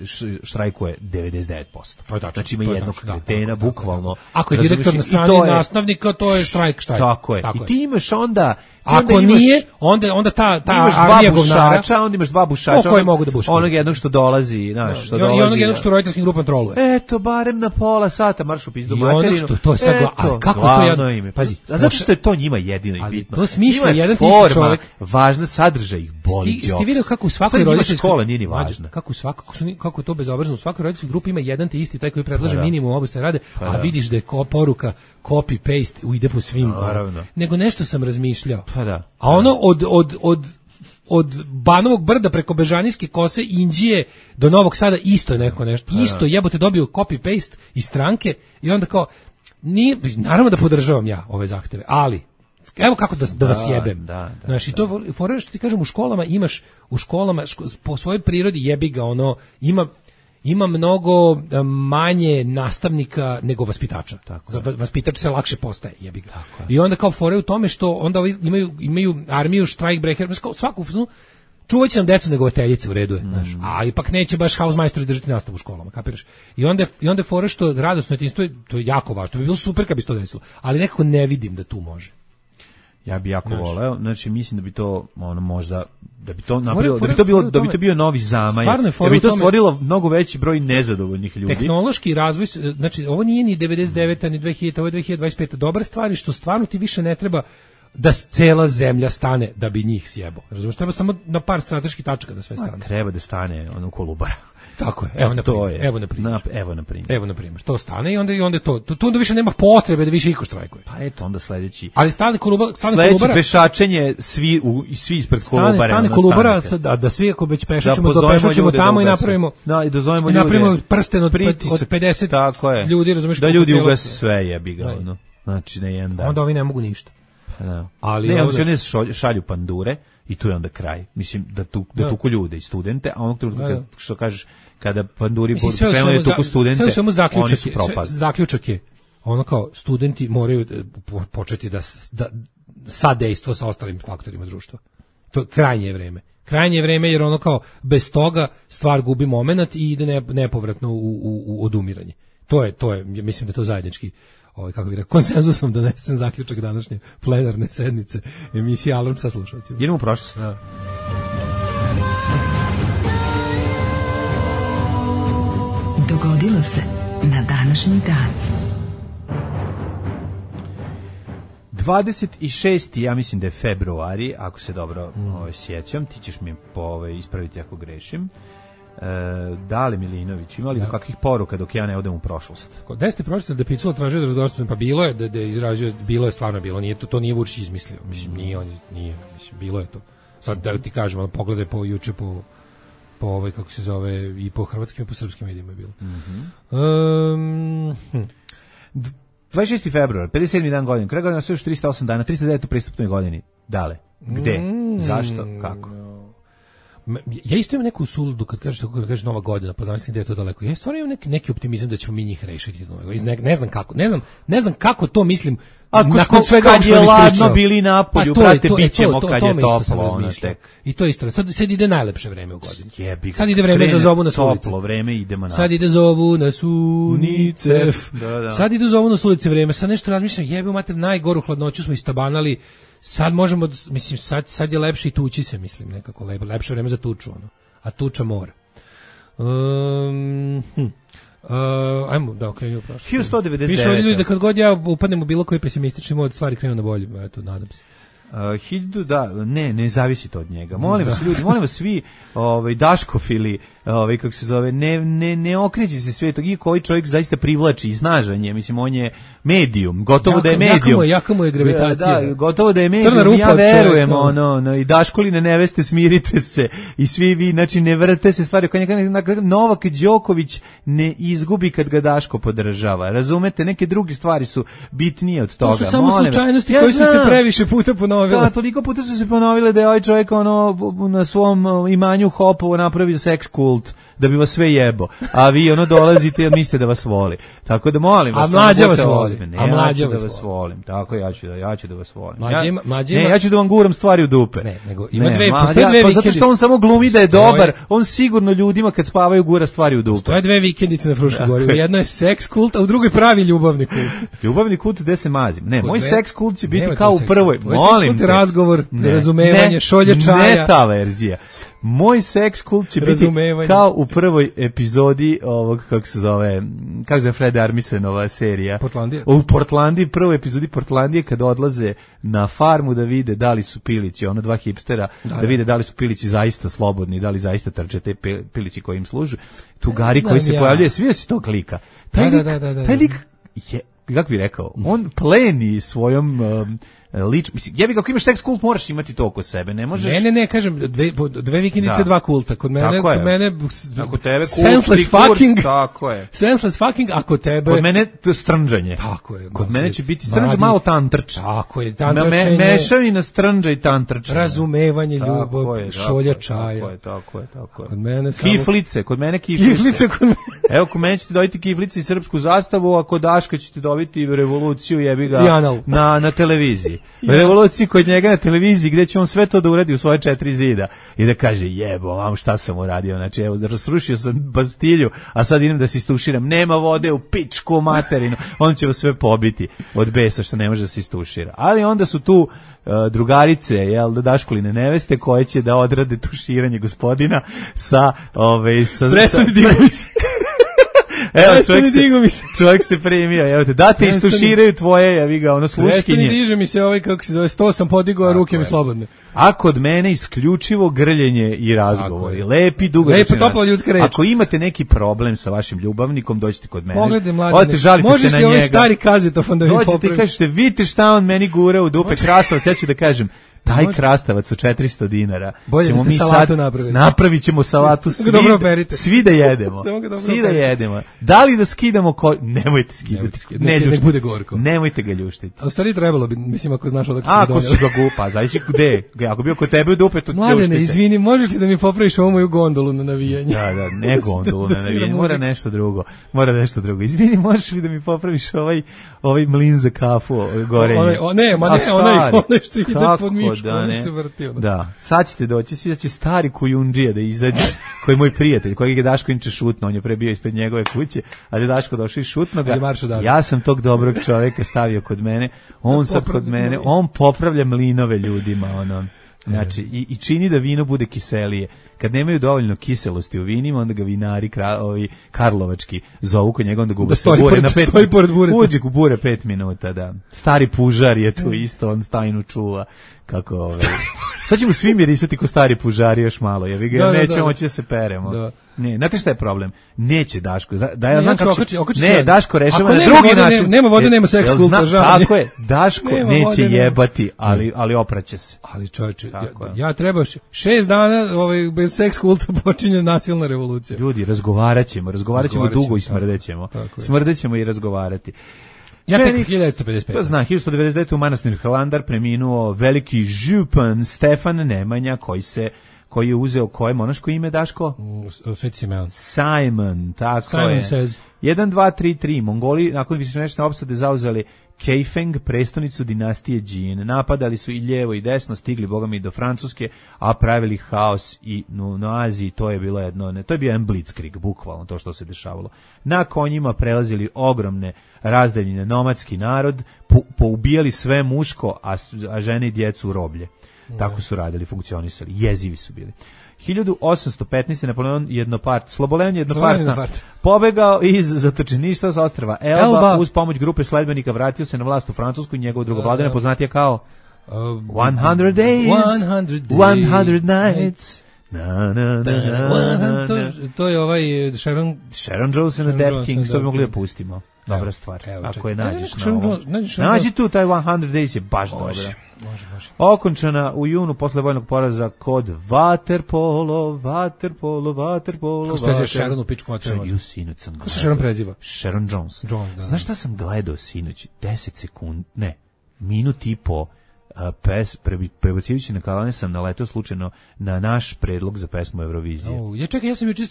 Speaker 5: štrajkuje devedeset devet posto.
Speaker 4: Tačno,
Speaker 5: znači ima jednog kretena, bukvalno.
Speaker 4: Ako je direktor na strani nastavnika, to je štrajk štrajk.
Speaker 5: Tako je. Tako I ti imaš onda...
Speaker 4: Ako
Speaker 5: onda
Speaker 4: nije, onda, onda ta, ta
Speaker 5: imaš
Speaker 4: armija
Speaker 5: dva bušača, onda imaš dva bušača.
Speaker 4: Koji mogu da bušu.
Speaker 5: Onog jednog što dolazi, znaš, što
Speaker 4: I
Speaker 5: dolazi.
Speaker 4: I onog jednog što roditeljskim grupom troluje.
Speaker 5: Eto, barem na pola sata marš u pizdu materinu.
Speaker 4: I onog što, to je sad gla... Ali kako to jedno
Speaker 5: ime? Pazi, a zato što je to njima jedino i bitno.
Speaker 4: To smišlja jedan ti isti čovjek.
Speaker 5: Važna sadržaj ih boli džoks.
Speaker 4: Ste vidio kako u svakoj roditeljskoj
Speaker 5: škola nije ni važna.
Speaker 4: Kako u svakako kako to bezobrazno u svakoj roditeljskoj grupi ima jedan te isti taj koji predlaže minimum obostrane rade, a vidiš da je poruka copy paste ide po svim. Nego nešto sam razmišljao.
Speaker 5: Pa da.
Speaker 4: A ono od od od od Banovog brda preko Bežanijske kose Inđije do Novog Sada isto je neko nešto. Isto jebote dobio copy paste iz stranke i onda kao ni naravno da podržavam ja ove zahteve, ali evo kako da, da vas jebem.
Speaker 5: Da, da,
Speaker 4: znači da. To fore što ti kažem u školama imaš u školama ško, po svojoj prirodi jebi ga ono ima ima mnogo manje nastavnika nego vaspitača. Tako. Za vaspitač se lakše postaje, jebi ga. I onda kao fore u tome što onda imaju imaju armiju štrajkbrehera, svaku čuvaće nam decu negovateljice u redu je, mm. znaš. A ipak neće baš hausmajstori držati nastavu u školama, kapiraš? I onda i onda fore što radosno djetinjstvo to je jako važno. To bi bilo super kad bi se to desilo, ali nekako ne vidim da tu može.
Speaker 5: Ja bih jako znači. voleo, znači mislim da bi to ono možda da bi to napravilo, da bi to bilo, da bi to bio novi zamajac, da bi to stvorilo mnogo veći broj nezadovoljnih ljudi.
Speaker 4: Tehnološki razvoj, znači ovo nije ni devedeset deveta ni dve hiljadite, ovo je dve hiljade dvadeset peta. Dobra stvar je što stvarno ti više ne treba da cela zemlja stane da bi njih sjebo. Razumiješ, treba samo na par strateških tačaka da sve stane.
Speaker 5: A, treba da stane ono Kolubara.
Speaker 4: Tako je. Evo na primjer. Evo na primjer.
Speaker 5: Na, evo na primjer.
Speaker 4: Evo na primjer. To stane i onda i onda to. Tu onda više nema potrebe da više iko štrajkuje.
Speaker 5: Pa eto onda sledeći.
Speaker 4: Ali stane Kolubara, stane
Speaker 5: sledeći
Speaker 4: Kolubara.
Speaker 5: pešačenje svi u svi ispred Kolubare.
Speaker 4: Stane, stane Kolubara da, da svi ako već pešačimo da pešačimo tamo i napravimo.
Speaker 5: Da, i dozovemo ljude.
Speaker 4: I napravimo prsten od, od pedeset ljudi, razumiješ?
Speaker 5: Da ljudi ugase sve jebi ga, ono. Znači na jedan dan.
Speaker 4: Onda ovi ne mogu ništa.
Speaker 5: Da. Ali ne, ovdje... oni se šalju pandure i tu je onda kraj. Mislim da tu da, da tuku ljude i studente, a onog trenutka kad, što kažeš kada panduri krenuli tuku studente,
Speaker 4: sve zaključak,
Speaker 5: oni su propali.
Speaker 4: Zaključak je ono kao studenti moraju početi da, da sadejstvo sa ostalim faktorima društva. To je krajnje vreme. Krajnje vreme jer ono kao bez toga stvar gubi momenat i ide nepovratno u, u, u odumiranje. To je to je mislim da je to zajednički ovaj kako bih rekao konsenzusom donesen zaključak današnje plenarne sednice emisije Alarm sa slušateljima.
Speaker 5: Idemo u prošlost.
Speaker 4: Da.
Speaker 3: Dogodilo se na današnji dan.
Speaker 5: dvadeset šesti ja mislim da je februari, ako se dobro mm. ovaj, sjećam, ti ćeš mi po, ovaj, ispraviti ako grešim. E, Dale Milinović, imali da kakvih poruka dok ja ne odem u prošlost?
Speaker 4: Gde ste prošli da Picula tražio da razgovarate? Pa bilo je da, da izražio, bilo je stvarno bilo, nije to, to nije Vučić izmislio, mislim, nije on, nije, mislim, bilo je to. Sad da ti kažem, ono, pogledaj po juče po po ovaj, kako se zove, i po hrvatskim i po srpskim medijima je bilo.
Speaker 5: Mm-hmm.
Speaker 4: Um, hm.
Speaker 5: dvadeset šesti februar, pedeset sedmi dan godine, kraj godine, još trista osam dana, trista devet u pristupnoj godini. Dale, gde, mm, zašto, kako?
Speaker 4: Ja isto imam neku suludu kad kažeš kako kažeš nova godina, pa znam da je to daleko. Ja stvarno imam neki, neki optimizam da ćemo mi njih rešiti. Ne, ne znam kako, ne znam, ne znam kako to mislim.
Speaker 5: Ako nakon svega kad je ladno bili napolju, pa brate, bit ćemo kad je toplo. Ono
Speaker 4: I to isto. Sad, sad ide najlepše vreme u godini. Sad ide vreme za zovu na sulice.
Speaker 5: Toplo vreme, idemo na.
Speaker 4: Sad ide zovu na sunicef. Da, da. Sad ide zovu na sulice vreme. Sad nešto razmišljam, jebe mater, najgoru hladnoću smo istabanali. Sad možemo, mislim, sad, sad je lepše i tući se, mislim, nekako lepo, lepše vreme za tuču, ono. A tuča mora. Um, hm. Uh, ajmo, da, okrenimo prošlo.
Speaker 5: hiljadu sto devedeset devete.
Speaker 4: Piše ovdje ljudi da kad god ja upadnem u bilo koji pesimistični mod, stvari krenu na bolje, eto, nadam se.
Speaker 5: Uh, hiljadu, da, ne, ne zavisi to od njega. Molim vas ljudi, molim vas svi, ovaj Daškofili, ovaj kako se zove, ne ne ne okreći se sve tog i koji čovjek zaista privlači iznaženje, mislim on je medijum, gotovo
Speaker 4: jaka,
Speaker 5: da je medijum.
Speaker 4: Jaka, jaka mu je gravitacija.
Speaker 5: Da, gotovo da je medijum. Ja verujem čovjek, ono, no, i Daškoline neveste, smirite se i svi vi, znači ne vrte se stvari kao neka Novak Đoković ne izgubi kad ga Daško podržava. Razumete, neke druge stvari su bitnije od toga.
Speaker 4: To su samo slučajnosti ja koji su se previše puta ponovile.
Speaker 5: Da, toliko puta su se ponovile da je ovaj čovjek ono na svom imanju Hopovo napravio seks kult da bi vas sve jebo, a vi ono dolazite jer mislite da vas voli. Tako da molim vas,
Speaker 4: a mlađa vas voli.
Speaker 5: Ne,
Speaker 4: a mlađa
Speaker 5: ja
Speaker 4: vas
Speaker 5: da vas volim. Tako ja ću da ja ću da vas volim.
Speaker 4: Mlađa,
Speaker 5: ja,
Speaker 4: mlađa,
Speaker 5: ne, ja ću da vam guram stvari u dupe.
Speaker 4: Ne, nego ima ne, dve, postoje dve
Speaker 5: ja, pa zato što on samo glumi da je dobar, on sigurno ljudima kad spavaju gura stvari u dupe.
Speaker 4: Postoje dve vikendice na Fruškoj gori. Jedna je seks kult, a u drugoj pravi ljubavni kult.
Speaker 5: Ljubavni kult gde se mazim. Ne, moj seks kult će biti kao u prvoj. Molim te.
Speaker 4: Razgovor, razumevanje, šolje čaja.
Speaker 5: Ne ta verzija. Moj seks kult će biti kao u prvoj epizodi ovog, kako se zove, kako se zove Fred Armisenova serija.
Speaker 4: Portlandija.
Speaker 5: U Portlandiji, prvoj epizodi Portlandije kad odlaze na farmu da vide da li su pilići, ono dva hipstera, da, da vide da li su pilići zaista slobodni, da li zaista trče te pilići koji im služu. Tugari koji se ja. pojavljuje, svi si tog lika. Taj
Speaker 4: da,
Speaker 5: lik,
Speaker 4: da, da, da,
Speaker 5: taj lik je, kako bih rekao, on pleni svojom... Um, lič, mislim, jebi kako imaš seks kult moraš imati to oko sebe, ne možeš.
Speaker 4: Ne, ne, ne, kažem dve dve vikendice, da. dva kulta. Kod mene, kod mene
Speaker 5: ako tebe
Speaker 4: senseless fucking,
Speaker 5: tako je.
Speaker 4: Senseless fucking, ako tebe
Speaker 5: kod mene to strnđanje.
Speaker 4: Tako je.
Speaker 5: Kod mene će biti strnđ malo tantrč.
Speaker 4: Tako je, tantrčenje.
Speaker 5: Me, mešavina strnđa i tantrčenje.
Speaker 4: Razumevanje, ljubav, šolja čaja.
Speaker 5: Tako je, tako je, tako je.
Speaker 4: Kod mene samo
Speaker 5: kiflice, kod mene kiflice.
Speaker 4: Kiflice kod mene.
Speaker 5: Evo, kod mene ćete dobiti kiflice i srpsku zastavu, a kod Daška ćete dobiti revoluciju, jebi ga, na na televiziji. revoluciji kod njega na televiziji gdje će on sve to da uradi u svoje četiri zida i da kaže jebo, mam šta sam uradio, znači evo rasrušio sam Bastilju, a sad idem da se istuširam, nema vode u pičku materinu, on će vas sve pobiti od besa što ne može da se istušira. Ali onda su tu uh, drugarice, jel, da Daškoline neveste koje će da odrade tuširanje gospodina sa ove sa
Speaker 4: Prestani
Speaker 5: sa Evo, čovjek se, čovjek se premija, evo te, da te istuširaju tvoje, ja vi ga, ono, sluškinje.
Speaker 4: Prestani, diže mi se ovaj, kako se zove, sto sam podigao, a ruke mi slobodne.
Speaker 5: A kod mene isključivo grljenje i razgovori. Lepi, dugotrajni.
Speaker 4: Lepa, topla ljudska reč.
Speaker 5: Ako imate neki problem sa vašim ljubavnikom, dođite kod mene.
Speaker 4: Pogledaj, mladine, možeš li ovaj stari kazetofon da mi popraviš?
Speaker 5: Dođite i kažete, vidite šta on meni gura u dupe krastavac, ja ću da kažem, taj krastavac u četiristo dinara.
Speaker 4: Bolje ćemo mi sad napraviti.
Speaker 5: Napravit ćemo salatu svi, svi da jedemo. Svi da jedemo. Da li da skidamo ko... Nemojte skidati.
Speaker 4: Ne, ne, ne bude gorko.
Speaker 5: Nemojte ga ljuštiti.
Speaker 4: A u stvari trebalo bi, mislim, ako znaš odakle
Speaker 5: se donijeli. Ako si ga gupa, zavisi gde. Ako bio kod tebe u dupe, to ljuštite.
Speaker 4: Mladene, izvini, možeš li da mi popraviš ovu moju gondolu na navijanje?
Speaker 5: Da, da, ne gondolu na navijanje. Mora nešto drugo. Mora nešto drugo. Izvini, možeš li da mi popraviš ovaj, ovaj mlin za kafu gorenje?
Speaker 4: O, ne, ma ne, onaj, onaj što ide pod mišku, onaj se vrti.
Speaker 5: Da, sad ćete doći, svi će stari kujundžija da izađe, koji je moj prijatelj, kojeg je Daško inče šutno, on je pre bio ispred njegove kuće, ali je Daško došao i šutno ga. Ja sam tog dobrog čoveka stavio kod mene, on sad kod mene, on popravlja mlinove ljudima, ono. Znači, i, i čini da vino bude kiselije. Kad nemaju dovoljno kiselosti u vinima, onda ga vinari kra, ovi karlovački zovu kod njega, onda ga ugase bure
Speaker 4: pored,
Speaker 5: na pet
Speaker 4: minuta.
Speaker 5: Uđe u bure pet minuta, da. Stari pužar je tu isto, on stajnu čuva. Kako ove... Sad ćemo svi mirisati ko stari pužari još malo, jer ga da, nećemo da, moći da se peremo. Da. Ne, znate šta je problem? Neće Daško. Da ja znam kako će... Ne, Daško rešava na drugi vode, način.
Speaker 4: Nema vode, nema seks kulta, žao.
Speaker 5: Tako je, Daško neće vode, jebati, ali, ali opraće se.
Speaker 4: Ali čovječe, ja, ja treba šest dana ovaj, bez seks kulta počinje nasilna revolucija.
Speaker 5: Ljudi, razgovarat ćemo, razgovarat ćemo dugo i smrdećemo. Smrdećemo i razgovarati.
Speaker 4: Ja tek hiljadu devetsto pedeset pete.
Speaker 5: To zna, hiljadu sto devedeset devete u manastiru Hilandar preminuo veliki župan Stefan Nemanja, koji se koji je uzeo koje monaško ime, Daško?
Speaker 4: Sveti Simeon.
Speaker 5: Simon, tako
Speaker 4: Simon
Speaker 5: je.
Speaker 4: Says.
Speaker 5: jedan, dva, tri, tri. Mongoli, nakon višemesečne opsade, zauzeli Kaifeng, prestonicu dinastije Jin. Napadali su i lijevo i desno, stigli bogami do Francuske, a pravili haos i no, no Aziji. To je bilo jedno, ne, to je bio jedan blitzkrieg, bukvalno to što se dešavalo. Na konjima prelazili ogromne razdaljine, nomadski narod, po, poubijali sve muško, a, a žene i djecu u roblje. Tako su radili, funkcionisali, jezivi su bili. hiljadu osamsto petnaeste. Napoleon jednopart, Sloboleon jednopartna, pobegao iz zatočeništva sa ostrva Elba, Elba uz pomoć grupe sledbenika vratio se na vlast u Francusku i njegovo drugo vladanje poznatije kao one hundred days, one hundred nights. Na, na, na, na,
Speaker 4: to, to je ovaj Sharon
Speaker 5: Sharon Jones and the Dead Kings, to bi mogli da pustimo. Dobra stvar. Evo, ako je nađeš na ovo. Nađi tu taj one hundred days je baš dobra.
Speaker 4: Može, može.
Speaker 5: Okončana u junu posle vojnog poraza kod Waterpolo, Waterpolo, Waterpolo.
Speaker 4: Kako se preziva Sharon u pičku materiju?
Speaker 5: Ju, sinoć sam
Speaker 4: Kako se Sharon preziva?
Speaker 5: Sharon Jones.
Speaker 4: Jones, da.
Speaker 5: Znaš šta sam gledao sinoć? deset sekundi, ne, minut i po pes, prebacivajući na kalane sam naletao slučajno na naš predlog za pesmu Eurovizije.
Speaker 4: Oh, ja čekaj, ja sam juče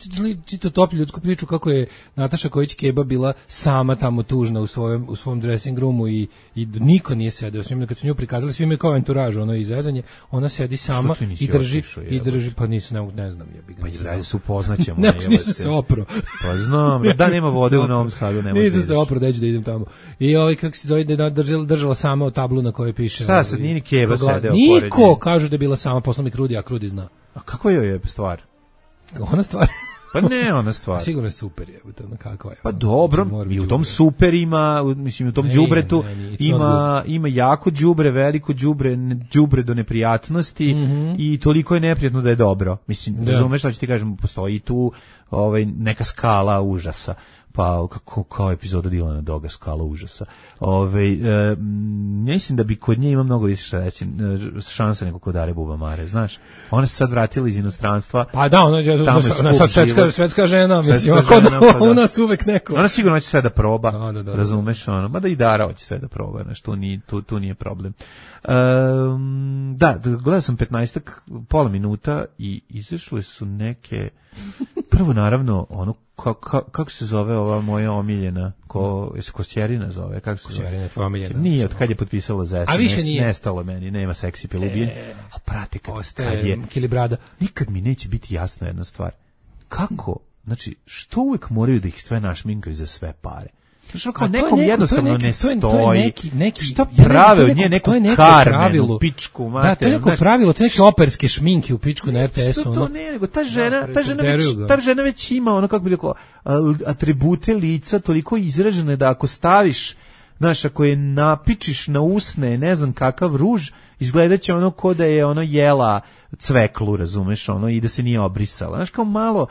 Speaker 4: čitao toplju ljudsku priču kako je Nataša Kojić-Keba bila sama tamo tužna u svojem u svom dressing roomu i, i niko nije sedeo s njom, kad su nju prikazali, svi imaju kao anturažu, ono izrezanje, ona sedi sama i drži otišao, i drži, pa nisu, ne, ne znam, ja bih ga.
Speaker 5: Pa izrazi su upoznaćemo.
Speaker 4: Ne, nisam se opro.
Speaker 5: Pa znam, da nema vode u Novom Sadu, ne može.
Speaker 4: Nisam se opro, da da idem tamo. I ovaj kako se zove, da držala, držala sama tablu na kojoj piše.
Speaker 5: Šta sad, nije ni Keba sedeo.
Speaker 4: Niko kaže da je bila sama, posla mi Krudi, a Krudi zna.
Speaker 5: A kako je je stvar?
Speaker 4: Ona stvar?
Speaker 5: Pa ne, ona stvar.
Speaker 4: Sigurno je super, je, to kakva je.
Speaker 5: Pa dobro, i u tom super ima, mislim u tom đubretu ima ima jako đubre, veliko đubre, đubre do neprijatnosti, mm -hmm. i toliko je neprijatno da je dobro. Mislim, razumeš šta ću ti kažem, postoji tu ovaj neka skala užasa. Pa kako kao epizoda Dilana Doga, skala užasa. Ove, e, mislim da bi kod nje ima mnogo više šta reći, šansa nego kod Are Bubamare, znaš. Ona se sad vratila iz inostranstva.
Speaker 4: Pa da, ona je ona sad svetska, svetska žena, mislim, ako pa u nas uvek neko.
Speaker 5: Ona sigurno će sve da proba,
Speaker 4: da, da, da,
Speaker 5: razumeš, ono, mada i Dara hoće sve da proba, znaš, tu, ni, tu, tu nije problem. Um, da, gledao sam petnaestak, pola minuta i izašle su neke, prvo naravno, ono, Ka, ka, kako se zove ova moja omiljena? Ko, se Kosjerina zove? Kako se
Speaker 4: Kosjerina je tvoja omiljena.
Speaker 5: Nije, od kad je potpisala za S M S. A više nije. Nestalo meni, nema seksi pilubilj. E, a prate, kad, kad je...
Speaker 4: Kilibrada.
Speaker 5: Nikad mi neće biti jasno jedna stvar. Kako? Znači, što uvek moraju da ih sve našminkaju za sve pare? Što kao nekom neko, jednostavno neki, ne stoji. To je neki, neki, šta prave od nje neku Karmenu, pičku, mater.
Speaker 4: Da, to je neko znaš, pravilo, to je neke operske šminke u pičku na R T S-u.
Speaker 5: Što to ne, nego ta žena, ta žena, već, ta žena već ima ono, kako bi rekao, atribute lica toliko izražene da ako staviš, znaš, ako je napičiš na usne, ne znam kakav ruž, izgledaće ono ko da je ono jela cveklu, razumeš, ono, i da se nije obrisala. Znaš, kao malo...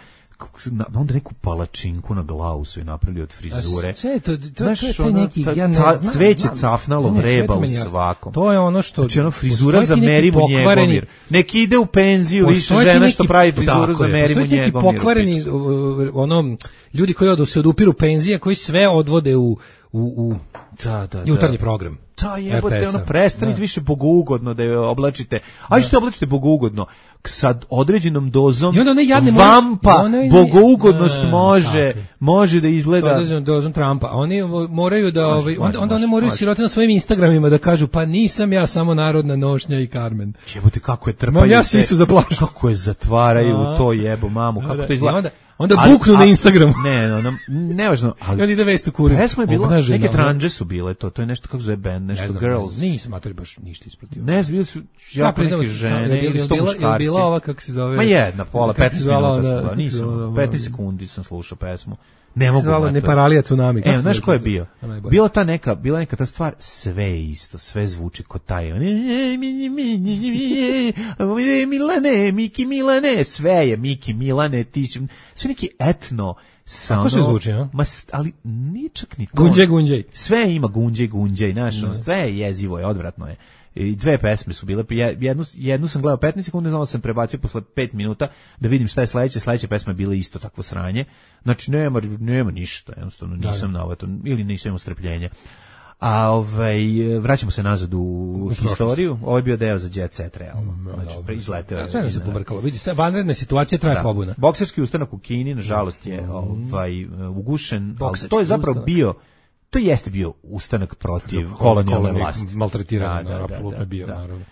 Speaker 5: onda neku palačinku na glavu su je napravili od frizure.
Speaker 4: Sve to, to, znaš, to je taj neki, ja ne
Speaker 5: znam. Cveće cafnalo ne, vreba u svakom.
Speaker 4: To je ono što...
Speaker 5: Znači ono frizura za Merimu Njegomir. Neki ide u penziju, više žena što pravi frizuru za Merimu Njegomir. Postoji neki
Speaker 4: pokvareni, ono, ljudi koji odu se odupiru penzije, koji sve odvode u, u, u
Speaker 5: da, da,
Speaker 4: jutarnji program.
Speaker 5: Da, jebote, ono, prestanite više bogougodno da je oblačite. A što oblačite bogougodno? Sa određenom dozom vampa bogougodnost da, može tako. može da izgleda
Speaker 4: sa određenom dozom Trumpa. Oni moraju da maš, ovaj, onda, onda oni moraju sirote na svojim Instagramima da kažu pa nisam ja samo narodna nošnja i Carmen.
Speaker 5: Jebote, kako je trpaju.
Speaker 4: Ma ja se isto zaplašim.
Speaker 5: Kako je zatvaraju a, to jebo mamu, kako da, to izgleda.
Speaker 4: Onda, onda ali, buknu a, na Instagramu.
Speaker 5: Ne, no, no, nevažno.
Speaker 4: Ali onda ide vest u kurir.
Speaker 5: Pesma je bilo, Obnažena, neke tranđe su bile to, to je nešto kako zove band, nešto
Speaker 4: znam,
Speaker 5: Girls.
Speaker 4: Nisam materi baš ništa ispratio.
Speaker 5: Ne, bili su jako neke žene ili sto muškarci.
Speaker 4: Bila ova kako se zove.
Speaker 5: Ma jedna, pola, petnaest minuta sam gledao, nisam, petnaest sekundi sam slušao pesmu. Ne mogu
Speaker 4: gledati. Ne paralija tsunami.
Speaker 5: E, znaš ko je bio? Bila ta neka, bila neka ta stvar, sve je isto, sve zvuči ko taj. Milane, Miki Milane, sve je Miki Milane, ti si, sve neki etno.
Speaker 4: Kako se zvuči, ja?
Speaker 5: Ma, ali ničak ni to.
Speaker 4: Gunđej, gunđej.
Speaker 5: Sve ima gunđej, gunđej, znaš, sve je jezivo, je, odvratno je. I dve pesme su bile, jednu, jednu sam gledao petnaest sekundi, znao sam prebacio posle pet minuta da vidim šta je sledeće, sledeća pesma je bila isto takvo sranje. Znači nema, nema ništa, jednostavno nisam na ovo, ili nisam imao strpljenja. A ovaj, vraćamo se nazad u, u historiju, ovo je bio deo za Jet Set, realno. Mm, znači, izleteo je.
Speaker 4: Sve se pobrkalo, vidi, vanredna situacija traje da. pobuna.
Speaker 5: Bokserski ustanak u Kini, nažalost, je ovaj, ugušen, ali to je zapravo ustanak. bio To jeste bio ustanak protiv kolonijalne vlasti.
Speaker 4: Maltretiranje, da, da, apsolutno da, bio,
Speaker 5: da.
Speaker 4: naravno.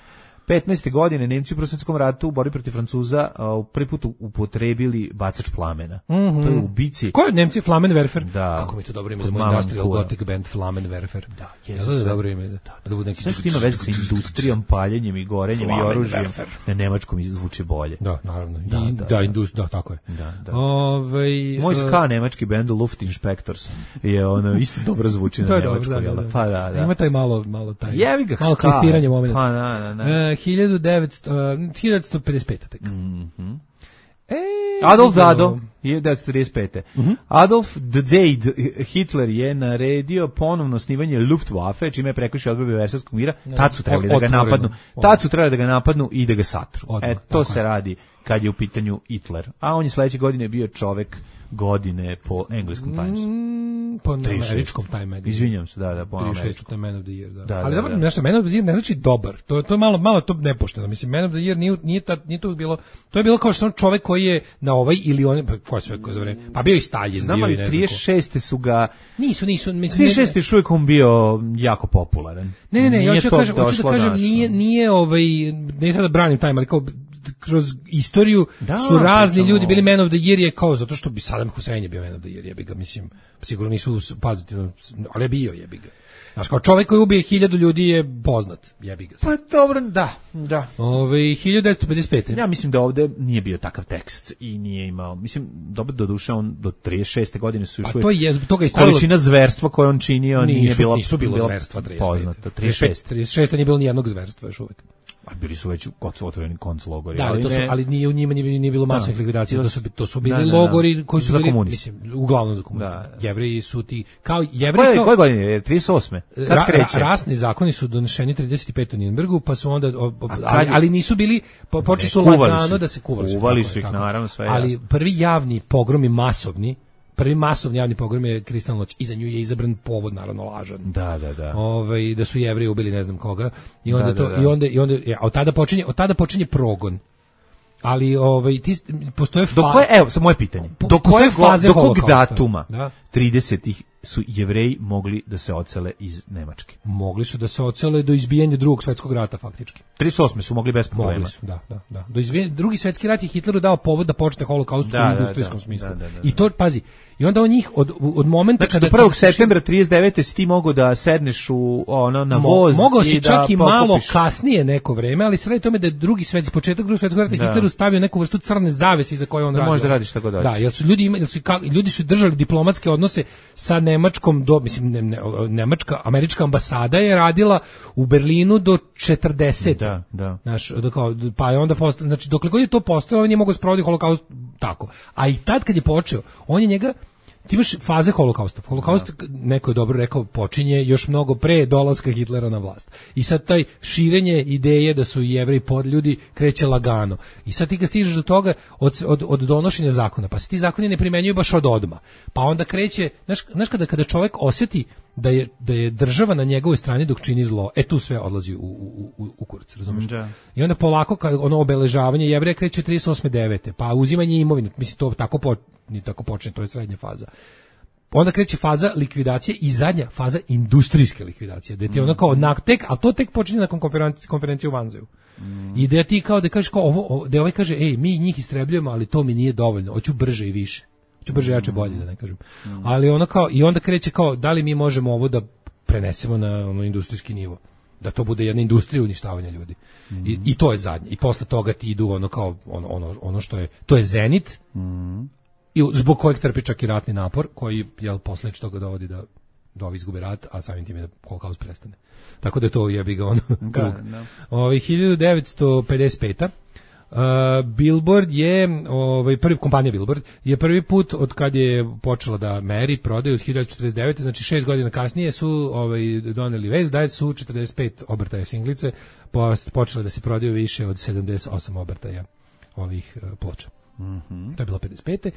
Speaker 5: petnaeste godine Nemci u Prvom svetskom ratu u borbi protiv Francuza uh, prvi put upotrebili bacač plamena.
Speaker 4: Mm-hmm.
Speaker 5: To je u bici.
Speaker 4: Ko je Nemci? Flammenwerfer?
Speaker 5: Da.
Speaker 4: Kako mi to dobro ime za moj industrial gothic band Flammenwerfer.
Speaker 5: Da,
Speaker 4: je to dobro ime. Da, da bude neki.
Speaker 5: Sve što ima veze sa industrijom, paljenjem i gorenjem i oružjem, na nemačkom zvuči bolje.
Speaker 4: Da, naravno. Da, I, da, da, indust, da, tako je.
Speaker 5: Da, da.
Speaker 4: Ove,
Speaker 5: moj ska nemački band Luft Inspectors je ono isto dobro zvuči na nemačkom,
Speaker 4: da, da,
Speaker 5: pa da, da.
Speaker 4: Ima taj malo malo taj.
Speaker 5: Jevi ga,
Speaker 4: malo klistiranje momenat.
Speaker 5: Pa da, da, da.
Speaker 4: hiljadu devetsto pedeset pet tek.
Speaker 5: Mhm. E, Adolf Dado, hiljadu devetsto trideset pete. Mm-hmm. Adolf Dade Hitler je naredio ponovno osnivanje Luftwaffe, čime je prekršio odredbe Versajskog mira. Tad su trebali da ga napadnu. Tad su trebali da ga napadnu i da ga satru. E, to se radi kad je u pitanju Hitler. A on je sledeće godine bio čovek godine po engleskom Timesu.
Speaker 4: Mm, po američkom Time.
Speaker 5: Izvinjam se, da, da, po
Speaker 4: američkom. To je Man of the Year, da. da ali
Speaker 5: da,
Speaker 4: dobro, da. Nešto, Man of the Year ne znači dobar. To, to je malo, malo to nepošteno. Mislim, Man of the Year nije, nije, ta, nije to bilo, to je bilo kao što čovjek koji je na ovaj ili on, pa ko je sve ko za vreme, pa bio i Stalin.
Speaker 5: Znam, ali trideset šeste su ga,
Speaker 4: nisu, nisu, mislim,
Speaker 5: trideset šeste je šuvijek on bio jako popularan.
Speaker 4: Ne, ne, ne, ja hoću da kažem, hoću da kažem, nije, nije ovaj, ne sad da branim Time, ali kao, kroz istoriju da, su razni pričamo. Ljudi bili Man of the Year je kao zato što bi Saddam Hussein je bio Man of the Year, jebi ga, mislim, sigurno nisu pozitivno, ali je bio, jebi ga. Znaš, kao čovjek koji ubije hiljadu ljudi je poznat, jebi ga.
Speaker 5: Pa dobro, da, da.
Speaker 4: Ove, hiljadu devetsto pedeset pete.
Speaker 5: Ja mislim da ovde nije bio takav tekst i nije imao, mislim, dobro do duše on do trideset šeste godine su još
Speaker 4: uvijek. A to je, zbog toga je stavilo...
Speaker 5: Količina zverstva koju on činio
Speaker 4: nisu,
Speaker 5: nije bila...
Speaker 4: Nisu bilo zverstva trideset pete.
Speaker 5: Poznato, trideset šeste.
Speaker 4: trideset šeste nije bilo nijednog zverstva još uvijek.
Speaker 5: A bili su već otvoreni konclogori.
Speaker 4: Da, ali, to su, ali nije u njima nije, nije bilo masovnih likvidacija, to su, to su bili da, da, da. logori koji su
Speaker 5: za
Speaker 4: bili,
Speaker 5: komunisti.
Speaker 4: Mislim, uglavnom za komunisti. Da, da. Jevreji su ti, kao Jevreji... Koje,
Speaker 5: koje godine? trideset osme Kad
Speaker 4: ra,
Speaker 5: kreće?
Speaker 4: Ra, rasni zakoni su doneseni trideset pete u Nürnbergu, pa su onda, o, o, ali, ali nisu bili, po, počeli su lagano da se kuvali.
Speaker 5: Kuvali su ih, naravno, sve.
Speaker 4: Ali prvi javni pogrom je masovni, prvi masovni javni pogrom je Kristalna noć. Iza nju je izabran povod, naravno lažan.
Speaker 5: Da, da, da.
Speaker 4: Ovaj da su Jevreji ubili ne znam koga i onda
Speaker 5: da,
Speaker 4: to
Speaker 5: da, da.
Speaker 4: i onda i onda ja, od tada počinje od tada počinje progon. Ali ovaj ti postoje
Speaker 5: fa... Do koje, evo, samo moje pitanje.
Speaker 4: Po,
Speaker 5: do koje
Speaker 4: faze
Speaker 5: do kog datuma da? tridesetih su Jevreji mogli da se odsele iz Nemačke?
Speaker 4: Mogli su da se odsele do izbijanja Drugog svjetskog rata faktički.
Speaker 5: trideset osme su mogli bez problema.
Speaker 4: Mogli su, da, da, da. Do izbijanja Drugi svjetski rat je Hitleru dao povod da počne holokaust da, u industrijskom da, da, smislu. Da, da, da, da. I to pazi, i onda on njih od od momenta
Speaker 5: znači,
Speaker 4: kada
Speaker 5: do prvog septembra trideset devete si ti mogao da sedneš u ono na voz
Speaker 4: Mo, mogao si
Speaker 5: i
Speaker 4: čak
Speaker 5: da
Speaker 4: i malo kasnije neko vreme, ali sve tome da je drugi svetski početak Drugog svjetskog rata Hitleru stavio neku vrstu crne zavese iza koje on
Speaker 5: da
Speaker 4: radio.
Speaker 5: Može da radiš tako dalje.
Speaker 4: Da, jer su ljudi imali, su ljudi su držali diplomatske odnose sa Nemačkom do mislim ne, ne, Nemačka američka ambasada je radila u Berlinu do četrdesete.
Speaker 5: Da, da.
Speaker 4: Znaš, kao, pa je onda postao, znači dokle god je to postojalo, on je mogao sprovoditi holokaust tako. A i tad kad je počeo, on je njega ti imaš faze holokausta. Holokaust, da. Neko je dobro rekao, počinje još mnogo pre dolaska Hitlera na vlast. I sad taj širenje ideje da su Jevreji podljudi kreće lagano. I sad ti kad stižeš do toga od, od, od donošenja zakona, pa se ti zakoni ne primenjuju baš od odma. Pa onda kreće, znaš, znaš kada, kada čovjek osjeti da je, da je država na njegovoj strani dok čini zlo, e tu sve odlazi u, u, u, u kurac, razumiješ? Da. I onda polako, kad ono obeležavanje Jevreja kreće trideset osme devete pa uzimanje imovine, mislim to tako po, ni tako počne, to je srednja faza. Onda kreće faza likvidacije i zadnja faza industrijske likvidacije, da ti ona kao naktek, a to tek počinje nakon konferencije, konferencije u Vanzeju. Mm. I da ti kao da kažeš kao ovo, ovo, da ovaj kaže, ej, mi njih istrebljujemo, ali to mi nije dovoljno, hoću brže i više. Hoću brže, jače, bolje, da ne kažem. Mm. Ali ona kao, i onda kreće kao, da li mi možemo ovo da prenesemo na ono industrijski nivo? Da to bude jedna industrija uništavanja ljudi. Mm. I, I to je zadnje. I posle toga ti idu ono kao, ono, ono, ono što je, to je zenit, mm. i zbog kojeg trpi čak i ratni napor, koji jel posljedično toga dovodi da da ovi izgube rat, a samim tim je da holokaust prestane. Tako da je to jebi ga ono krug. Ovaj hiljadu devetsto pedeset pete Uh, Billboard je ovaj prvi kompanija Billboard je prvi put od kad je počela da meri prodaju od hiljadu devetsto četrdeset devete znači šest godina kasnije su ovaj doneli vest da su četrdeset pet obrtaja singlice počele da se prodaju više od sedamdeset osam obrtaja ovih uh, ploča. Mm-hmm. To je bilo pedeset pete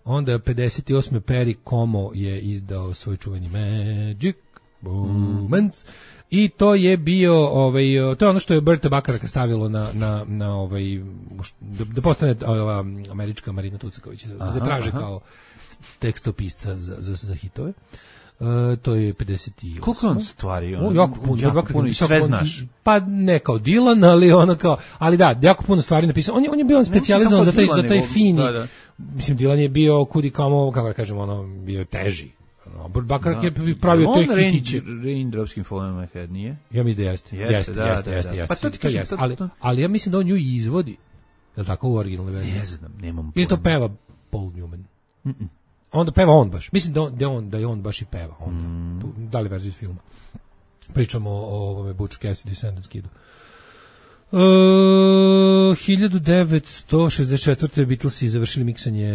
Speaker 4: Onda pedeset osme Perry Como je izdao svoj čuveni Magic Moments. Mm. I to je bio ovaj to je ono što je Berta Bakarak stavilo na na na ovaj da, da postane ova američka Marina Tucaković da, aha, da traže aha. kao tekstopisca za za za hitove. Uh, to je pedeset osam
Speaker 5: Koliko on stvari on?
Speaker 4: O, jako puno,
Speaker 5: jako
Speaker 4: jako
Speaker 5: puno i sve znaš.
Speaker 4: Pa ne kao Dylan, ali ono kao, ali da, jako puno stvari napisao. On je on je bio specijalizovan za taj za taj fini. Da, da. Mislim Dylan je bio kudi kamo, kako da kažemo, ono bio teži. Robert Bakarak je pravio te hitiće.
Speaker 5: Raindrops in Fall My Head nije?
Speaker 4: Ja mislim da jeste. Jeste, jeste, da, jeste, da, jeste, da. jeste.
Speaker 5: Pa to ti kažem, to,
Speaker 4: ali, ali ja mislim da on nju izvodi. Je li tako u originalnoj verziji?
Speaker 5: Ne znam, nemam pojma.
Speaker 4: Ili to peva Paul Newman? Mm -mm. Onda peva on baš. Mislim da on, da on, da je on baš i peva. Onda. Mm. Tu, da li verziju iz filma? Pričamo o ovome Butch Cassidy Sundance Kidu. Uh, hiljadu devetsto šezdeset četvrte Beatlesi završili miksanje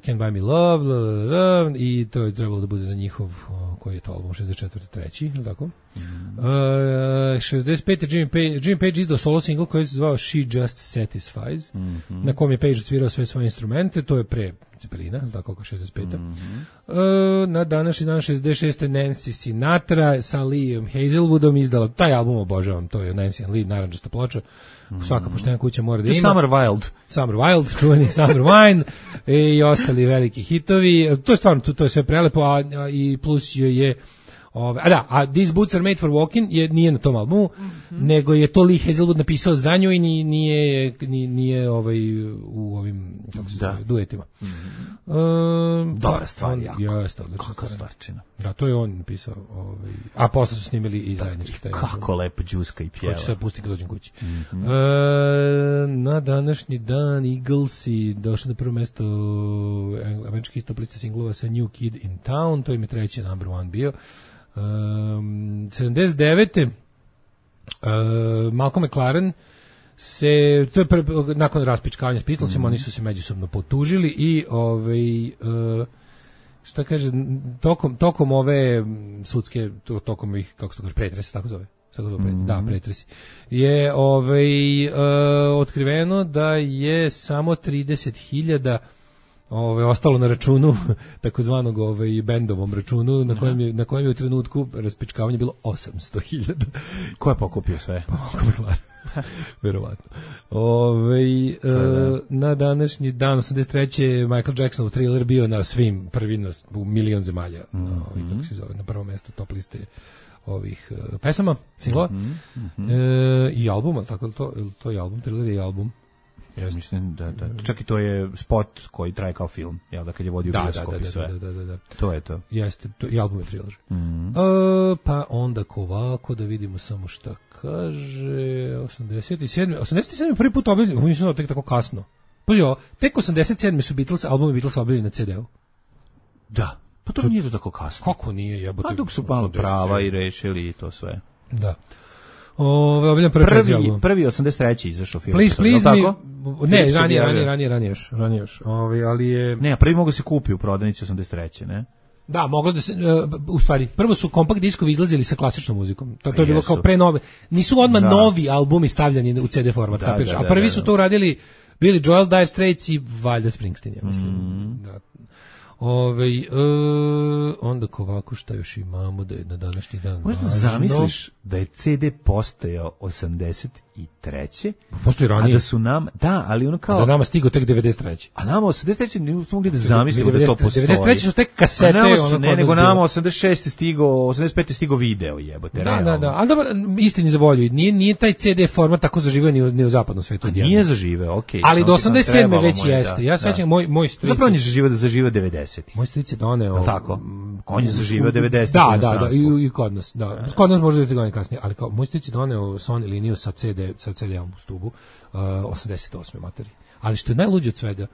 Speaker 4: Can't Buy Me Love bla, bla, bla, i to je trebalo da bude za njihov uh, koji je to album šezdeset četvrte treći tako? Mm. Uh, šezdeset pete Jimmy Page, Jimmy Page izdao solo single koji se zvao She Just Satisfies mm -hmm. na kom je Page svirao sve svoje instrumente, to je pre Cepelina, tako kao šezdeset pete Mm -hmm. uh, na današnji dan šezdeset šeste Nancy Sinatra sa Liam Hazelwoodom izdala, taj album obožavam, to je Nancy and Lee, naranđasta ploča, mm. svaka poštena kuća mora da ima.
Speaker 5: Summer Wild.
Speaker 4: Summer Wild, čuveni Summer Wine i ostali veliki hitovi, to je stvarno, to, to je sve prelepo, a, a i plus je Ove, a da, a These Boots Are Made for Walking je, nije na tom albumu, mm-hmm. nego je to Lee Hazelwood napisao za nju i nije, nije, nije ovaj, u ovim kako se zove, duetima.
Speaker 5: Mm-hmm. Um, Dobra stvar, jako.
Speaker 4: Jeste, odlična stvarčina. Da, to je on napisao. Ovaj, a posle su snimili i zajednički taj.
Speaker 5: Kako lepo džuska i pjeva.
Speaker 4: Hoće se pustiti kad dođem kući. Mm-hmm. Uh, na današnji dan Eaglesi došli na prvo mesto američki top liste singlova sa New Kid in Town, to im je treći number one bio. Um, sedamdeset devete Uh, Malcolm McLaren se, to je pre, nakon raspičkavanja s Beatlesima, mm. oni su se međusobno potužili i ovaj, uh, šta kaže, tokom, tokom ove sudske, to, tokom ih, kako se to kaže, pretresi, tako zove? Mm. Da, pretresi. Je ovaj, uh, otkriveno da je samo trideset hiljada Ove, ostalo na računu takozvanog ovaj bendovom računu na kojem je na kojem je u trenutku raspičkavanja bilo osamsto hiljada.
Speaker 5: Ko je pokupio sve?
Speaker 4: Pa, Verovatno. Ove, e, na današnji dan osamdeset treće Michael Jacksonov Thriller bio na svim prvi na, u milion zemalja. Mm -hmm. na, kako se zove, na prvom mjestu top liste ovih uh, pesama, singlova. Mm -hmm. e, i albuma, tako je to, to je album, Thriller je album.
Speaker 5: Ja mislim da, da, čak i to je spot koji traje kao film, jel da, kad je vodio bioskop i sve. Da, da, da, da. To je to.
Speaker 4: Jeste, to, i album je Thriller. Mm -hmm. e, pa onda ovako, da vidimo samo šta kaže, osamdeset sedam osamdeset sedam prvi put objavljen, mislim da tek tako kasno. Pa jo, tek osamdeset sedam su Beatles, albumi Beatles objavljeni na ce de u.
Speaker 5: Da, pa to, to nije to tako kasno.
Speaker 4: Kako nije, jebote.
Speaker 5: Pa dok su malo prava i rešili i to sve.
Speaker 4: Da. Ove, objavljen prvi,
Speaker 5: prvi, prvi osamdeset treći izašao film.
Speaker 4: Please, please me, ne, ranije, ranije, ranije, ranije još, ranije još. Ove, ali je...
Speaker 5: Ne, a prvi mogu se kupi u prodavnici osamdeset treće, ne?
Speaker 4: Da, moglo da se, uh, u stvari, prvo su kompakt diskovi izlazili sa klasičnom muzikom. To, to je bilo kao pre nove. Nisu odmah da. novi albumi stavljani u ce de format, da, da, da, a prvi da, da, su to uradili Billy Joel, Dire Straits i valjda Springsteen, ja mislim. Mm. Da. Ove, e, onda ovako šta još imamo da je na današnji dan
Speaker 5: možda važno. Zamisliš da je ce de postojao osamdeset treće
Speaker 4: postoji ranije,
Speaker 5: a da su nam, da, ali ono kao
Speaker 4: a da nama stigo tek devedeset treće
Speaker 5: a nama osamdeset treće nismo mogli da zamislimo da to postoji.
Speaker 4: devedeset treće su tek kasete,
Speaker 5: su, ono ne, nego nama osamdeset šeste stigo, osamdeset pete stigo video, jebote.
Speaker 4: Da, realno. da, da, ali dobro, istini za volju, nije, nije taj ce de format tako zaživeo ni u, ni u zapadnom svetu.
Speaker 5: Nije zaživeo, okej. Okay,
Speaker 4: ali do osamdeset sedme već moj, jeste. Ja sećam moj moj stric.
Speaker 5: Zapravo je zaživeo da zaživeo devedeset.
Speaker 4: Moj stric je doneo.
Speaker 5: Tako. On je zaživeo devedeset.
Speaker 4: Da, da, da, i, i kod nas, da. Kod nas može da godine kasnije, ali kao moj stric je doneo Sony liniju sa ce de, sa ce de-om u stubu, uh, osamdeset osme materi. Ali što je najluđe od svega,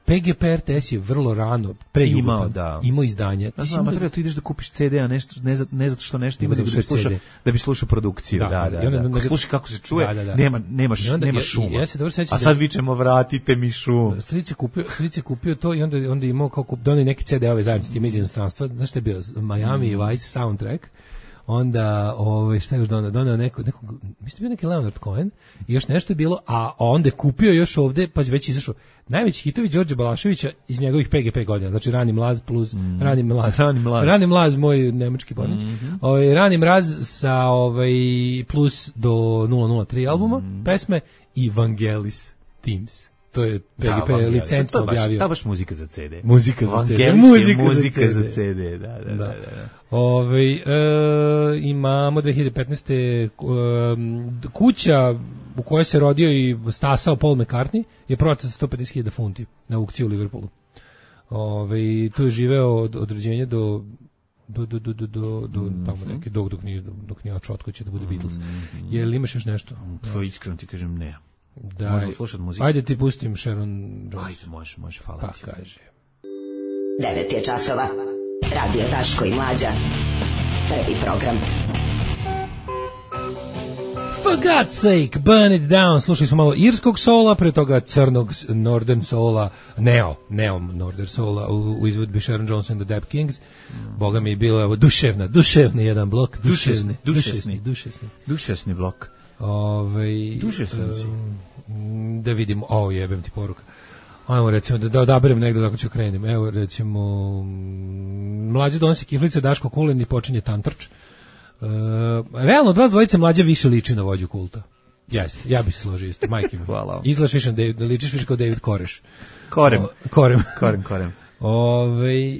Speaker 4: pe ge pe er te es je vrlo rano, pre imao, da. imao izdanje.
Speaker 5: Da, znam, materija, tu ideš da kupiš ce de, a nešto, ne, ne zato što nešto ima, da bi slušao, da bi slušao produkciju. Da, da, da. da, da. Slušaj kako se čuje, da, da, da. nema, nemaš, onda, nema šuma. Ja, ja se dobro sećam. A sad da, vičemo, vratite mi šum.
Speaker 4: Stric je kupio, stric je kupio to i onda, onda je imao kao kup, donio neki ce de-ove zajednici tim iz inostranstva. Znaš što je bio? Miami mm. Vice soundtrack. Onda, ovaj, šta je još donao? Donao neko, neko, mislim bio neki Leonard Cohen i još nešto je bilo, a onda je kupio još ovde, pa već izašao najveći hitovi Đorđe Balaševića iz njegovih pe ge pe godina, znači Rani mlaz plus mm. Rani mlaz,
Speaker 5: Rani mlaz,
Speaker 4: Rani mlaz moj nemački pornić, mm-hmm. ovaj, Rani mraz sa ovaj, plus do nula nula tri albuma, mm. pesme i Vangelis Teams. To je pe ge pe da, licencno objavio.
Speaker 5: Da, baš muzika za ce de.
Speaker 4: Muzika za ce de.
Speaker 5: Muzika, muzika za ce de, da, da, da. da, da.
Speaker 4: Ove, e, imamo dve hiljade petnaeste. E, kuća u kojoj se rodio i stasao Paul McCartney je prodata za sto pedeset hiljada funti na aukciji u Liverpoolu. Ove, tu je živeo od, od rođenja do do do do do do do mm-hmm. tamo neke dok dok nije dok nije očotko će da bude Beatles. Mm-hmm. Jel imaš još nešto?
Speaker 5: To iskreno ti kažem ne.
Speaker 4: Da, možemo slušati muziku. Ajde ti pustim Sharon Jones.
Speaker 5: Ajde, može, može, hvala
Speaker 4: pa,
Speaker 5: ti.
Speaker 4: Pa kaže.
Speaker 7: devet je časova. Radio Daško i Mlađa. Prvi program.
Speaker 4: For God's sake, burn it down. Slušali smo malo irskog sola, pre toga crnog Northern sola, neo, neo Northern sola u, u izvedbi Sharon Jones and the Dap Kings. Mm. Boga mi je bilo evo, duševna, duševni jedan blok. Duševni, duševni, duševni.
Speaker 5: Duševni blok.
Speaker 4: Ove,
Speaker 5: duševni si.
Speaker 4: Da vidimo, o jebem ti poruka. Ajmo recimo da, da odaberem negdje kako ću krenem. Evo recimo Mlađe donosi kiflice, Daško Kulen i počinje tantrč. E, realno od vas dvojice Mlađe više liči na vođu kulta. Jeste, ja bih se složio isto, majke mi.
Speaker 5: Hvala.
Speaker 4: Izgledaš više, da ličiš više kao David Koreš.
Speaker 5: Korem.
Speaker 4: O, korem.
Speaker 5: Korem, korem.
Speaker 4: Ove, e,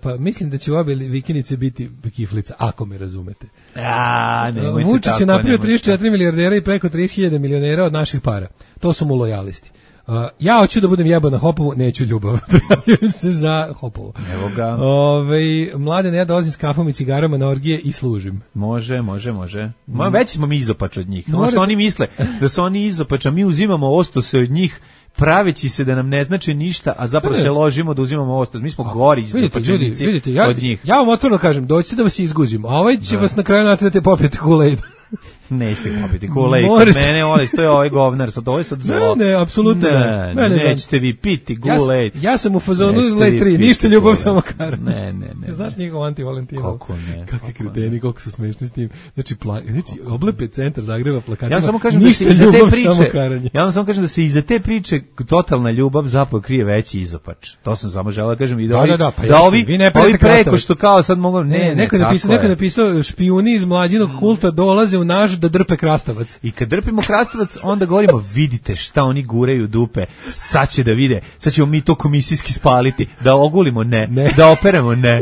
Speaker 4: pa mislim da će u obe vikinice biti kiflica, ako me razumete.
Speaker 5: A, nemojte
Speaker 4: Vučić
Speaker 5: tako,
Speaker 4: je napravio trideset četiri milijardera i preko trideset hiljada milionera od naših para. To su mu lojalisti. Uh, ja hoću da budem jeba na Hopovu, neću ljubav. Prijavljujem se za Hopovu.
Speaker 5: Evo ga.
Speaker 4: Ove, mlade, ne, ja dolazim s kafom i cigarama na orgije i služim.
Speaker 5: Može, može, može. Ma, već smo mi izopač od njih. Ono što oni misle da su oni izopač, a mi uzimamo ostose od njih, praveći se da nam ne znači ništa, a zapravo se ložimo da uzimamo ostos. Mi smo a, gori izopačenici
Speaker 4: ja,
Speaker 5: od njih.
Speaker 4: Ja vam otvoreno kažem, dođite da vas izguzim, a ovaj će da. vas na kraju natrati popijete Kool-Aid.
Speaker 5: Nećete popiti Kool-Aid kod mene, ovaj, to je ovaj govnar, sad ovo je sad zlo.
Speaker 4: Ne, ne, apsolutno ne.
Speaker 5: Ne, ne nećete vi piti Kool-Aid.
Speaker 4: Ja, ja sam u fazonu Lej tri, ništa ljubav samo kar.
Speaker 5: Ne, ne, ne.
Speaker 4: Znaš njegov anti-Valentinov?
Speaker 5: Kako ne?
Speaker 4: Kakvi kreteni, koliko su smešni s tim. Znači, pla, znači oblepe centar Zagreba plakatima.
Speaker 5: Ja samo kažem da se iza te priče, ja vam samo kažem da se iza te priče totalna ljubav zapravo krije veći izopač. To sam samo želeo da kažem i da ovi, da, da, pa da ovi, ovi preko što kao sad mogu, ne,
Speaker 4: neko napisao, neko napisao špijuni iz mlađinog kulta dolaze u naš da drpe krastavac.
Speaker 5: I kad drpimo krastavac, onda govorimo, vidite šta oni guraju dupe, sad će da vide, sad ćemo mi to komisijski spaliti, da ogulimo, ne, ne. Da operemo, ne.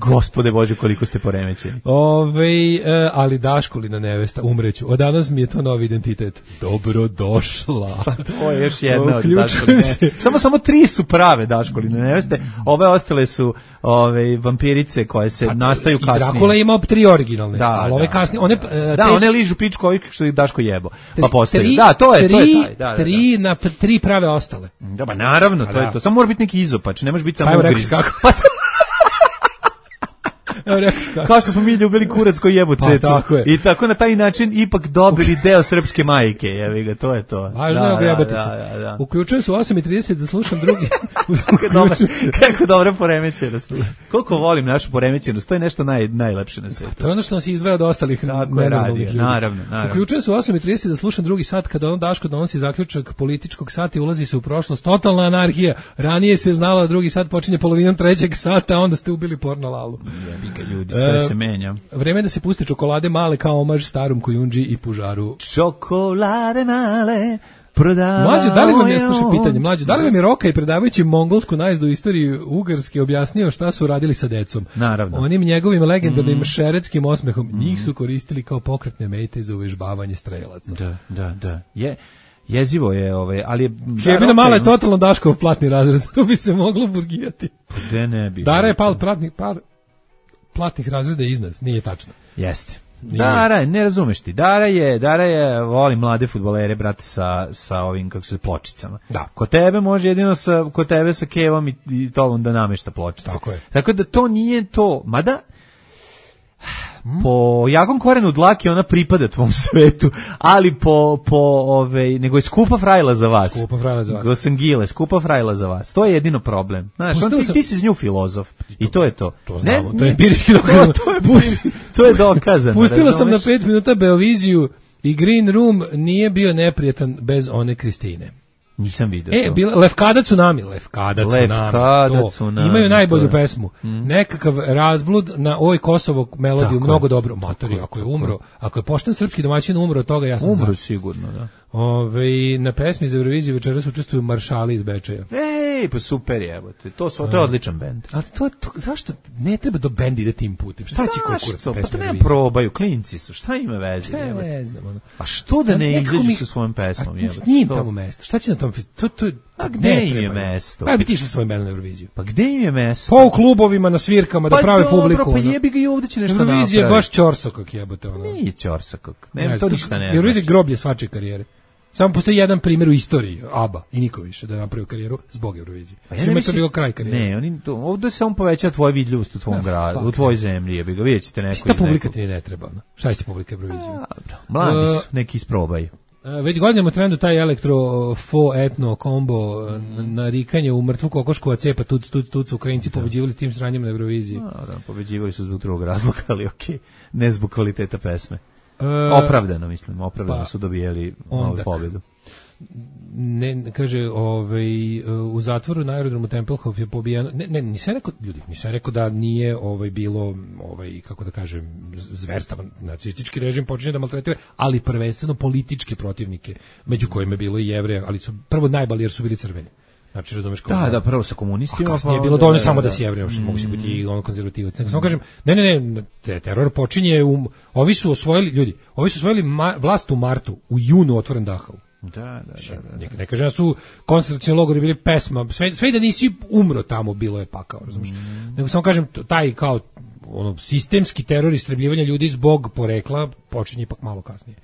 Speaker 5: Gospode Bože, koliko ste poremećeni.
Speaker 4: Ove, e, ali Daškolina nevesta, umreću. Od danas mi je to novi identitet. Dobro došla.
Speaker 5: Pa to je još jedna od Daškoline. Samo, samo tri su prave Daškoline neveste. Ove ostale su ove, vampirice koje se A, nastaju i kasnije. I
Speaker 4: Drakula ima tri originalne. Da, ali ove da, kasnije. One,
Speaker 5: da, da te, one ližu pičku ovih što ih Daško jebo. Pa postaju. Tri, da, to je, tri, to je taj. Da, da,
Speaker 4: tri da. Na tri prave ostale.
Speaker 5: Da, ba naravno, A, to da. je to. Samo mora biti neki izopač, ne može biti samo
Speaker 4: pa,
Speaker 5: ugriz.
Speaker 4: Kako?
Speaker 5: Kao što smo mi ljubili kurac koji jebu cecu. Pa, tako I tako na taj način ipak dobili deo srpske majke. Jevi ga, to je to.
Speaker 4: Važno je ogrebati se. Da, da, da. Uključujem se u osam i trideset da slušam drugi.
Speaker 5: Kako dobra poremećenost. Koliko volim našu poremećenost, to je nešto naj, najlepše na svijetu.
Speaker 4: To je ono što nas izdvaja od ostalih nenormalnih ljudi.
Speaker 5: Naravno, naravno.
Speaker 4: Uključujem se u osam i trideset da slušam drugi sat, kada ono Daško donosi zaključak političkog sata i ulazi se u prošlost. Totalna anarhija. Ranije se znalo da drugi sat počinje polovinom trećeg sata, a onda ste ubili porno lalu.
Speaker 5: Ljudi, sve se menja.
Speaker 4: Vreme da se puste čokolade male kao omaž starom Kojundži i Pužaru.
Speaker 5: Čokolade male prodavaju.
Speaker 4: Mlađo, da li vam je, slušaj pitanje, mlađo, da li vam je Roka i predavajući mongolsku najezdu u istoriji Ugarske objasnio šta su radili sa decom?
Speaker 5: Naravno.
Speaker 4: Onim njegovim legendarnim mm. šeretskim osmehom. Mm. Njih su koristili kao pokretne mete za uvežbavanje strelaca.
Speaker 5: Da, da, da. Je... Jezivo je, ovaj, ali je...
Speaker 4: Jebina mala je totalno Daškov platni razred, to bi se moglo burgijati.
Speaker 5: Gde ne bi?
Speaker 4: Dara je pal platnih, par platnih razreda iznad, nije tačno.
Speaker 5: Jeste. Nije. Dara, ne razumeš ti, Dara je, Dara je, voli mlade fudbalere, brate, sa, sa ovim, kako se, pločicama.
Speaker 4: Da.
Speaker 5: Kod tebe može jedino sa, kod tebe sa kevom i, i tolom da namešta pločice.
Speaker 4: Tako je.
Speaker 5: Tako da to nije to, mada... Po jakom korenu dlake ona pripada tvom svetu, ali po, po ove, nego je skupa frajla za vas.
Speaker 4: Skupa frajla za vas.
Speaker 5: Gosangile, skupa frajla za vas. To je jedino problem. Znaš, on, ti, ti si s nju filozof. I to je to.
Speaker 4: To znamo, ne, to je empirijski dokazano.
Speaker 5: To, to, je, to je dokazano.
Speaker 4: Pustila sam na pet minuta Beoviziju i Green Room nije bio neprijatan bez one Kristine.
Speaker 5: Nisam vidio
Speaker 4: e,
Speaker 5: to.
Speaker 4: Bila, Lefkada Tsunami, Lefkada Tsunami.
Speaker 5: Lefkada Tsunami.
Speaker 4: Imaju najbolju pesmu. Mm. Nekakav razblud na Oj Kosovo melodiju, mnogo je. Dobro. Matori, ako je umro, ako je pošten srpski domaćin umro od toga, ja sam
Speaker 5: umro sigurno, da.
Speaker 4: Ove, na pesmi za Euroviziju večeras učestvuju Maršali iz Bečeja.
Speaker 5: Ej, pa super je, evo, to, to je odličan bend.
Speaker 4: Ali to, to, zašto ne treba do bendi ide tim putem? Šta će konkurac pesme?
Speaker 5: Pa to ne probaju, klinci su, šta ima veze?
Speaker 4: Ne znam, ono.
Speaker 5: A što da ne izađu mi... sa svojom pesmom?
Speaker 4: A s njim tamo mesto, šta će na tom to, to,
Speaker 5: a gde im je mesto?
Speaker 4: Pa bi ti išli svojim bendom na Euroviziju.
Speaker 5: Pa gde im je mesto?
Speaker 4: Pa u klubovima, na svirkama,
Speaker 5: pa
Speaker 4: da prave
Speaker 5: dobro,
Speaker 4: publiku.
Speaker 5: Pa jebi ga i ovdje će nešto napraviti.
Speaker 4: Eurovizija je baš ćorsokak jebote. Ono.
Speaker 5: Nije ćorsokak, ne, to ništa ne znači.
Speaker 4: Eurovizija je groblje svače karijere. Samo postoji jedan primjer u istoriji, ABBA i niko više da je napravio karijeru zbog Eurovizije. Pa ja mislim, to bilo kraj karijere.
Speaker 5: Ne, oni to, ovdje se on poveća tvoja vidljivost u tvom gradu, u tvojoj zemlji, jebi ga, vidjet ćete neko iz nekog.
Speaker 4: Šta publika ti ne treba, no? Šta će publika Euroviziju?
Speaker 5: Mladi su, neki isprobaju.
Speaker 4: Već godinama trendu taj elektro fo etno kombo mm. narikanje u mrtvu kokošku, a cepa tuc, tuc, tuc, Ukrajinci pobeđivali s tim sranjem na Euroviziji.
Speaker 5: A, da, pobeđivali su zbog drugog razloga, ali okej, okay. Ne zbog kvaliteta pesme. Uh, opravdano, mislim, opravdano pa, su dobijeli novu pobjedu.
Speaker 4: Ne, kaže, ovaj, u zatvoru na aerodromu Tempelhof je pobijeno, ne, ne, nisam rekao, ljudi, nisam rekao da nije ovaj, bilo, ovaj, kako da kažem, zverstavan nacistički režim počinje da maltretira, ali prvenstveno političke protivnike, među kojima je bilo i Jevreja, ali su prvo najbali jer su bili crveni. Znači, razumeš kako?
Speaker 5: Da, da, prvo sa komunistima.
Speaker 4: A kasnije je bilo dovoljno da, samo da, da si Jevrej, što mm. mogu se biti i ono konzervativac. Samo kažem, ne, ne, ne, te, teror počinje, u, ovi su osvojili, ljudi, ovi su osvojili ma, vlast u martu, u junu otvoren Dachau.
Speaker 5: Da, da, da. da.
Speaker 4: Ne, ne kažem da su koncentracioni logori bili pesma, sve, sve da nisi umro tamo, bilo je pakao, razumeš? Mm. Nego samo kažem, taj kao ono, sistemski teror istrebljivanja ljudi zbog porekla počinje ipak malo kasnije.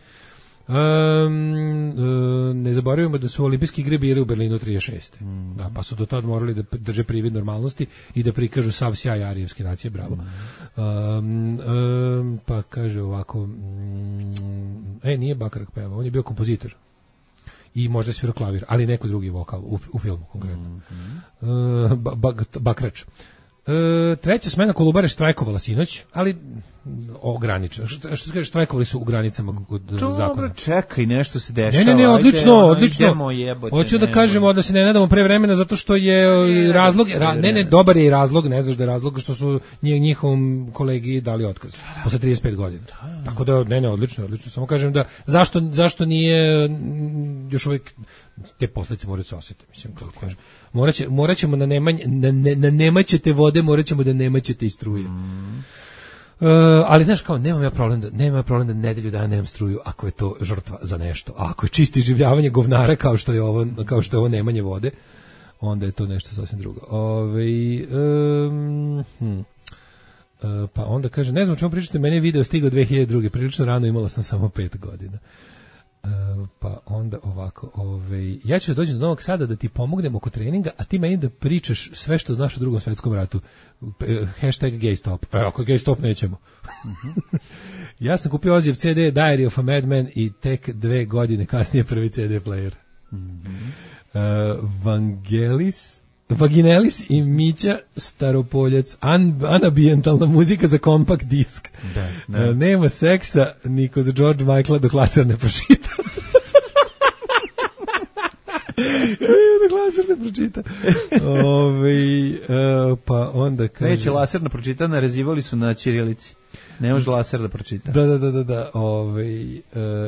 Speaker 4: Um, uh, ne zaboravimo da su olimpijski igre bili u Berlinu trideset šeste. Mm. Da, pa su do tada morali da drže privid normalnosti i da prikažu sav sjaj arijevske nacije, bravo. Mm. Um, um, pa kaže ovako, um, e, nije Bakarak peva, on je bio kompozitor i možda svirao klavir, ali neko drugi vokal u, u filmu konkretno. Mm-hmm. uh, ba, ba, Bakrač. Uh, treća smena Kolubare štrajkovala sinoć, ali ograničeno. Što što kažeš, štrajkovali su u granicama kod zakona.
Speaker 5: Dobro, čekaj, nešto se dešava.
Speaker 4: Ne, ne, ne, odlično,
Speaker 5: ajde,
Speaker 4: odlično.
Speaker 5: Idemo, jebote,
Speaker 4: hoću da
Speaker 5: ne,
Speaker 4: kažemo da se ne nadamo pre vremena zato što je ne, razlog, ra, ne, ne, dobar je i razlog, ne znaš da je razlog što su njihovom kolegi dali otkaz posle trideset pet godina. Tako da, ne, ne, odlično, odlično. Samo kažem da zašto, zašto nije još uvijek te posljedice moraju se osjetiti, mislim, kako kažem. Moraće, moraćemo na nemanje, na, na, na nemaćete vode, moraćemo da nemaćete i struje. Mm. Uh, ali znaš kao, nemam ja problem da, nemam ja problem da nedelju dana nemam struju ako je to žrtva za nešto. A ako je čisto iživljavanje govnara kao što je ovo, kao što je ovo nemanje vode, onda je to nešto sasvim drugo. Ove, um, hm. uh, pa onda kaže, ne znam o čemu pričate, meni je video stigao dve hiljade druge. Prilično rano, imala sam samo pet godina. Uh, pa onda ovako, ovaj, ja ću da dođem do Novog Sada da ti pomognem oko treninga, a ti meni da pričaš sve što znaš o Drugom svetskom ratu. Hashtag gay stop. E, ako gay stop nećemo. Uh-huh. Ja sam kupio Ozijev ce de Diary of a Madman i tek dve godine kasnije prvi ce de player. Uh-huh. uh, Vangelis Vaginelis i Mića Staropoljac, an, anabijentalna muzika za kompakt disk. Da, da. Uh, nema seksa ni kod George Michaela dok laser ne pročita. dok laser ne pročita. Ove, uh, pa onda kaže...
Speaker 5: Neće laser ne pročita, narezivali su na ćirilici. Ne može laser da pročita.
Speaker 4: Da, da, da, da, da. Ovaj e,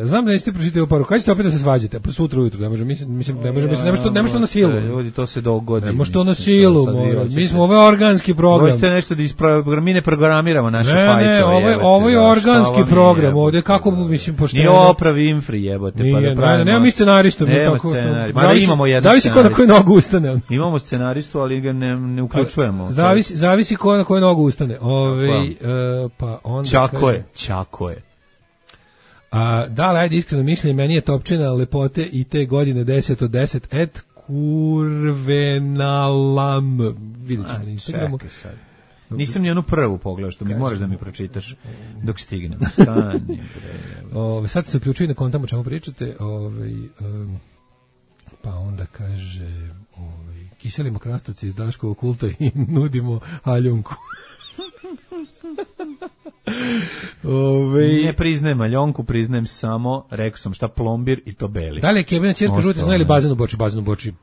Speaker 4: znam da niste pročitali ovu poruku. Kad ćete opet da se svađate? Pa sutra ujutro, ne može, mislim, mislim, ne može, mislim, ne može to, ne može to na silu.
Speaker 5: Ljudi, to se dogodi.
Speaker 4: Ne može to na silu, mora. Mi smo ovaj organski program.
Speaker 5: Možete nešto da isprogram, mi ne programiramo naše fajtove.
Speaker 4: Ne, ne, ovo je, ovo je organski program. Ovde kako mislim pošteno.
Speaker 5: Nije opravi infri, jebote, pa da pravimo.
Speaker 4: Ne, nema mi scenaristu, mi tako.
Speaker 5: Mada imamo jedan.
Speaker 4: Zavisi ko na koju nogu ustane.
Speaker 5: Imamo scenaristu, ali ga ne ne uključujemo.
Speaker 4: Zavisi, zavisi ko na koju nogu ustane. Ovaj pa onda
Speaker 5: Čako je, čako je.
Speaker 4: A, da, ajde, iskreno mišljenje, meni je topčina lepote i te godine deset od deset, et kurvenalam. Vidjet ćemo na Instagramu.
Speaker 5: Nisam ni onu prvu pogledao, što mi Kaži, moraš da mi pročitaš dok stignem. Stani, bre.
Speaker 4: Ove, sad se uključuju na kontam o čemu pričate. Ove, um, pa onda kaže, ove, kiselimo krastavce iz Daškovog kulta i nudimo haljunku. Ove...
Speaker 5: Ne priznajem Aljonku, priznajem samo, rekao sam šta, plombir i to beli.
Speaker 4: Da li je Kebina ćerka žuti znoj ili bazen u Boči? Bazen u Boči,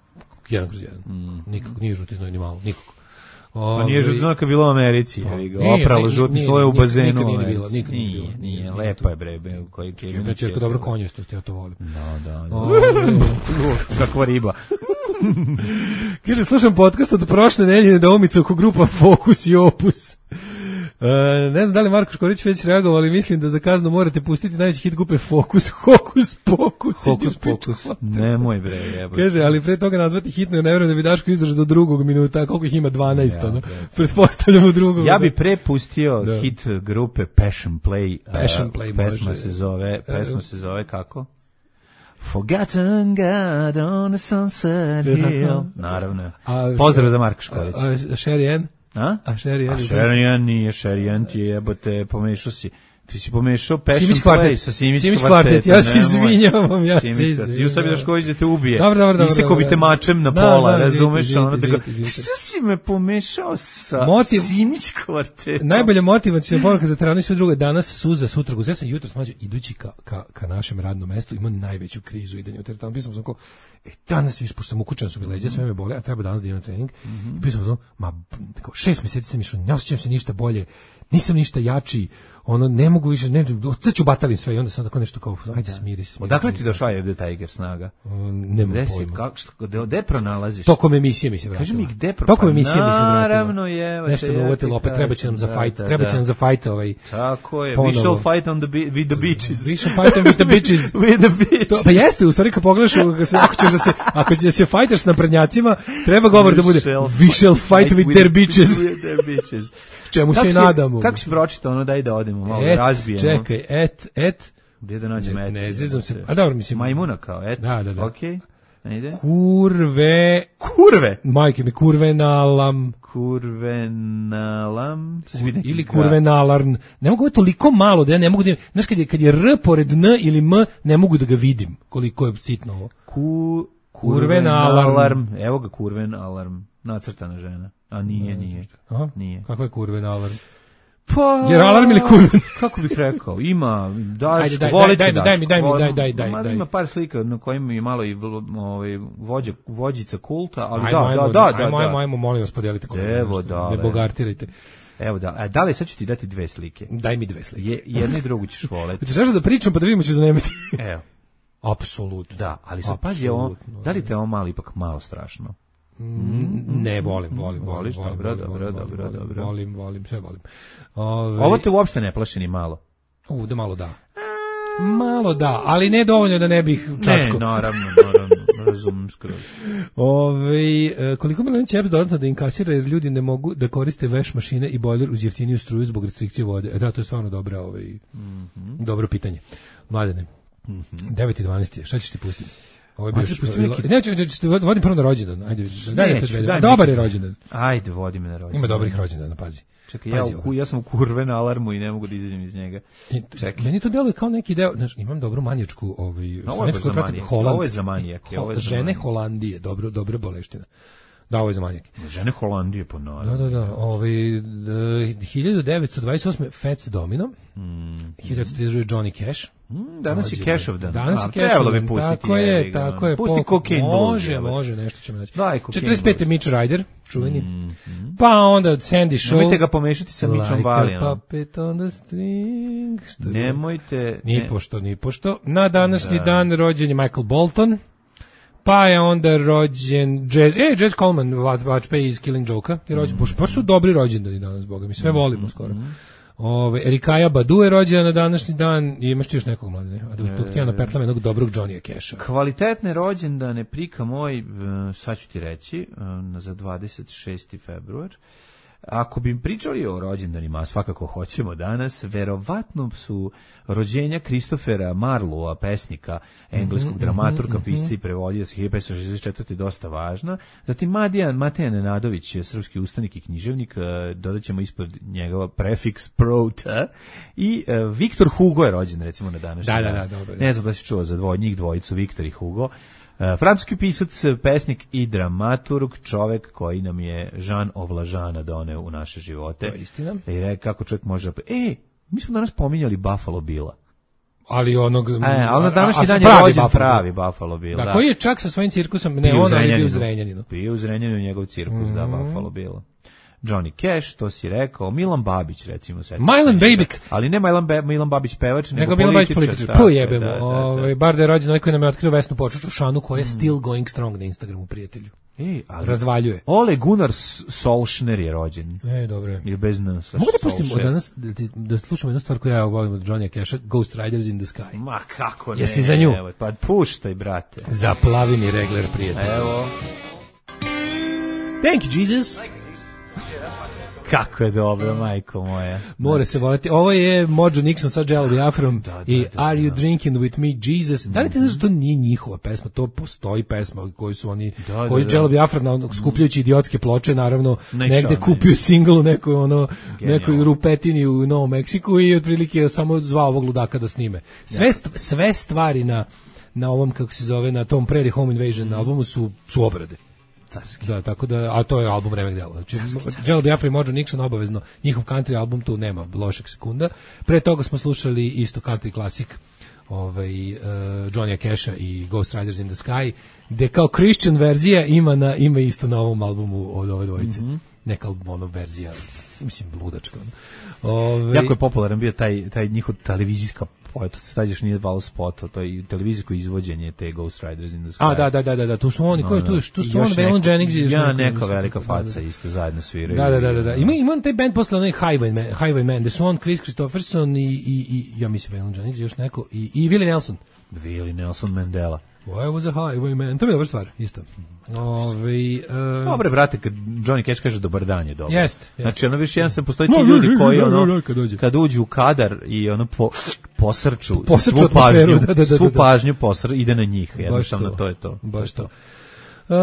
Speaker 4: jedan kroz jedan. Mm. Nikako, nije žuti znoj ni malo, nikako.
Speaker 5: Ove... Pa nije žuti znoj kad je bilo u Americi, o, opralo žuti sloj u bazenu. Nikad nije bilo, nikad nije bilo. Nije, nije, lepa je bre, koji Kebina
Speaker 4: ćerka dobro konjestost, ja to volim.
Speaker 5: Da, da, da. Kakva riba.
Speaker 4: Kaže, slušam podcast od prošle nedelje nedoumice oko grupa Fokus i Opus. Uh, ne znam da li Marko Škorić već reagovao, ali mislim da za kaznu morate pustiti najveći hit grupe Fokus, Hokus Pokus.
Speaker 5: Hokus Pokus, nemoj bre, jebote.
Speaker 4: Kaže, ali pre toga nazvati hitno, ne vjerujem da bi Daško izdržao do drugog minuta, koliko ih ima dvanaest, ja, ono, pretpostavljamo drugog.
Speaker 5: Ja bi pre pustio da. Hit grupe Passion Play,
Speaker 4: Passion Play
Speaker 5: uh, pesma može. se zove, pesma se zove kako? Forgotten God on a sunset hill. Naravno. A, pozdrav za Marko Škorić.
Speaker 4: A, a Sherry Ann?
Speaker 5: A?
Speaker 4: A Sherry Ann?
Speaker 5: A Sherry Ann nije, Sherry Ann ti je, jebote, pomešao si. Ti si pomešao Passion Play sa Simić kvartet.
Speaker 4: Ja se izvinjavam, ja se izvinjavam.
Speaker 5: Ju sam da Šković da te ubije.
Speaker 4: Dobro, dobro, dobro.
Speaker 5: I se ko bi te mačem na pola, razumeš? Ono tako, šta si me pomešao sa Simić kvartet?
Speaker 4: Najbolja motivacija poruka za teranu i sve drugo. Danas suza, sutra guza. Ja sam jutro smađao, idući ka, ka, ka našem radnom mestu, imam najveću krizu idenja u teretanu. Pisao sam kao, e, danas viš, pošto sam ukučan su mi leđa, sve me bole, a treba danas da idem na trening. I pisao sam, ma, tako, šest mjeseci sam išao, ne osjećam se ništa bolje, nisam ništa jači, ono, ne mogu više, ne, ću batalim sve i onda sam tako nešto kao, ajde smiri se.
Speaker 5: Odakle ti došla je The Tiger snaga?
Speaker 4: Nema pojma.
Speaker 5: Kako, gde pronalaziš?
Speaker 4: Tokom emisije mi se vratilo.
Speaker 5: Kaži mi gde pronalaziš?
Speaker 4: Tokom emisije mi se vratilo.
Speaker 5: Naravno je.
Speaker 4: Nešto me uvetilo, opet treba će nam za fight, treba će nam za fight ovaj.
Speaker 5: Tako je, we shall fight on the with the beaches.
Speaker 4: We shall fight with the beaches.
Speaker 5: With the beaches.
Speaker 4: Pa jeste, u stvari kad pogledaš, ako ćeš da se, ako ćeš da se fajtaš na prednjacima, treba govor da bude we shall fight with their beaches.
Speaker 5: With their beaches.
Speaker 4: Čemu se i nadamo.
Speaker 5: Kako si pročitao ono, daj da odemo, malo et, razbijemo.
Speaker 4: Čekaj, et, et.
Speaker 5: Gdje da nađem et?
Speaker 4: Ne zezam se, a dobro, mislim.
Speaker 5: Majmuna kao, et.
Speaker 4: Da, da, da.
Speaker 5: Okej, okay. Ide.
Speaker 4: Kurve.
Speaker 5: Kurve?
Speaker 4: Majke mi, kurvenalam.
Speaker 5: Kurvenalam.
Speaker 4: Ili kurvenalarn. Ne mogu je toliko malo da ja ne mogu da, znaš kad je, kad je R pored N ili M, ne mogu da ga vidim koliko je sitno ovo.
Speaker 5: Ku,
Speaker 4: kurvenalarm.
Speaker 5: Evo ga kurvenalarm. Nacrtana žena. A nije, nije.
Speaker 4: Aha.
Speaker 5: Nije.
Speaker 4: Kakva je kurvenalarm?
Speaker 5: Pa,
Speaker 4: jer alarm ili kurven?
Speaker 5: Kako bih rekao, ima, daš,
Speaker 4: daj,
Speaker 5: volicu
Speaker 4: daj,
Speaker 5: daš.
Speaker 4: Daj mi, daj mi, daj, daj, daj, daj.
Speaker 5: Ima par slika na kojima je malo i ovaj, vođa, vođica kulta, ali
Speaker 4: ajmo,
Speaker 5: da,
Speaker 4: ajmo,
Speaker 5: da, da, da.
Speaker 4: Ajmo, ajmo, ajmo, molim vas, podijelite koliko.
Speaker 5: Evo, da.
Speaker 4: Ne bogartirajte.
Speaker 5: Evo da, a da li sad ću ti dati dve slike?
Speaker 4: Daj mi dve slike.
Speaker 5: Je, jednu i drugu ćeš voleti.
Speaker 4: Hoćeš da pričam pa da vidimo ću zanemiti.
Speaker 5: Evo.
Speaker 4: Apsolutno.
Speaker 5: Da, ali sad pazi, ovo, da li te ovo malo ipak malo strašno?
Speaker 4: Mm, ne, volim, volim,
Speaker 5: voliš,
Speaker 4: volim,
Speaker 5: dobro,
Speaker 4: volim,
Speaker 5: dobro,
Speaker 4: volim,
Speaker 5: dobro,
Speaker 4: volim,
Speaker 5: dobro.
Speaker 4: Volim, volim, sve volim. Ove,
Speaker 5: ovo te uopšte ne plaši ni malo.
Speaker 4: U, da malo da. Malo da, ali ne dovoljno da ne bih čačko.
Speaker 5: Ne, naravno, naravno, razumem skroz.
Speaker 4: Ove, koliko miliona će E P S dodatno da inkasira jer ljudi ne mogu da koriste veš mašine i bojler uz jeftiniju struju zbog restrikcije vode? E da, to je stvarno dobra, ovaj, mm-hmm. dobro pitanje. Mladene, mm-hmm. devet i dvanaest je, šta ćeš ti pustiti? Ovo je bio što... Neki... Neću, neću, vodim prvo na rođendan. Ajde, daj
Speaker 5: Neću, daj
Speaker 4: dobar je rođendan.
Speaker 5: Ajde, vodi me na rođendan.
Speaker 4: Ima dobrih rođendana, pazi.
Speaker 5: Čekaj, ja, u, ja sam u kurve na alarmu i ne mogu da izađem iz njega. Čekaj.
Speaker 4: Meni to deluje kao neki deo, znači imam dobru manijačku, ovaj,
Speaker 5: no, ovo je za manijake. Ovo je za manijake.
Speaker 4: Ho, žene Holandije, dobro, dobra boleština. Da, ovo je za manijake.
Speaker 5: Žene Holandije, po naravno.
Speaker 4: Da, da, da. Ovaj, hiljadu devetsto dvadeset osme Fats Domino,
Speaker 5: mm.
Speaker 4: hiljadu devetsto trideset druge Johnny Cash.
Speaker 5: Mm, danas je Cashov dan.
Speaker 4: Danas je Cashov dan, tako je, tako je.
Speaker 5: Pusti Cocaine Blues.
Speaker 4: Može, može, nešto ćemo naći.
Speaker 5: Daj Cocaine
Speaker 4: četrdeset pete Mitch Ryder, čuveni. Mm, mm. Pa onda Sandy Shaw.
Speaker 5: Nemojte ga pomešati sa Mitchom Valijem.
Speaker 4: Like a puppet on the string. Što
Speaker 5: Nemojte.
Speaker 4: Ni ne. pošto, ni pošto. Na današnji da. dan rođen je Michael Bolton. Pa je onda rođen Jazz, e, Jazz Coleman, Watchpay iz Killing Joke-a, je rođen, mm. baš su dobri rođendani danas, boga mi, sve mm. volimo skoro. Mm. Ove, Erikaja Badu je rođena na današnji dan, i imaš ti još nekog mladine, a da tu htjela napetlam jednog dobrog Johnny'a Casha.
Speaker 5: Kvalitetne rođendane, prika moj, sad ću ti reći, za dvadeset šesti februar. Ako bi pričali o rođendanima, a svakako hoćemo danas, verovatno su rođenja Kristofera Marlowa, pesnika, engleskog mm-hmm, dramaturga, mm-hmm. pisca i prevodioca hiljadu petsto šezdeset četvrte dosta važna. Zatim Madijan, Mateja Nenadović, srpski ustanik i književnik, dodat ćemo ispod njegova prefiks prota. I uh, Viktor Hugo je rođen, recimo, na današnji
Speaker 4: da,
Speaker 5: dan.
Speaker 4: Da, da, dobro.
Speaker 5: Ne znam da si čuo za dvoj, njih dvojicu, Viktor i Hugo. Uh, francuski pisac, pesnik i dramaturg, čovek koji nam je Jean Ovlažana doneo u naše živote.
Speaker 4: To je istina.
Speaker 5: I re, kako čovjek može... E, mi smo danas pominjali Buffalo Billa.
Speaker 4: Ali onog...
Speaker 5: E, ali na današnji dan je rođen pravi Buffalo Bill.
Speaker 4: Da, da, koji je čak sa svojim cirkusom, ne, on je bio u Zrenjaninu.
Speaker 5: Bio u Zrenjaninu njegov cirkus, mm-hmm. da, Buffalo Bill. Johnny Cash, to si rekao, Milan Babić, recimo.
Speaker 4: Milan Babik.
Speaker 5: Ali ne Milan, Be, Milan Babić pevač, nego,
Speaker 4: nego Milan Babić političar. Tu jebemo. Da, da, da. Ovaj, bar da je rođen onaj koji nam je otkrio Vesnu Počuču Šanu, koja je mm. still going strong na Instagramu, prijatelju.
Speaker 5: Ej, ali
Speaker 4: razvaljuje.
Speaker 5: Ole Gunnar Solskjaer je rođen.
Speaker 4: E, dobro je.
Speaker 5: Ili bez nas.
Speaker 4: Mogu da pustimo danas, da, da slušamo jednu stvar koju ja volim od Johnny'a Casha, Ghost Riders in the Sky.
Speaker 5: Ma kako ne.
Speaker 4: Jesi za nju?
Speaker 5: Evo, pa puštaj, brate.
Speaker 4: Zaplavi mi regler, prijatelj.
Speaker 5: Evo.
Speaker 4: Thank you, Jesus.
Speaker 5: Kako je dobro, majko moja.
Speaker 4: More se voleti. Ovo je Mojo Nixon sa Jello Biafrom da, da, i da, Are You da. Drinking With Me, Jesus. Da li ti znaš da to nije njihova pesma? To postoji pesma koju su oni, da, koji da, Jello Biafra na, skupljajući idiotske ploče, naravno, ne negde kupio ne. singl u nekoj, ono, nekoj rupetini u Novom Meksiku i otprilike samo zvao ovog ludaka da snime. Sve, sve stvari na, na ovom, kako se zove, na tom Prairie Home Invasion mm. albumu su, su obrade.
Speaker 5: Carski.
Speaker 4: Da, tako da, a to je album Remek dela. Znači, Jello Biafra i Mojo Nixon obavezno, njihov country album tu nema lošeg sekunda. Pre toga smo slušali isto country klasik, ovaj, uh, Johnny'a Casha i Ghost Riders in the Sky, gde kao Christian verzija ima, na, ima isto na ovom albumu od ove dvojice. Mm-hmm. Neka ono verzija, mislim, ludačka. Ove...
Speaker 5: Jako je popularan bio taj, taj njihov televizijska to stađeš nije val spot, to je televizijsko izvođenje te Ghost Riders in the Sky.
Speaker 4: A, da, da, da, da, tu su oni, no, koji tu, tu su on, Waylon Jennings i
Speaker 5: ja, neka velika faca isto zajedno sviraju.
Speaker 4: Da, da, da, da, da. Ima, ima on taj band posle onaj Highwayman, Highwayman, gde su on, Chris Christopherson i, i, i ja mislim Waylon Jennings, još neko, i, i Willie Nelson.
Speaker 5: Willie Nelson Mandela.
Speaker 4: Why was a highwayman? To je dobra stvar, isto. Ove, uh...
Speaker 5: Dobre, brate, kad Johnny Cash kaže dobar dan je dobro.
Speaker 4: Jest, jest.
Speaker 5: Znači, ono više jednostavno postoji ti ljudi koji ono, kad uđu u kadar i ono po, posrču, posrču svu pažnju, da, da, da, svu pažnju posr, ide na njih. Jednostavno, to. to je to.
Speaker 4: Baš to. Uh,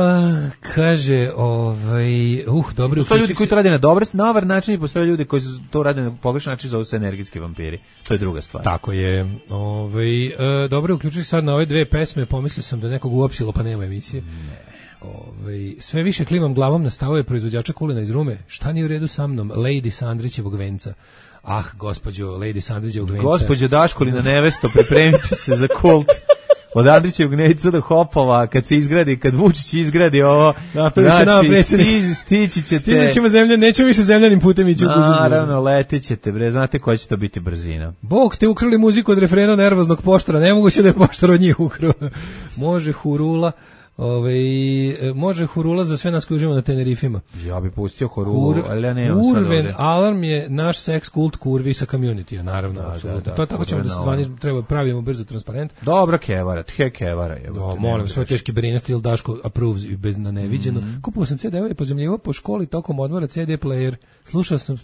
Speaker 4: kaže, ovaj, uh, dobro.
Speaker 5: Postoje ljudi koji to rade na dobar, na dobar način i postoje ljudi koji to rade na pogrešan način, zove se energetski vampiri. To je druga stvar.
Speaker 4: Tako je. Ovaj, uh, dobro, uključujući sad na ove dve pesme, pomislio sam da nekog uopsilo, pa nema emisije.
Speaker 5: Ne.
Speaker 4: Ove, sve više klimam glavom na stavove proizvođača kulena iz Rume. Šta nije u redu sa mnom? Lady sa Andrićevog venca. Ah, gospođo Lady Sandriđa Ugvenca.
Speaker 5: Gospođo Daškolina nevesto, pripremite se za kult. Od Andrićevog Neca do Hopova, kad se izgradi, kad Vučić izgradi ovo, znači, stići, stići ćete...
Speaker 4: Stići ćemo zemlja, nećemo više zemljanim putem ići u Bužu.
Speaker 5: Naravno, letit ćete, bre, znate koja će to biti brzina.
Speaker 4: Bog, te ukrali muziku od refrena nervoznog poštora, nemoguće da je poštor od njih ukrao. Može hurula, Ove, može hurula za sve nas koji uživamo na Tenerifima.
Speaker 5: Ja bi pustio hurulu, Kur, ali ja nemam sad ovdje.
Speaker 4: Urban Alarm je naš seks kult kurvi sa community, naravno. Da, da, da, to tako ćemo da se zvani, treba pravimo brzo transparent.
Speaker 5: Dobra kevara, tje kevara. Je,
Speaker 4: Do, molim, sve teški berine, stil Daško approves i bez na neviđeno. Mm -hmm. Kupio sam ce de-ove, pozemljivo po školi, tokom odmora ce de player. Slušao sam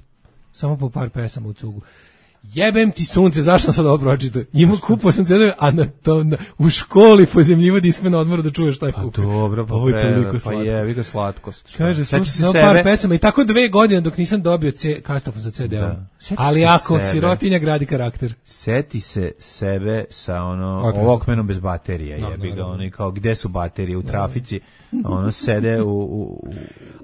Speaker 4: samo po par pesama u cugu. Jebem ti sunce, zašto sam sad ovo pročitao? Ima kupao sam ce de-ove, a na to, na, u školi pozemljivo disme na odmoru da čuješ šta je kupio.
Speaker 5: Pa dobro, pa,
Speaker 4: ovo je toliko
Speaker 5: pa jevi ga slatkost. Šta?
Speaker 4: Kaže, slušao sam sebe... par pesama i tako dve godine dok nisam dobio ce, kastofon za ce de-om. Ali ako sebe. Sirotinja gradi karakter.
Speaker 5: Seti se sebe sa ono Walkmanom bez baterije, no, jebi ga, no, no. Ono kao gde su baterije u trafici, ono sede u, u,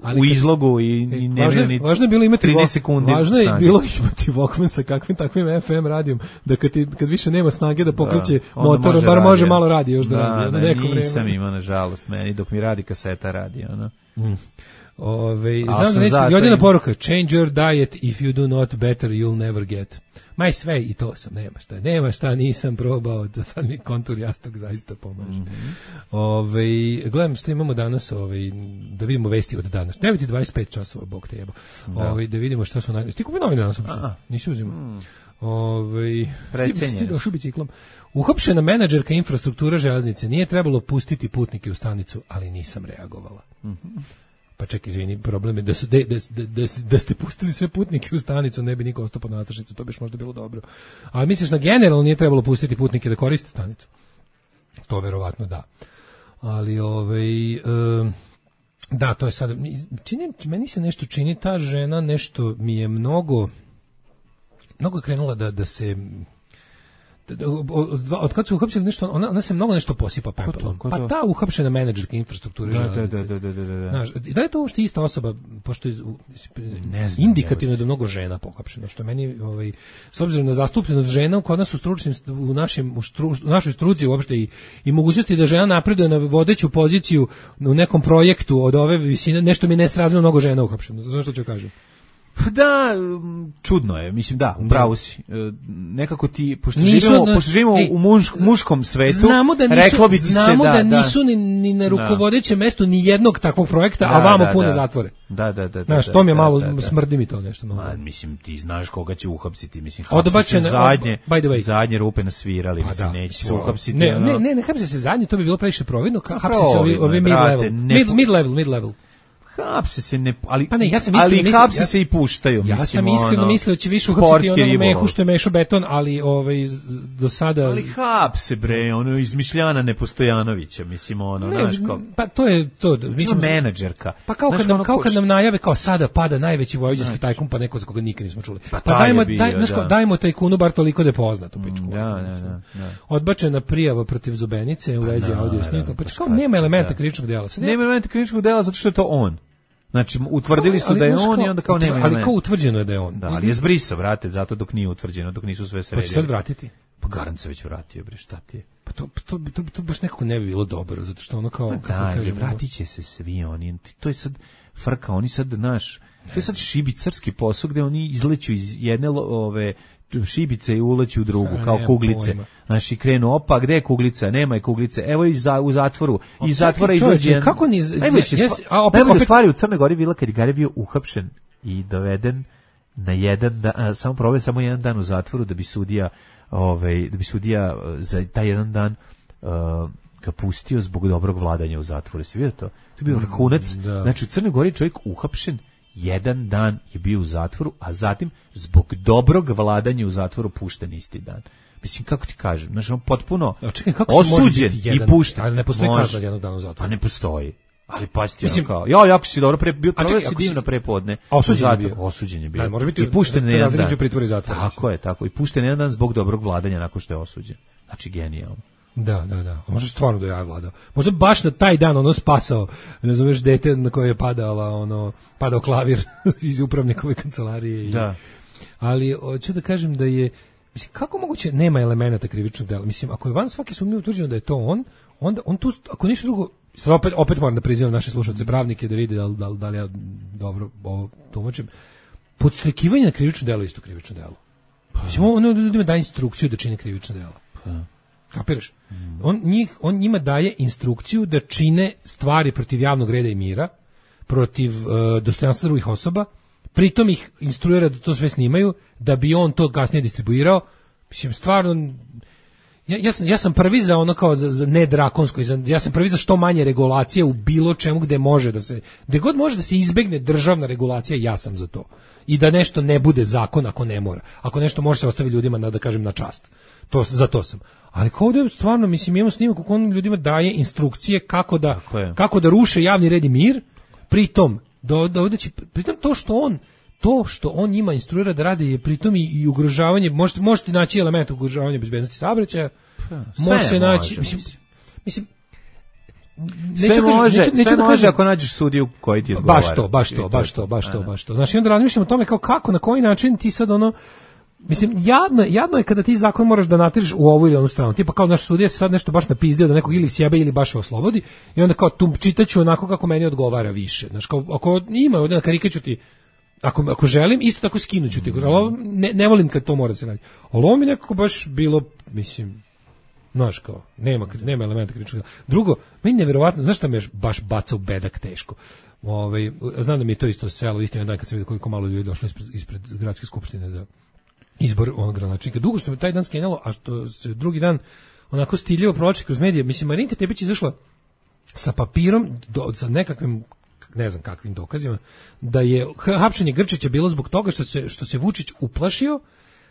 Speaker 5: ali, u izlogu i, i nemaju ni
Speaker 4: važno je bilo imati
Speaker 5: trinaest sekundi.
Speaker 4: Važno je bilo imati Walkman sa kakvim takvim ef em radijom, da kad, ti, kad više nema snage da pokreće da, motor, bar radio. Može malo radi još da, da radi.
Speaker 5: Da, neko nisam vreme. Imao, nažalost, meni dok mi radi kaseta radi, ono. Mm.
Speaker 4: Ove, znam da neće, Jodina poruka, change your diet, if you do not better, you'll never get. Maj sve i to sam, nema šta, nema šta, nisam probao, da sad mi kontur jasnog zaista pomaže. Mm -hmm. Ove, gledam što imamo danas, ove, da vidimo vesti od danas. devet i dvadeset pet časova, Bog te jebo. Da. Ove, da vidimo šta su najbolje. Ti kupi novine danas uopšte? Nisi uzimao. Mm. Ove,
Speaker 5: Precenjeni.
Speaker 4: Došao biciklom. Uhapšena menadžerka infrastrukture železnice, nije trebalo pustiti putnike u stanicu, ali nisam reagovala. Mm -hmm. Pa čekaj, izvini, problem je da, su, da, da, da, da ste pustili sve putnike u stanicu, ne bi niko ostao pod nadstrešnicom, to bi možda bilo dobro. Ali misliš na generalno nije trebalo pustiti putnike da koriste stanicu? To verovatno da. Ali, ovaj, um, da, to je sad, čini, meni se nešto čini, ta žena nešto mi je mnogo, mnogo je krenula da, da se... Od, od kad su uhapsili nešto, ona, ona se mnogo nešto posipa pepelom. Pa ta uhapšena menadžerka infrastrukture
Speaker 5: da,
Speaker 4: železnice.
Speaker 5: Da, da, da, da, da.
Speaker 4: Znaš, da je to uopšte ista osoba, pošto je ne znam, indikativno je da mnogo žena pohapšeno, što meni, ovaj, s obzirom na zastupljenost žena kod nas u stručnim, u, našim, u, stru, u našoj struci uopšte i, i mogućnosti da žena napreduje na vodeću poziciju u nekom projektu od ove visine, nešto mi nesrazmjerno mnogo žena uhapšeno. Znaš što ću kažem?
Speaker 5: Da, čudno je, mislim da, upravo si. Nekako ti, pošto živimo, pošto živimo ej, u muš, muškom svetu,
Speaker 4: znamo da nisu,
Speaker 5: reklo bi ti
Speaker 4: znamo
Speaker 5: se da,
Speaker 4: da nisu ni, ni na rukovodećem mestu ni jednog takvog projekta, da, a vamo da, pune
Speaker 5: da.
Speaker 4: zatvore.
Speaker 5: Da, da, da.
Speaker 4: Znaš, to mi je malo, da, da, smrdi mi to nešto. Malo.
Speaker 5: Ma, mislim, ti znaš koga će uhapsiti, mislim,
Speaker 4: odbačene
Speaker 5: zadnje,
Speaker 4: by the way.
Speaker 5: zadnje rupe nasvirali, pa mislim, da, neće se uhapsiti.
Speaker 4: Ne, ne, ne, ne hapse se zadnje, to bi bilo previše providno, hapse se ovi, ovi mid level, mid, mid level, mid level.
Speaker 5: Hapse se ne, ali,
Speaker 4: pa ne, ja sam
Speaker 5: ali
Speaker 4: mislim,
Speaker 5: hapse
Speaker 4: ja,
Speaker 5: se i puštaju.
Speaker 4: Ja
Speaker 5: mislim,
Speaker 4: sam iskreno ono, mislio da će više uhapsiti ono mehu što je mešao beton, ali ovaj, do sada...
Speaker 5: Ali hapse bre, ono izmišljana Nepostojanovića, mislim ono,
Speaker 4: ne,
Speaker 5: znaš kao...
Speaker 4: Pa to je to.
Speaker 5: Mi ćemo menadžerka.
Speaker 4: Pa kao, kad nam, ono kao kad nam najave, kao sada pada najveći vojvođanski tajkun, pa neko za koga nikad nismo čuli. Pa, pa dajmo, bio, daj, znaš kao, da. dajmo tajkunu bar toliko da je poznat u pičku.
Speaker 5: Da, da, da, da.
Speaker 4: Odbačena prijava protiv Zubenice u vezi audio snimka, pa kao nema elementa krivičnog dela.
Speaker 5: Nema elementa krivičnog dela zato što je to on. Znači, utvrdili su da je on i onda kao nema
Speaker 4: elementa. Ali kao utvrđeno je da je on.
Speaker 5: Da, ali je zbrisao, vrate, zato dok nije utvrđeno, dok nisu sve sredili.
Speaker 4: Pa će sad vratiti?
Speaker 5: Pa garant se već vratio, bre, šta ti je?
Speaker 4: Pa to, to, to, to baš nekako ne bi bilo dobro, zato što ono kao...
Speaker 5: Da, vratit će se svi oni, to je sad frka, oni sad, znaš, to je sad šibicarski posao gde oni izleću iz jedne ove šibice i uleću u drugu, kao kuglice. Znači, krenu, opa, gde je kuglica? Nema je kuglice. Evo i za, u zatvoru. I iz zatvora izlađe...
Speaker 4: Kako ni...
Speaker 5: Najbolje stvari u Crnoj Gori bila kad je Gari bio uhapšen i doveden na jedan dan, samo proveo samo jedan dan u zatvoru da bi sudija, ovaj, da bi sudija za taj jedan dan uh, ga pustio zbog dobrog vladanja u zatvoru. Si vidio to? To je bio vrhunac. Da. Znači, u Crnoj Gori čovjek uhapšen, jedan dan je bio u zatvoru, a zatim zbog dobrog vladanja u zatvoru pušten isti dan. Mislim, kako ti kažem, znači on potpuno
Speaker 4: čekaj,
Speaker 5: osuđen i pušten.
Speaker 4: Ali ne postoji kazna jednog dana u zatvoru.
Speaker 5: Pa ne postoji. Ali pasti ono kao, jo, jako si dobro, pre, bio prvo si divno prepodne.
Speaker 4: Osuđen je bio.
Speaker 5: Osuđen je bio.
Speaker 4: Da, može biti
Speaker 5: i pušten jedan dan.
Speaker 4: Pritvori zatvora.
Speaker 5: Tako je, tako. I pušten jedan dan zbog dobrog vladanja nakon što je osuđen. Znači, genijalno.
Speaker 4: Da, da, da. Možda stvarno da je ja vladao. Možda baš na taj dan ono spasao, ne zoveš, dete na koje je padala, ono, padao klavir iz upravnikove kancelarije. I,
Speaker 5: da.
Speaker 4: Ali hoću da kažem da je, mislim, kako moguće nema elemenata krivičnog dela? Mislim, ako je van svake sumnje utvrđeno da je to on, onda on tu, ako ništa drugo, sad opet, opet moram da prizivam naše slušalce pravnike da vide da li, da li, da li ja dobro ovo tumačim. Podstrekivanje na krivično delo je isto krivično delo. Mislim, ono ljudima daje instrukciju da čine krivično delo. Kapiraš? On, njih, on njima daje instrukciju da čine stvari protiv javnog reda i mira, protiv uh, dostojanstva drugih osoba, pritom ih instruira da to sve snimaju, da bi on to kasnije distribuirao. Mislim, stvarno, ja, ja, sam, ja sam prvi za ono kao za, za ne drakonsko, ja sam prvi za što manje regulacije u bilo čemu gde može da se, gde god može da se izbegne državna regulacija, ja sam za to. I da nešto ne bude zakon ako ne mora. Ako nešto može se ostaviti ljudima na, da kažem, na čast. To, za to sam. Ali kao da stvarno, mislim, imamo snimak kako on ljudima daje instrukcije kako da, kako da ruše javni red i mir, pritom, do, dovodeći, pritom to što on to što on njima instruira da rade je pritom i, i ugrožavanje, možete, možete naći element ugrožavanja bezbednosti saobraćaja, može se naći, mislim, mislim
Speaker 5: sve neću može, neću, neću sve da može kažem, ako nađeš sudiju koji ti odgovara.
Speaker 4: Baš to, baš to, baš to, baš to, baš to. Znači, onda razmišljam o tome kao kako, na koji način ti sad ono, mislim, jadno, jadno je kada ti zakon moraš da natiriš u ovu ili onu stranu. Tipa kao naš sudija se sad nešto baš napizdio da nekog ili sjebe ili baš oslobodi i onda kao tu čitaću onako kako meni odgovara više. Znači, kao, ako ima ovdje na karikaću ti, ako, ako želim, isto tako skinuću ti. Ali ne, ne volim kad to mora da se radi. Ali ovo mi nekako baš bilo, mislim, znaš kao, nema, nema elementa krivičnog dela. Drugo, meni nevjerovatno, znaš šta me baš baca u bedak teško? Ove, znam da mi je to isto selo, istina dan kad sam vidio koliko malo ljudi došlo ispred, ispred gradske skupštine za izbor onog gradonačelnika. Dugo što me taj dan skenjalo, a što se drugi dan onako stiljivo provlači kroz medije. Mislim, Marinka Tepić izašla sa papirom, do, sa nekakvim, ne znam kakvim dokazima, da je hapšenje Grčića bilo zbog toga što se, što se Vučić uplašio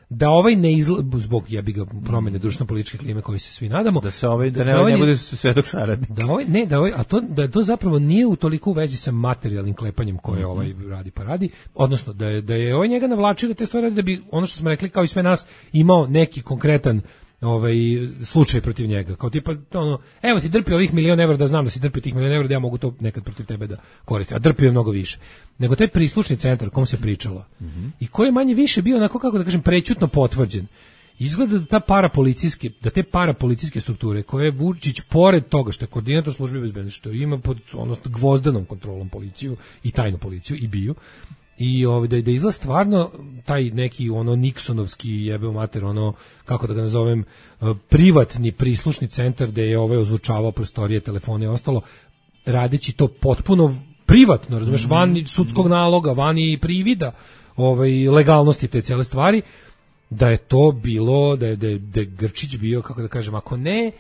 Speaker 4: da ovaj ne izla, zbog jebi ga promene društveno-političke klime koji se svi nadamo,
Speaker 5: da se ovaj da ne, da ovaj ne bude svedok saradnik.
Speaker 4: Da ovaj ne, da ovaj, a to da to zapravo nije u toliko u vezi sa materijalnim klepanjem koje ovaj radi pa radi, odnosno da je da je ovaj njega navlačio da te stvari da bi ono što smo rekli kao i sve nas imao neki konkretan ovaj slučaj protiv njega, kao tipa ono, evo ti drpi ovih milion evra da znam da si drpio tih milion evra da ja mogu to nekad protiv tebe da koristim, a drpio je mnogo više nego taj prislušni centar kom se pričalo mm-hmm. i koji je manje više bio onako, kako da kažem, prećutno potvrđen. Izgleda da ta parapolicijske, da te parapolicijske strukture koje je Vučić pored toga što je koordinator službe bezbednosti, što ima pod odnosno gvozdanom kontrolom policiju i tajnu policiju i biju, i ovdje da izgleda stvarno taj neki ono Nixonovski jebeo mater, ono, kako da ga nazovem, privatni prislušni centar gde je ovaj ozvučavao prostorije, telefone i ostalo, radeći to potpuno privatno, razumeš, van sudskog naloga, van i privida ovaj, legalnosti te cijele stvari, da je to bilo, da je, da je, da je Grčić bio, kako da kažem, ako ne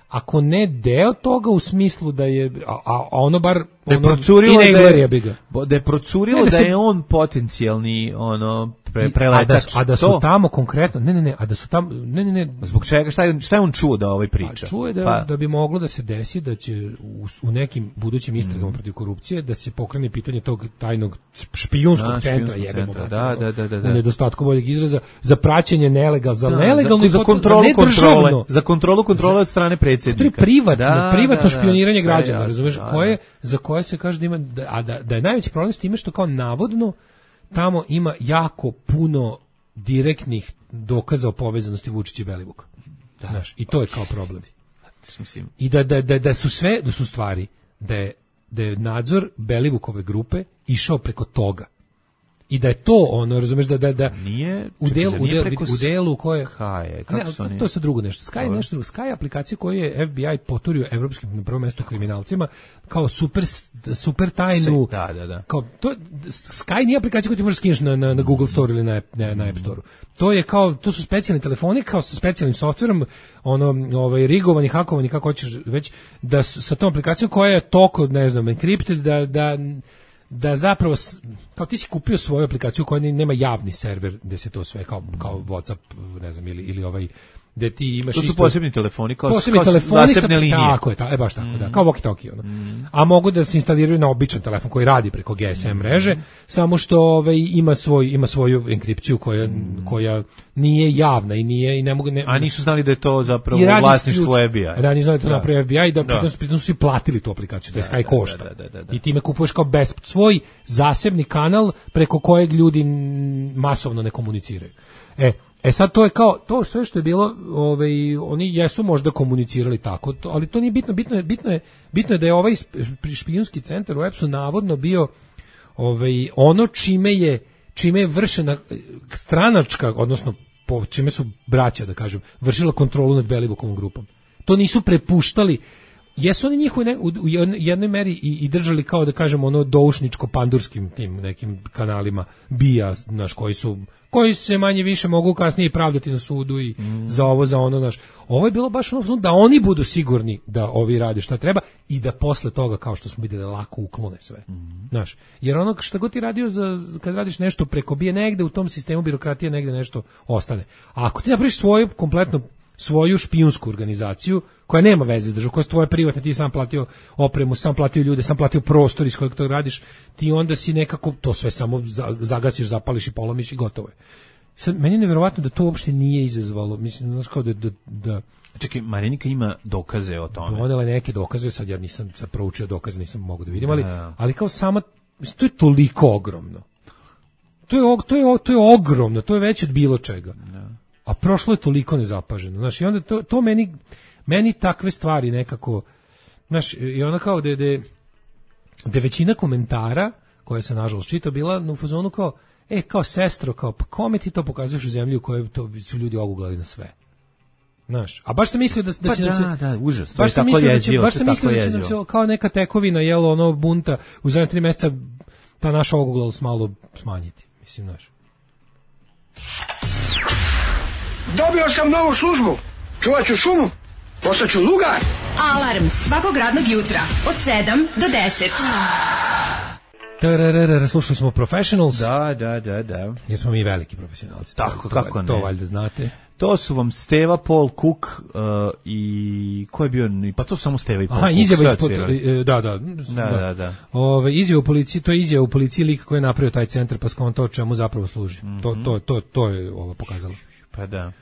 Speaker 4: ako ne deo toga u smislu da je, a, a ono bar
Speaker 5: da je procurilo, da je, da je, procurilo ne, da, se, da je on potencijalni ono pre, preletač.
Speaker 4: A da, a da su to? Tamo konkretno, ne, ne, ne, a da su tamo, ne, ne, ne.
Speaker 5: Zbog čega, šta je, šta je on čuo da ovaj priča?
Speaker 4: A čuo je da, pa. da bi moglo da se desi da će u, u nekim budućim istragama mm. protiv korupcije da se pokrene pitanje tog tajnog špijunskog a, centra, jebemo ga. Da, da, da, da, da. U nedostatku boljeg izraza, za praćenje nelegal, za da, nelegalno,
Speaker 5: za, za kontrolu za kontrole, za kontrolu kontrole od strane predsjednika.
Speaker 4: To je privatno, da, privatno da, špioniranje da, građana, da, razumeš, da, koje, za koje se kaže da ima, da, a da, da je najveći problem s time što kao navodno tamo ima jako puno direktnih dokaza o povezanosti Vučića i Belivuka. Da. Znaš, i to je kao problem. I da, da, da, da su sve, da su stvari, da je, da je nadzor Belivukove grupe išao preko toga. I da je to ono, razumeš, da da da
Speaker 5: nije
Speaker 4: u delu u delu u delu koje
Speaker 5: Haje, kako ne,
Speaker 4: su oni? To je sa drugo nešto. Sky je nešto drugo. Sky je aplikacija koju je F B I poturio evropskim, na prvom mjestu, kriminalcima kao super super tajnu.
Speaker 5: Da, da, da.
Speaker 4: Kao to Sky nije aplikacija koju ti možeš skineš na, na na Google Store ili na na, na App Store. To je kao, to su specijalni telefoni kao sa specijalnim softverom, ono ovaj rigovani, hakovani, kako hoćeš već, da sa tom aplikacijom koja je toko, ne znam, encrypted, da da da zapravo, kao ti si kupio svoju aplikaciju koja nema javni server gde se to sve kao, kao WhatsApp, ne znam, ili, ili ovaj gde ti imaš
Speaker 5: to su
Speaker 4: isto,
Speaker 5: posebni telefoni kao,
Speaker 4: posebni
Speaker 5: kao
Speaker 4: telefoni
Speaker 5: zasebne linije.
Speaker 4: Tako je, ta, e baš tako, mm. da, kao walkie-talkie ono. Mm. A mogu da se instaliraju na običan telefon koji radi preko G S M mreže, mm. samo što ovaj ima svoj ima svoju enkripciju koja mm. koja nije javna i nije i ne mogu ne,
Speaker 5: a nisu znali da je to zapravo vlasništvo F B I.
Speaker 4: Radi znali to napravi F B I da, da. Pritom, pritom su svi platili tu aplikaciju, to je Sky košta. Da, da, da, da. I time kupuješ kao bez svoj zasebni kanal preko kojeg ljudi masovno ne komuniciraju. E E sad to je kao to sve što je bilo, ovaj oni jesu možda komunicirali tako, to, ali to nije bitno, bitno je bitno je bitno je da je ovaj špijunski centar u E P S-u navodno bio ovaj ono čime je čime je vršena stranačka, odnosno po čime su braća, da kažem, vršila kontrolu nad Belivukovom grupom. To nisu prepuštali. Jesu oni njih u, ne, u jednoj meri i, i držali kao da kažemo ono doušničko-pandurskim tim nekim kanalima bija, naš, koji su koji se manje više mogu kasnije pravdati na sudu i mm. za ovo, za ono, naš. Ovo je bilo baš ono da oni budu sigurni da ovi rade šta treba i da posle toga, kao što smo vidjeli, lako uklone sve. Mm. Znaš, jer ono što god ti radio za, kad radiš nešto preko bije negde u tom sistemu birokratije negde nešto ostane. A ako ti napraviš svoju kompletno svoju špijunsku organizaciju koja nema veze s državom, koja je tvoja privatna, ti sam platio opremu, sam platio ljude, sam platio prostor iz kojeg to radiš, ti onda si nekako to sve samo zagasiš, zapališ i polomiš i gotovo je. Sad, meni je nevjerovatno da to uopšte nije izazvalo, mislim, znaš kao da, da, da...
Speaker 5: Čekaj, Marinika ima dokaze o tome.
Speaker 4: Donela je neke dokaze, sad ja nisam sad proučio dokaze, nisam mogu da vidim, ali, ali kao sama, mislim, to je toliko ogromno. To je, to je, to je ogromno, to je veće od bilo čega. Da. A prošlo je toliko nezapaženo. Znaš, i onda to, to meni, meni takve stvari nekako, znaš, i ona kao da je, da većina komentara, koje sam nažalost čitao, bila u fazonu kao, e, kao sestro, kao, pa kome ti to pokazuješ u zemlji u kojoj to su ljudi oguglali na sve? Znaš, a baš sam mislio da, da
Speaker 5: pa
Speaker 4: će
Speaker 5: da,
Speaker 4: nam se...
Speaker 5: Da, da, užas, to
Speaker 4: baš
Speaker 5: je tako
Speaker 4: mislio
Speaker 5: jezivo.
Speaker 4: Baš sam mislio da će nam se kao neka tekovina, jelo, ono, bunta, u zadnje tri mjeseca ta naša oguglalost malo smanjiti, mislim, znaš.
Speaker 8: Dobio sam novu službu. Čuvat ću šumu. Postaću lugar.
Speaker 3: Alarm svakog radnog jutra od sedam do deset.
Speaker 4: Tararara, slušali smo Professionals.
Speaker 5: Da, da, da, da.
Speaker 4: Jer smo mi veliki profesionalci.
Speaker 5: Tako,
Speaker 4: to,
Speaker 5: kako
Speaker 4: to,
Speaker 5: ne.
Speaker 4: To valjda znate.
Speaker 5: To su vam Steva, Paul Cook uh, i ko je bio, pa to su samo Steva i Paul
Speaker 4: Aha,
Speaker 5: Cook.
Speaker 4: Izjava ispod, da, da.
Speaker 5: Da, da, da.
Speaker 4: Ove, izjava u policiji, to je izjava u policiji lik koji je napravio taj centar, pa skonto o čemu zapravo služi. Mm-hmm. To, to, to, to je ovo pokazalo.
Speaker 5: Pa da.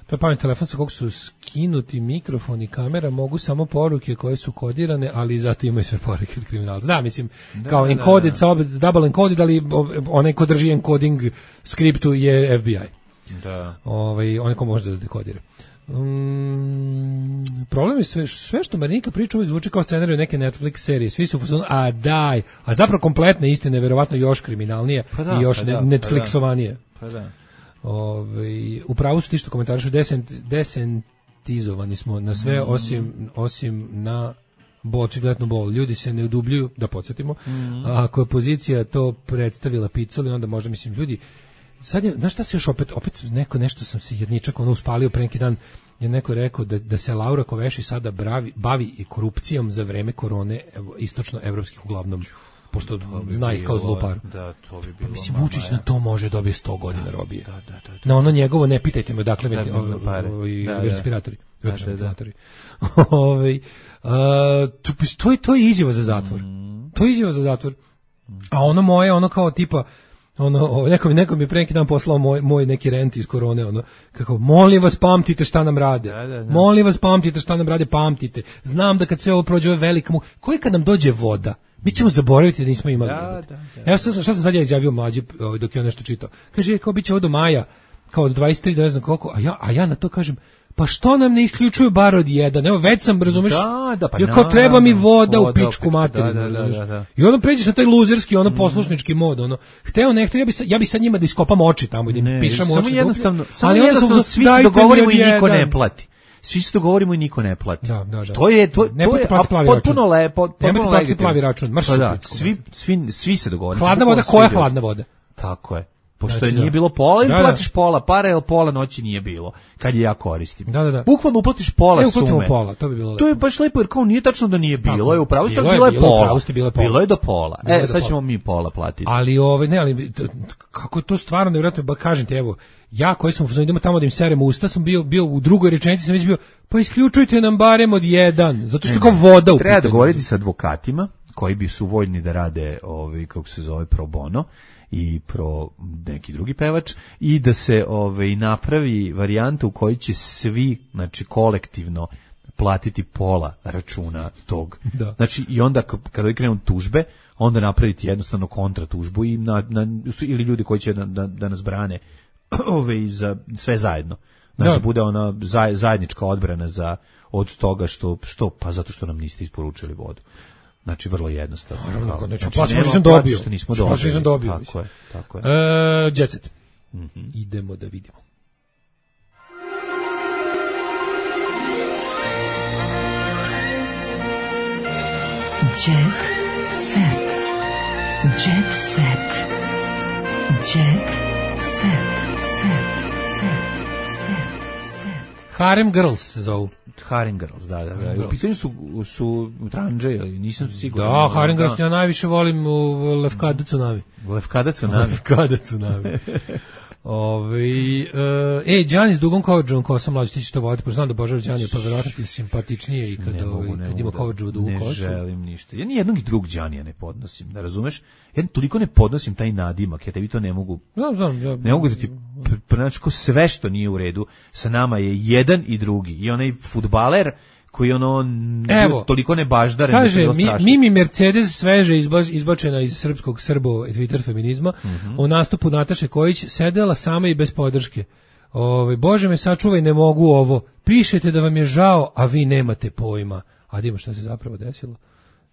Speaker 4: To je pametni telefon sa kog su skinuti mikrofon i kamera, mogu samo poruke koje su kodirane, ali zato imaju sve poruke od kriminalca. Da, mislim, da, kao da, encoded, da, da. double encoded, ali onaj ko drži encoding skriptu je F B I.
Speaker 5: Da.
Speaker 4: Ovaj, onaj ko može da dekodira. Um, problem je sve, sve što Marinika priča uvijek zvuči kao scenariju neke Netflix serije. Svi su fazonu, a daj, a zapravo kompletne istine, verovatno još kriminalnije pa da, i još pa ne, da, Netflixovanije.
Speaker 5: Pa da.
Speaker 4: Ove, u pravu su ti što komentarišu, desent, desentizovani smo na sve mm. osim, osim na bol, očigledno bol. Ljudi se ne udubljuju, da podsjetimo. Mm. Ako je pozicija to predstavila Picoli, onda možda, mislim, ljudi, sad je, znaš šta se još opet, opet neko, nešto sam se jedničak ono uspalio pre neki dan, je neko rekao da, da se Laura Koveši sada bravi, bavi i korupcijom za vreme korone istočno-evropskih uglavnom, pošto bi zna ih kao zluparu. Da, to bi bilo. Pa, mislim, Vučić na to može dobije sto godina robije. Da, da, da, da. Na ono njegovo, ne pitajte me odakle da, i respiratori. Respiratori. Ovaj, to je to je izjava za zatvor. To je izjava za zatvor. A ono moje, ono kao tipa ono, neko mi, neko mi pre neki dan poslao moj, moj neki rent iz korone, ono, kako, molim vas pamtite šta nam rade, da, da, da. molim vas pamtite šta nam rade, pamtite, znam da kad sve ovo prođe, ovo je velika mu, koji kad nam dođe voda, mi ćemo zaboraviti da nismo imali
Speaker 5: da,
Speaker 4: voda.
Speaker 5: Da, da,
Speaker 4: Evo šta, šta sam sad ja izjavio mlađi, dok je on nešto čitao, kaže, kao bit će ovo do maja, kao od dvadeset tri do ne znam koliko, a ja, a ja na to kažem, pa što nam ne isključuju bar od jedan? Evo, već sam, razumeš,
Speaker 5: da, da, pa
Speaker 4: jer kao treba mi voda, voda u pičku
Speaker 5: opet,
Speaker 4: materinu,
Speaker 5: da, da, da, da.
Speaker 4: I onda pređe sa taj luzerski, ono poslušnički mod, ono, hteo nekto, ja bi, sa, ja bi sad njima da iskopam oči tamo, i da im pišam oči.
Speaker 5: Samo jednostavno, samo jednostavno, svi se dogovorimo i niko ne plati. Svi se dogovorimo i niko ne plati.
Speaker 4: Da, da, da.
Speaker 5: To je, to,
Speaker 4: ne
Speaker 5: to je
Speaker 4: potpuno
Speaker 5: lepo, potpuno
Speaker 4: legitimno. Plavi račun, marš.
Speaker 5: Pa da, svi, svi, svi se dogovorimo.
Speaker 4: Hladna voda, koja hladna voda?
Speaker 5: Tako je. Pošto znači, nije da. bilo pola, ili da, platiš da. pola para, ili pola noći nije bilo, kad je ja koristim.
Speaker 4: Da, da, da.
Speaker 5: Bukvalno uplatiš pola
Speaker 4: e,
Speaker 5: sume.
Speaker 4: Pola, to bi bilo lepo.
Speaker 5: To je baš lepo, jer kao nije tačno da nije bilo, tako, je upravo bilo, bilo, bilo je pola. Pravosti, bilo, je pola. Bilo je do pola. Bilo e, sad ćemo mi pola platiti.
Speaker 4: Ali, ove, ne, ali, kako je to stvarno nevjerojatno, ba kažem ti, evo, ja koji sam idemo tamo da im serem usta, sam bio, bio u drugoj rečenici, sam već bio, pa isključujte nam barem od jedan, zato što je kao voda u
Speaker 5: treba pitanju. Dogovoriti sa advokatima, koji bi su voljni da rade, ovi, kako se zove, pro bono, i pro neki drugi pevač i da se ovaj napravi varijanta u kojoj će svi, znači kolektivno platiti pola računa tog. Da. Znači i onda kada krenu tužbe, onda napraviti jednostavno kontratužbu i na, na ili ljudi koji će da, da, da nas brane ovaj za sve zajedno. Znači da, da bude ona zajednička odbrana za od toga što što pa zato što nam niste isporučili vodu. Znači vrlo jednostavno.
Speaker 4: Naravno, znači, znači nisam dobio.
Speaker 5: Što nismo dobili.
Speaker 4: Što nisam dobio.
Speaker 5: Tako je, tako je.
Speaker 4: E, Jet Set. Mm-hmm. Idemo da vidimo.
Speaker 7: Jet Set. Jet Set. Jet Set. Set. Set. Set.
Speaker 4: Harem Girls se zovu.
Speaker 5: Harem Girls, da, da, da. U pitanju su, su tranđe, nisam siguran.
Speaker 4: Da, Harem Girls ja najviše volim u Lefkada Tsunami.
Speaker 5: Lefkada Tsunami.
Speaker 4: Lefkada Tsunami. Ove, e, Đani s dugom coverđom ko sam mlađi, ti ćeš to voditi, pa znam da Božar Đani je pa verovatno ti simpatičnije i kad, ne mogu, ne kad ima coverđu dugu kosu.
Speaker 5: Ne želim ništa. Ja nijednog i drugog Đanija ne podnosim, da razumeš? Ja toliko ne podnosim taj nadimak, ja tebi to ne mogu.
Speaker 4: Znam, znam. Ja,
Speaker 5: ne mogu da ti, znači, sve što nije u redu, sa nama je jedan i drugi. I onaj fudbaler koji ono
Speaker 4: evo,
Speaker 5: toliko ne baždaren.
Speaker 4: Kaže, mi, Mimi Mercedes sveže izbačena iz srpskog Srbo Twitter feminizma, mm-hmm. u nastupu Nataše Kojić sedela sama i bez podrške. Ove, Bože me sačuvaj, ne mogu ovo. Pišete da vam je žao, a vi nemate pojma. A dimo šta se zapravo desilo.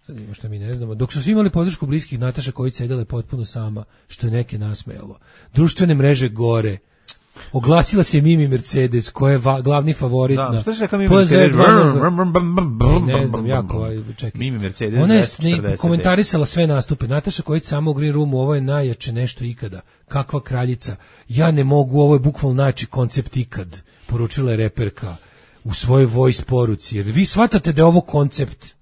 Speaker 4: Sad ima što mi ne znamo. Dok su svi imali podršku bliskih, Nataša Kojić sedela je potpuno sama, što je neke nasmejalo. Društvene mreže gore. Oglasila se Mimi Mercedes, koja je va, glavni favorit da, na
Speaker 5: šta se Mimi Mercedes?
Speaker 4: Ne znam, jako, čekaj.
Speaker 5: Mimi Mercedes.
Speaker 4: Ona je komentarisala sve nastupe. Nataša Kojić samo u Green Roomu, ovo je najjače nešto ikada. Kakva kraljica. Ja ne mogu, ovo je bukvalno najjači koncept ikad. Poručila je reperka u svojoj voice poruci. Jer vi shvatate da je ovo koncept.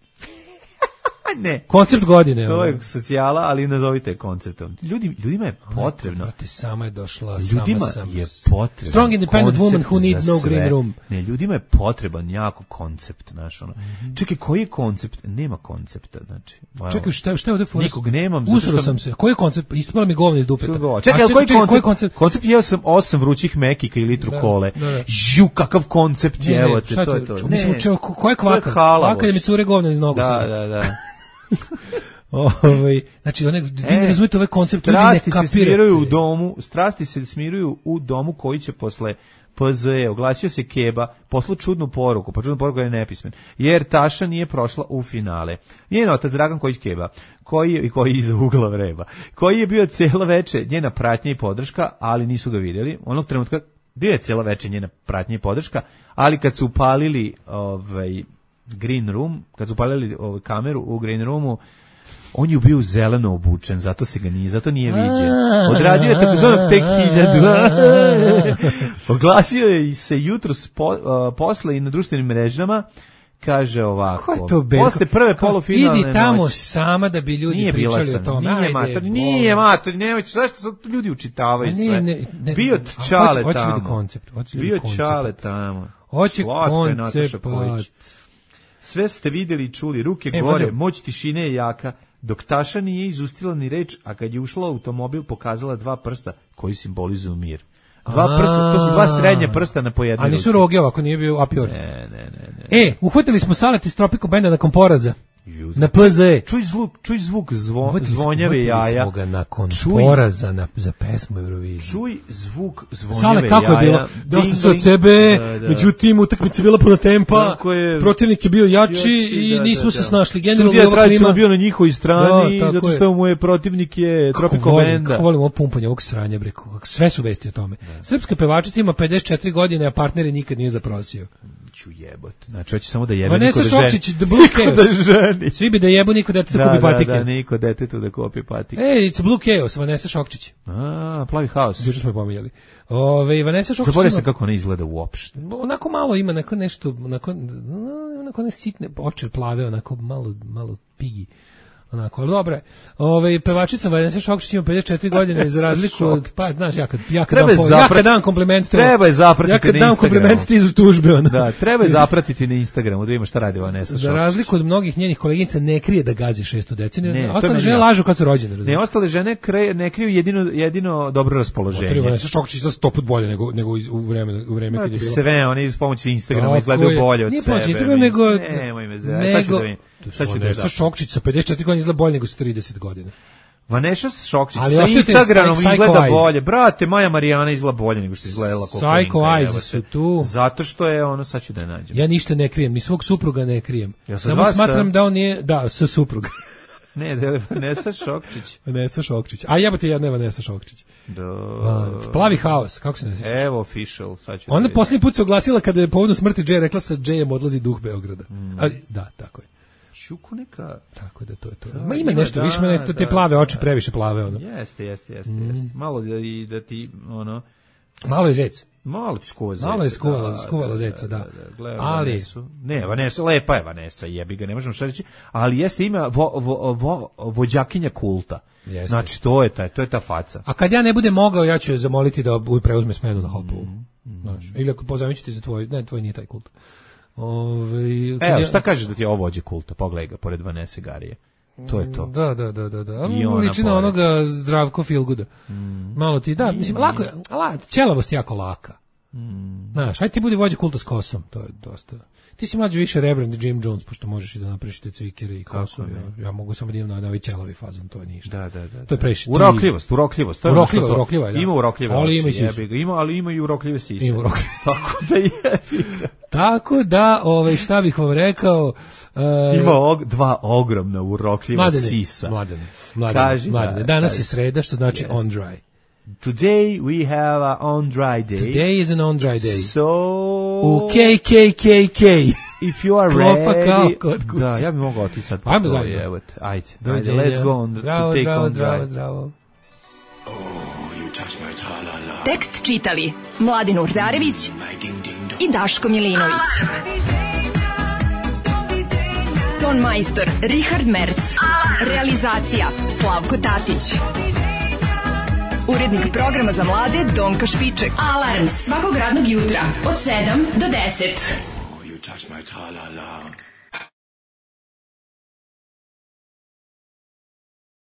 Speaker 5: Ne.
Speaker 4: Koncept godine.
Speaker 5: To je socijala, ali nazovite konceptom. Ljudi, ljudima je potrebno.
Speaker 4: Brate, sama je došla,
Speaker 5: ljudima
Speaker 4: sama sam.
Speaker 5: je potrebno.
Speaker 4: Strong independent woman who needs no green room.
Speaker 5: Ne, ljudima je potreban jako koncept, znaš, ono. Mm-hmm. Čekaj, koji je koncept? Nema koncepta, znači. Wow.
Speaker 4: Čekaj, šta, šta je ovde forest?
Speaker 5: Nikog nemam.
Speaker 4: Usro sam se. Koji je koncept? Ispala mi govna iz dupeta.
Speaker 5: Čekaj, čekaj, koji, čekaj, koji koncept? Koncept je sam osam vrućih mekika i litru da, kole. Da, da. Žu, kakav koncept je, evo te, to je to. Ne,
Speaker 4: mislim, ko je kvaka? Kvaka je mi cure govna iz nogu.
Speaker 5: Da, da, da.
Speaker 4: Ovaj, znači one vi ne razumete ovaj koncept, ljudi ne kapiraju. Se smiruju
Speaker 5: u domu, strasti se smiruju u domu koji će posle P Z E, oglasio se Keba, poslao čudnu poruku, pa čudnu poruku je nepismen, jer Taša nije prošla u finale. Njen otac Dragan Kojić Keba, koji je, koji je iza ugla vreba, koji je bio cijelo veče njena pratnja i podrška, ali nisu ga vidjeli. Onog trenutka bio je cijelo veče njena pratnja i podrška, ali kad su upalili ovaj Green Room, kad su upalili ovaj kameru u Green Roomu, on je bio zeleno obučen, zato se ga nije, zato nije viđen. Odradio je takozvanog tek hiljadu. Oglasio je se jutro spo, uh, posle i na društvenim mrežama, kaže ovako. Posle prve polufinalne
Speaker 4: idi tamo
Speaker 5: noći,
Speaker 4: sama da bi ljudi
Speaker 5: nije
Speaker 4: pričali
Speaker 5: sam,
Speaker 4: o tome.
Speaker 5: Nije mator, nije mator, nemojte, zašto sad ljudi učitavaju sve? Ne, ne, bio Čale
Speaker 4: hoće,
Speaker 5: tamo.
Speaker 4: Hoće koncept, hoće
Speaker 5: bio Čale tamo.
Speaker 4: Hoće koncept.
Speaker 5: Sve ste vidjeli i čuli, ruke e, gore, moć tišine je jaka. Dok Taša nije izustila ni reč, a kad je ušla u automobil pokazala dva prsta koji simbolizuju mir. Dva prsta, to su dva srednje prsta na pojednoj ruci.
Speaker 4: A nisu roge ovako, nije bio apior.
Speaker 5: Ne, ne, ne, ne.
Speaker 4: E, uhvatili smo Salet iz Tropico Benda nakon poraza. Na P Z E.
Speaker 5: Čuj zvuk, čuj zvuk zvo, zvonjave jaja.
Speaker 4: Smo ga nakon čuj, poraza na, za pesmu Eurovizije.
Speaker 5: Čuj zvuk zvonjave
Speaker 4: Sale, kako
Speaker 5: jaja.
Speaker 4: Je bilo? Dao sam se od sebe, da, da. Međutim, utakmica je bila puna tempa, je, protivnik je bio jači, jači i nismo da, da, se snašli. Generalno
Speaker 5: je tradicionalno bio na njihovoj strani, da, zato što je. mu je protivnik je Tropico Benda.
Speaker 4: Kako volim ovo pumpanje, ovog sranja, bre, sve su vesti o tome. Da. Srpska pevačica ima pedeset četiri godine, a partneri nikad nije zaprosio.
Speaker 5: Ću jebot. Znači, hoće samo da jebe
Speaker 4: Vanessa
Speaker 5: niko da ženi.
Speaker 4: Šokčić, The Blue Chaos. Svi bi da jebu niko detetu da kupi patike.
Speaker 5: Da, da, niko detetu da kupi patike.
Speaker 4: Ej, it's Blue Chaos, Vanessa Šokčić.
Speaker 5: A, plavi haos.
Speaker 4: Juče smo je pominjali. Ove, Vanessa Šokčić.
Speaker 5: Zaboravio se kako ona izgleda uopšte.
Speaker 4: Onako malo ima, onako nešto, onako, onako ne sitne oči plave, onako malo, malo pigi. Onako, ali dobro je. Ove, pevačica Vanessa Šokčić ima pedeset četiri godine, za razliku od, pa, znaš, ja kad, ja kad, dam, zaprat... ja kad dam kompliment, to,
Speaker 5: treba je zapratiti
Speaker 4: ja kad
Speaker 5: na
Speaker 4: dam kompliment stižu tužbe. Ona.
Speaker 5: Da, treba je zapratiti na Instagramu, da ima šta radi Vanessa Šokčić.
Speaker 4: Za razliku od mnogih njenih koleginica ne krije da gazi šestu deceniju, ne, ostale žene lažu kad su rođene. Razumiješ?
Speaker 5: Ne, ostale žene kre, ne kriju jedino, jedino dobro raspoloženje.
Speaker 4: Otvori Vanessa Šokčić za sto put bolje nego, nego u vreme, u vreme kad je bilo.
Speaker 5: Sve, oni iz pomoći Instagrama izgledaju bolje od sebe.
Speaker 4: Nije pomoći Instagrama, nego...
Speaker 5: Nemoj me zove, sad ću da
Speaker 4: Vanessa Šokčić sa pedeset četiri godine izgleda bolje nego sa trideset godina.
Speaker 5: Vanessa Šokčić sa Instagramom izgleda bolje. Brate, Maja Marijana izgleda bolje nego što izgledala koliko.
Speaker 4: Psycho Eyes su tu.
Speaker 5: Zato što je ono, sad ću da je nađem.
Speaker 4: Ja ništa ne krijem, ni svog supruga ne krijem. Ja samo smatram da on nije, da, sa supruga.
Speaker 5: Ne, da je Vanessa Šokčić.
Speaker 4: Vanessa Šokčić. A jebate, jedna je Vanessa Šokčić.
Speaker 5: Do...
Speaker 4: Plavi haos, kako se ne sjeća?
Speaker 5: Evo, official. Sad ću
Speaker 4: ona posljednji put se oglasila kada je povodom smrti Jay rekla sa Jayem odlazi duh Beograda. Mm. A, da, tako je.
Speaker 5: Šuku neka...
Speaker 4: Tako da to je to. Da, ma ima, ima nešto, da, više me nešto, te da, plave oči, previše plave. Ono.
Speaker 5: Jeste, jeste, jeste, mm. jeste. Malo da, i, da ti, ono...
Speaker 4: Malo je zec.
Speaker 5: Malo ti skuva zeca.
Speaker 4: Malo je skuvala, da, skuvala da, zeca, da. da, da, da.
Speaker 5: Gledam ali... Vanesu. Ne, Vanessa, lepa je Vanessa, jebi ga, ne možemo šta reći, ali jeste ima vo, vo, vo, vođakinja kulta. Jeste. Znači, to je, taj, to je ta faca.
Speaker 4: A kad ja ne budem mogao, ja ću je zamoliti da preuzme smenu na Hopovu. Mm. Znaš, ili ako pozovem ću ti za tvoj, ne, tvoj nije taj kult. Ove,
Speaker 5: Evo,
Speaker 4: ja...
Speaker 5: šta kažeš da ti je ovo vođe kulta? Pogledaj ga, pored Vanesse Garije. To je to.
Speaker 4: Da, da, da, da, da. Liči na onoga Zdravko Feelgooda. Mm. Malo ti, da, mislim, lako je, la, ćelavost jako laka. Mm. Znaš, ajde ti budi vođa kulta s kosom, to je dosta. Ti si mlađi više Reverend Jim Jones, pošto možeš i da napraviš te cvikere i kosu. Ja, ja mogu samo da imam na ovaj ćelavi fazon, to je ništa.
Speaker 5: Da, da, da.
Speaker 4: To je previše.
Speaker 5: Urokljivost, urokljivost. To je
Speaker 4: urokljiva, urokljiva, da.
Speaker 5: Ima urokljive
Speaker 4: ali
Speaker 5: oči,
Speaker 4: ima i
Speaker 5: jebi ga. Ima, ali ima i urokljive sise.
Speaker 4: Ima urokljive.
Speaker 5: Tako da jebi ga.
Speaker 4: Tako da, ovaj, šta bih vam rekao... Uh,
Speaker 5: ima og, dva ogromna urokljiva mladene, sisa.
Speaker 4: Mladene, mladene, mladene. Danas kaži. Je sreda, što znači yes. on dry.
Speaker 5: Today we have a on dry day.
Speaker 4: Today is an on dry day.
Speaker 5: So...
Speaker 4: U K K K K.
Speaker 5: If you are ready... Da, ja bih mogao otići sad.
Speaker 4: Ajmo zajedno.
Speaker 5: Ajde, ajde, ajde, let's go on
Speaker 4: zdravo,
Speaker 5: to take
Speaker 4: zdravo,
Speaker 5: on
Speaker 4: zdravo,
Speaker 5: dry.
Speaker 4: Zdravo.
Speaker 3: Oh, you touch my tra-la-la.
Speaker 9: Tekst čitali Mladin Urdarević i Daško Milinović. Ton majstor Richard Merc. Realizacija Slavko Tatić. Urednik programa za mlade Donka Špiček. Alarms svakog radnog jutra od sedam do deset.
Speaker 3: Oh, you touch my tra-la-la.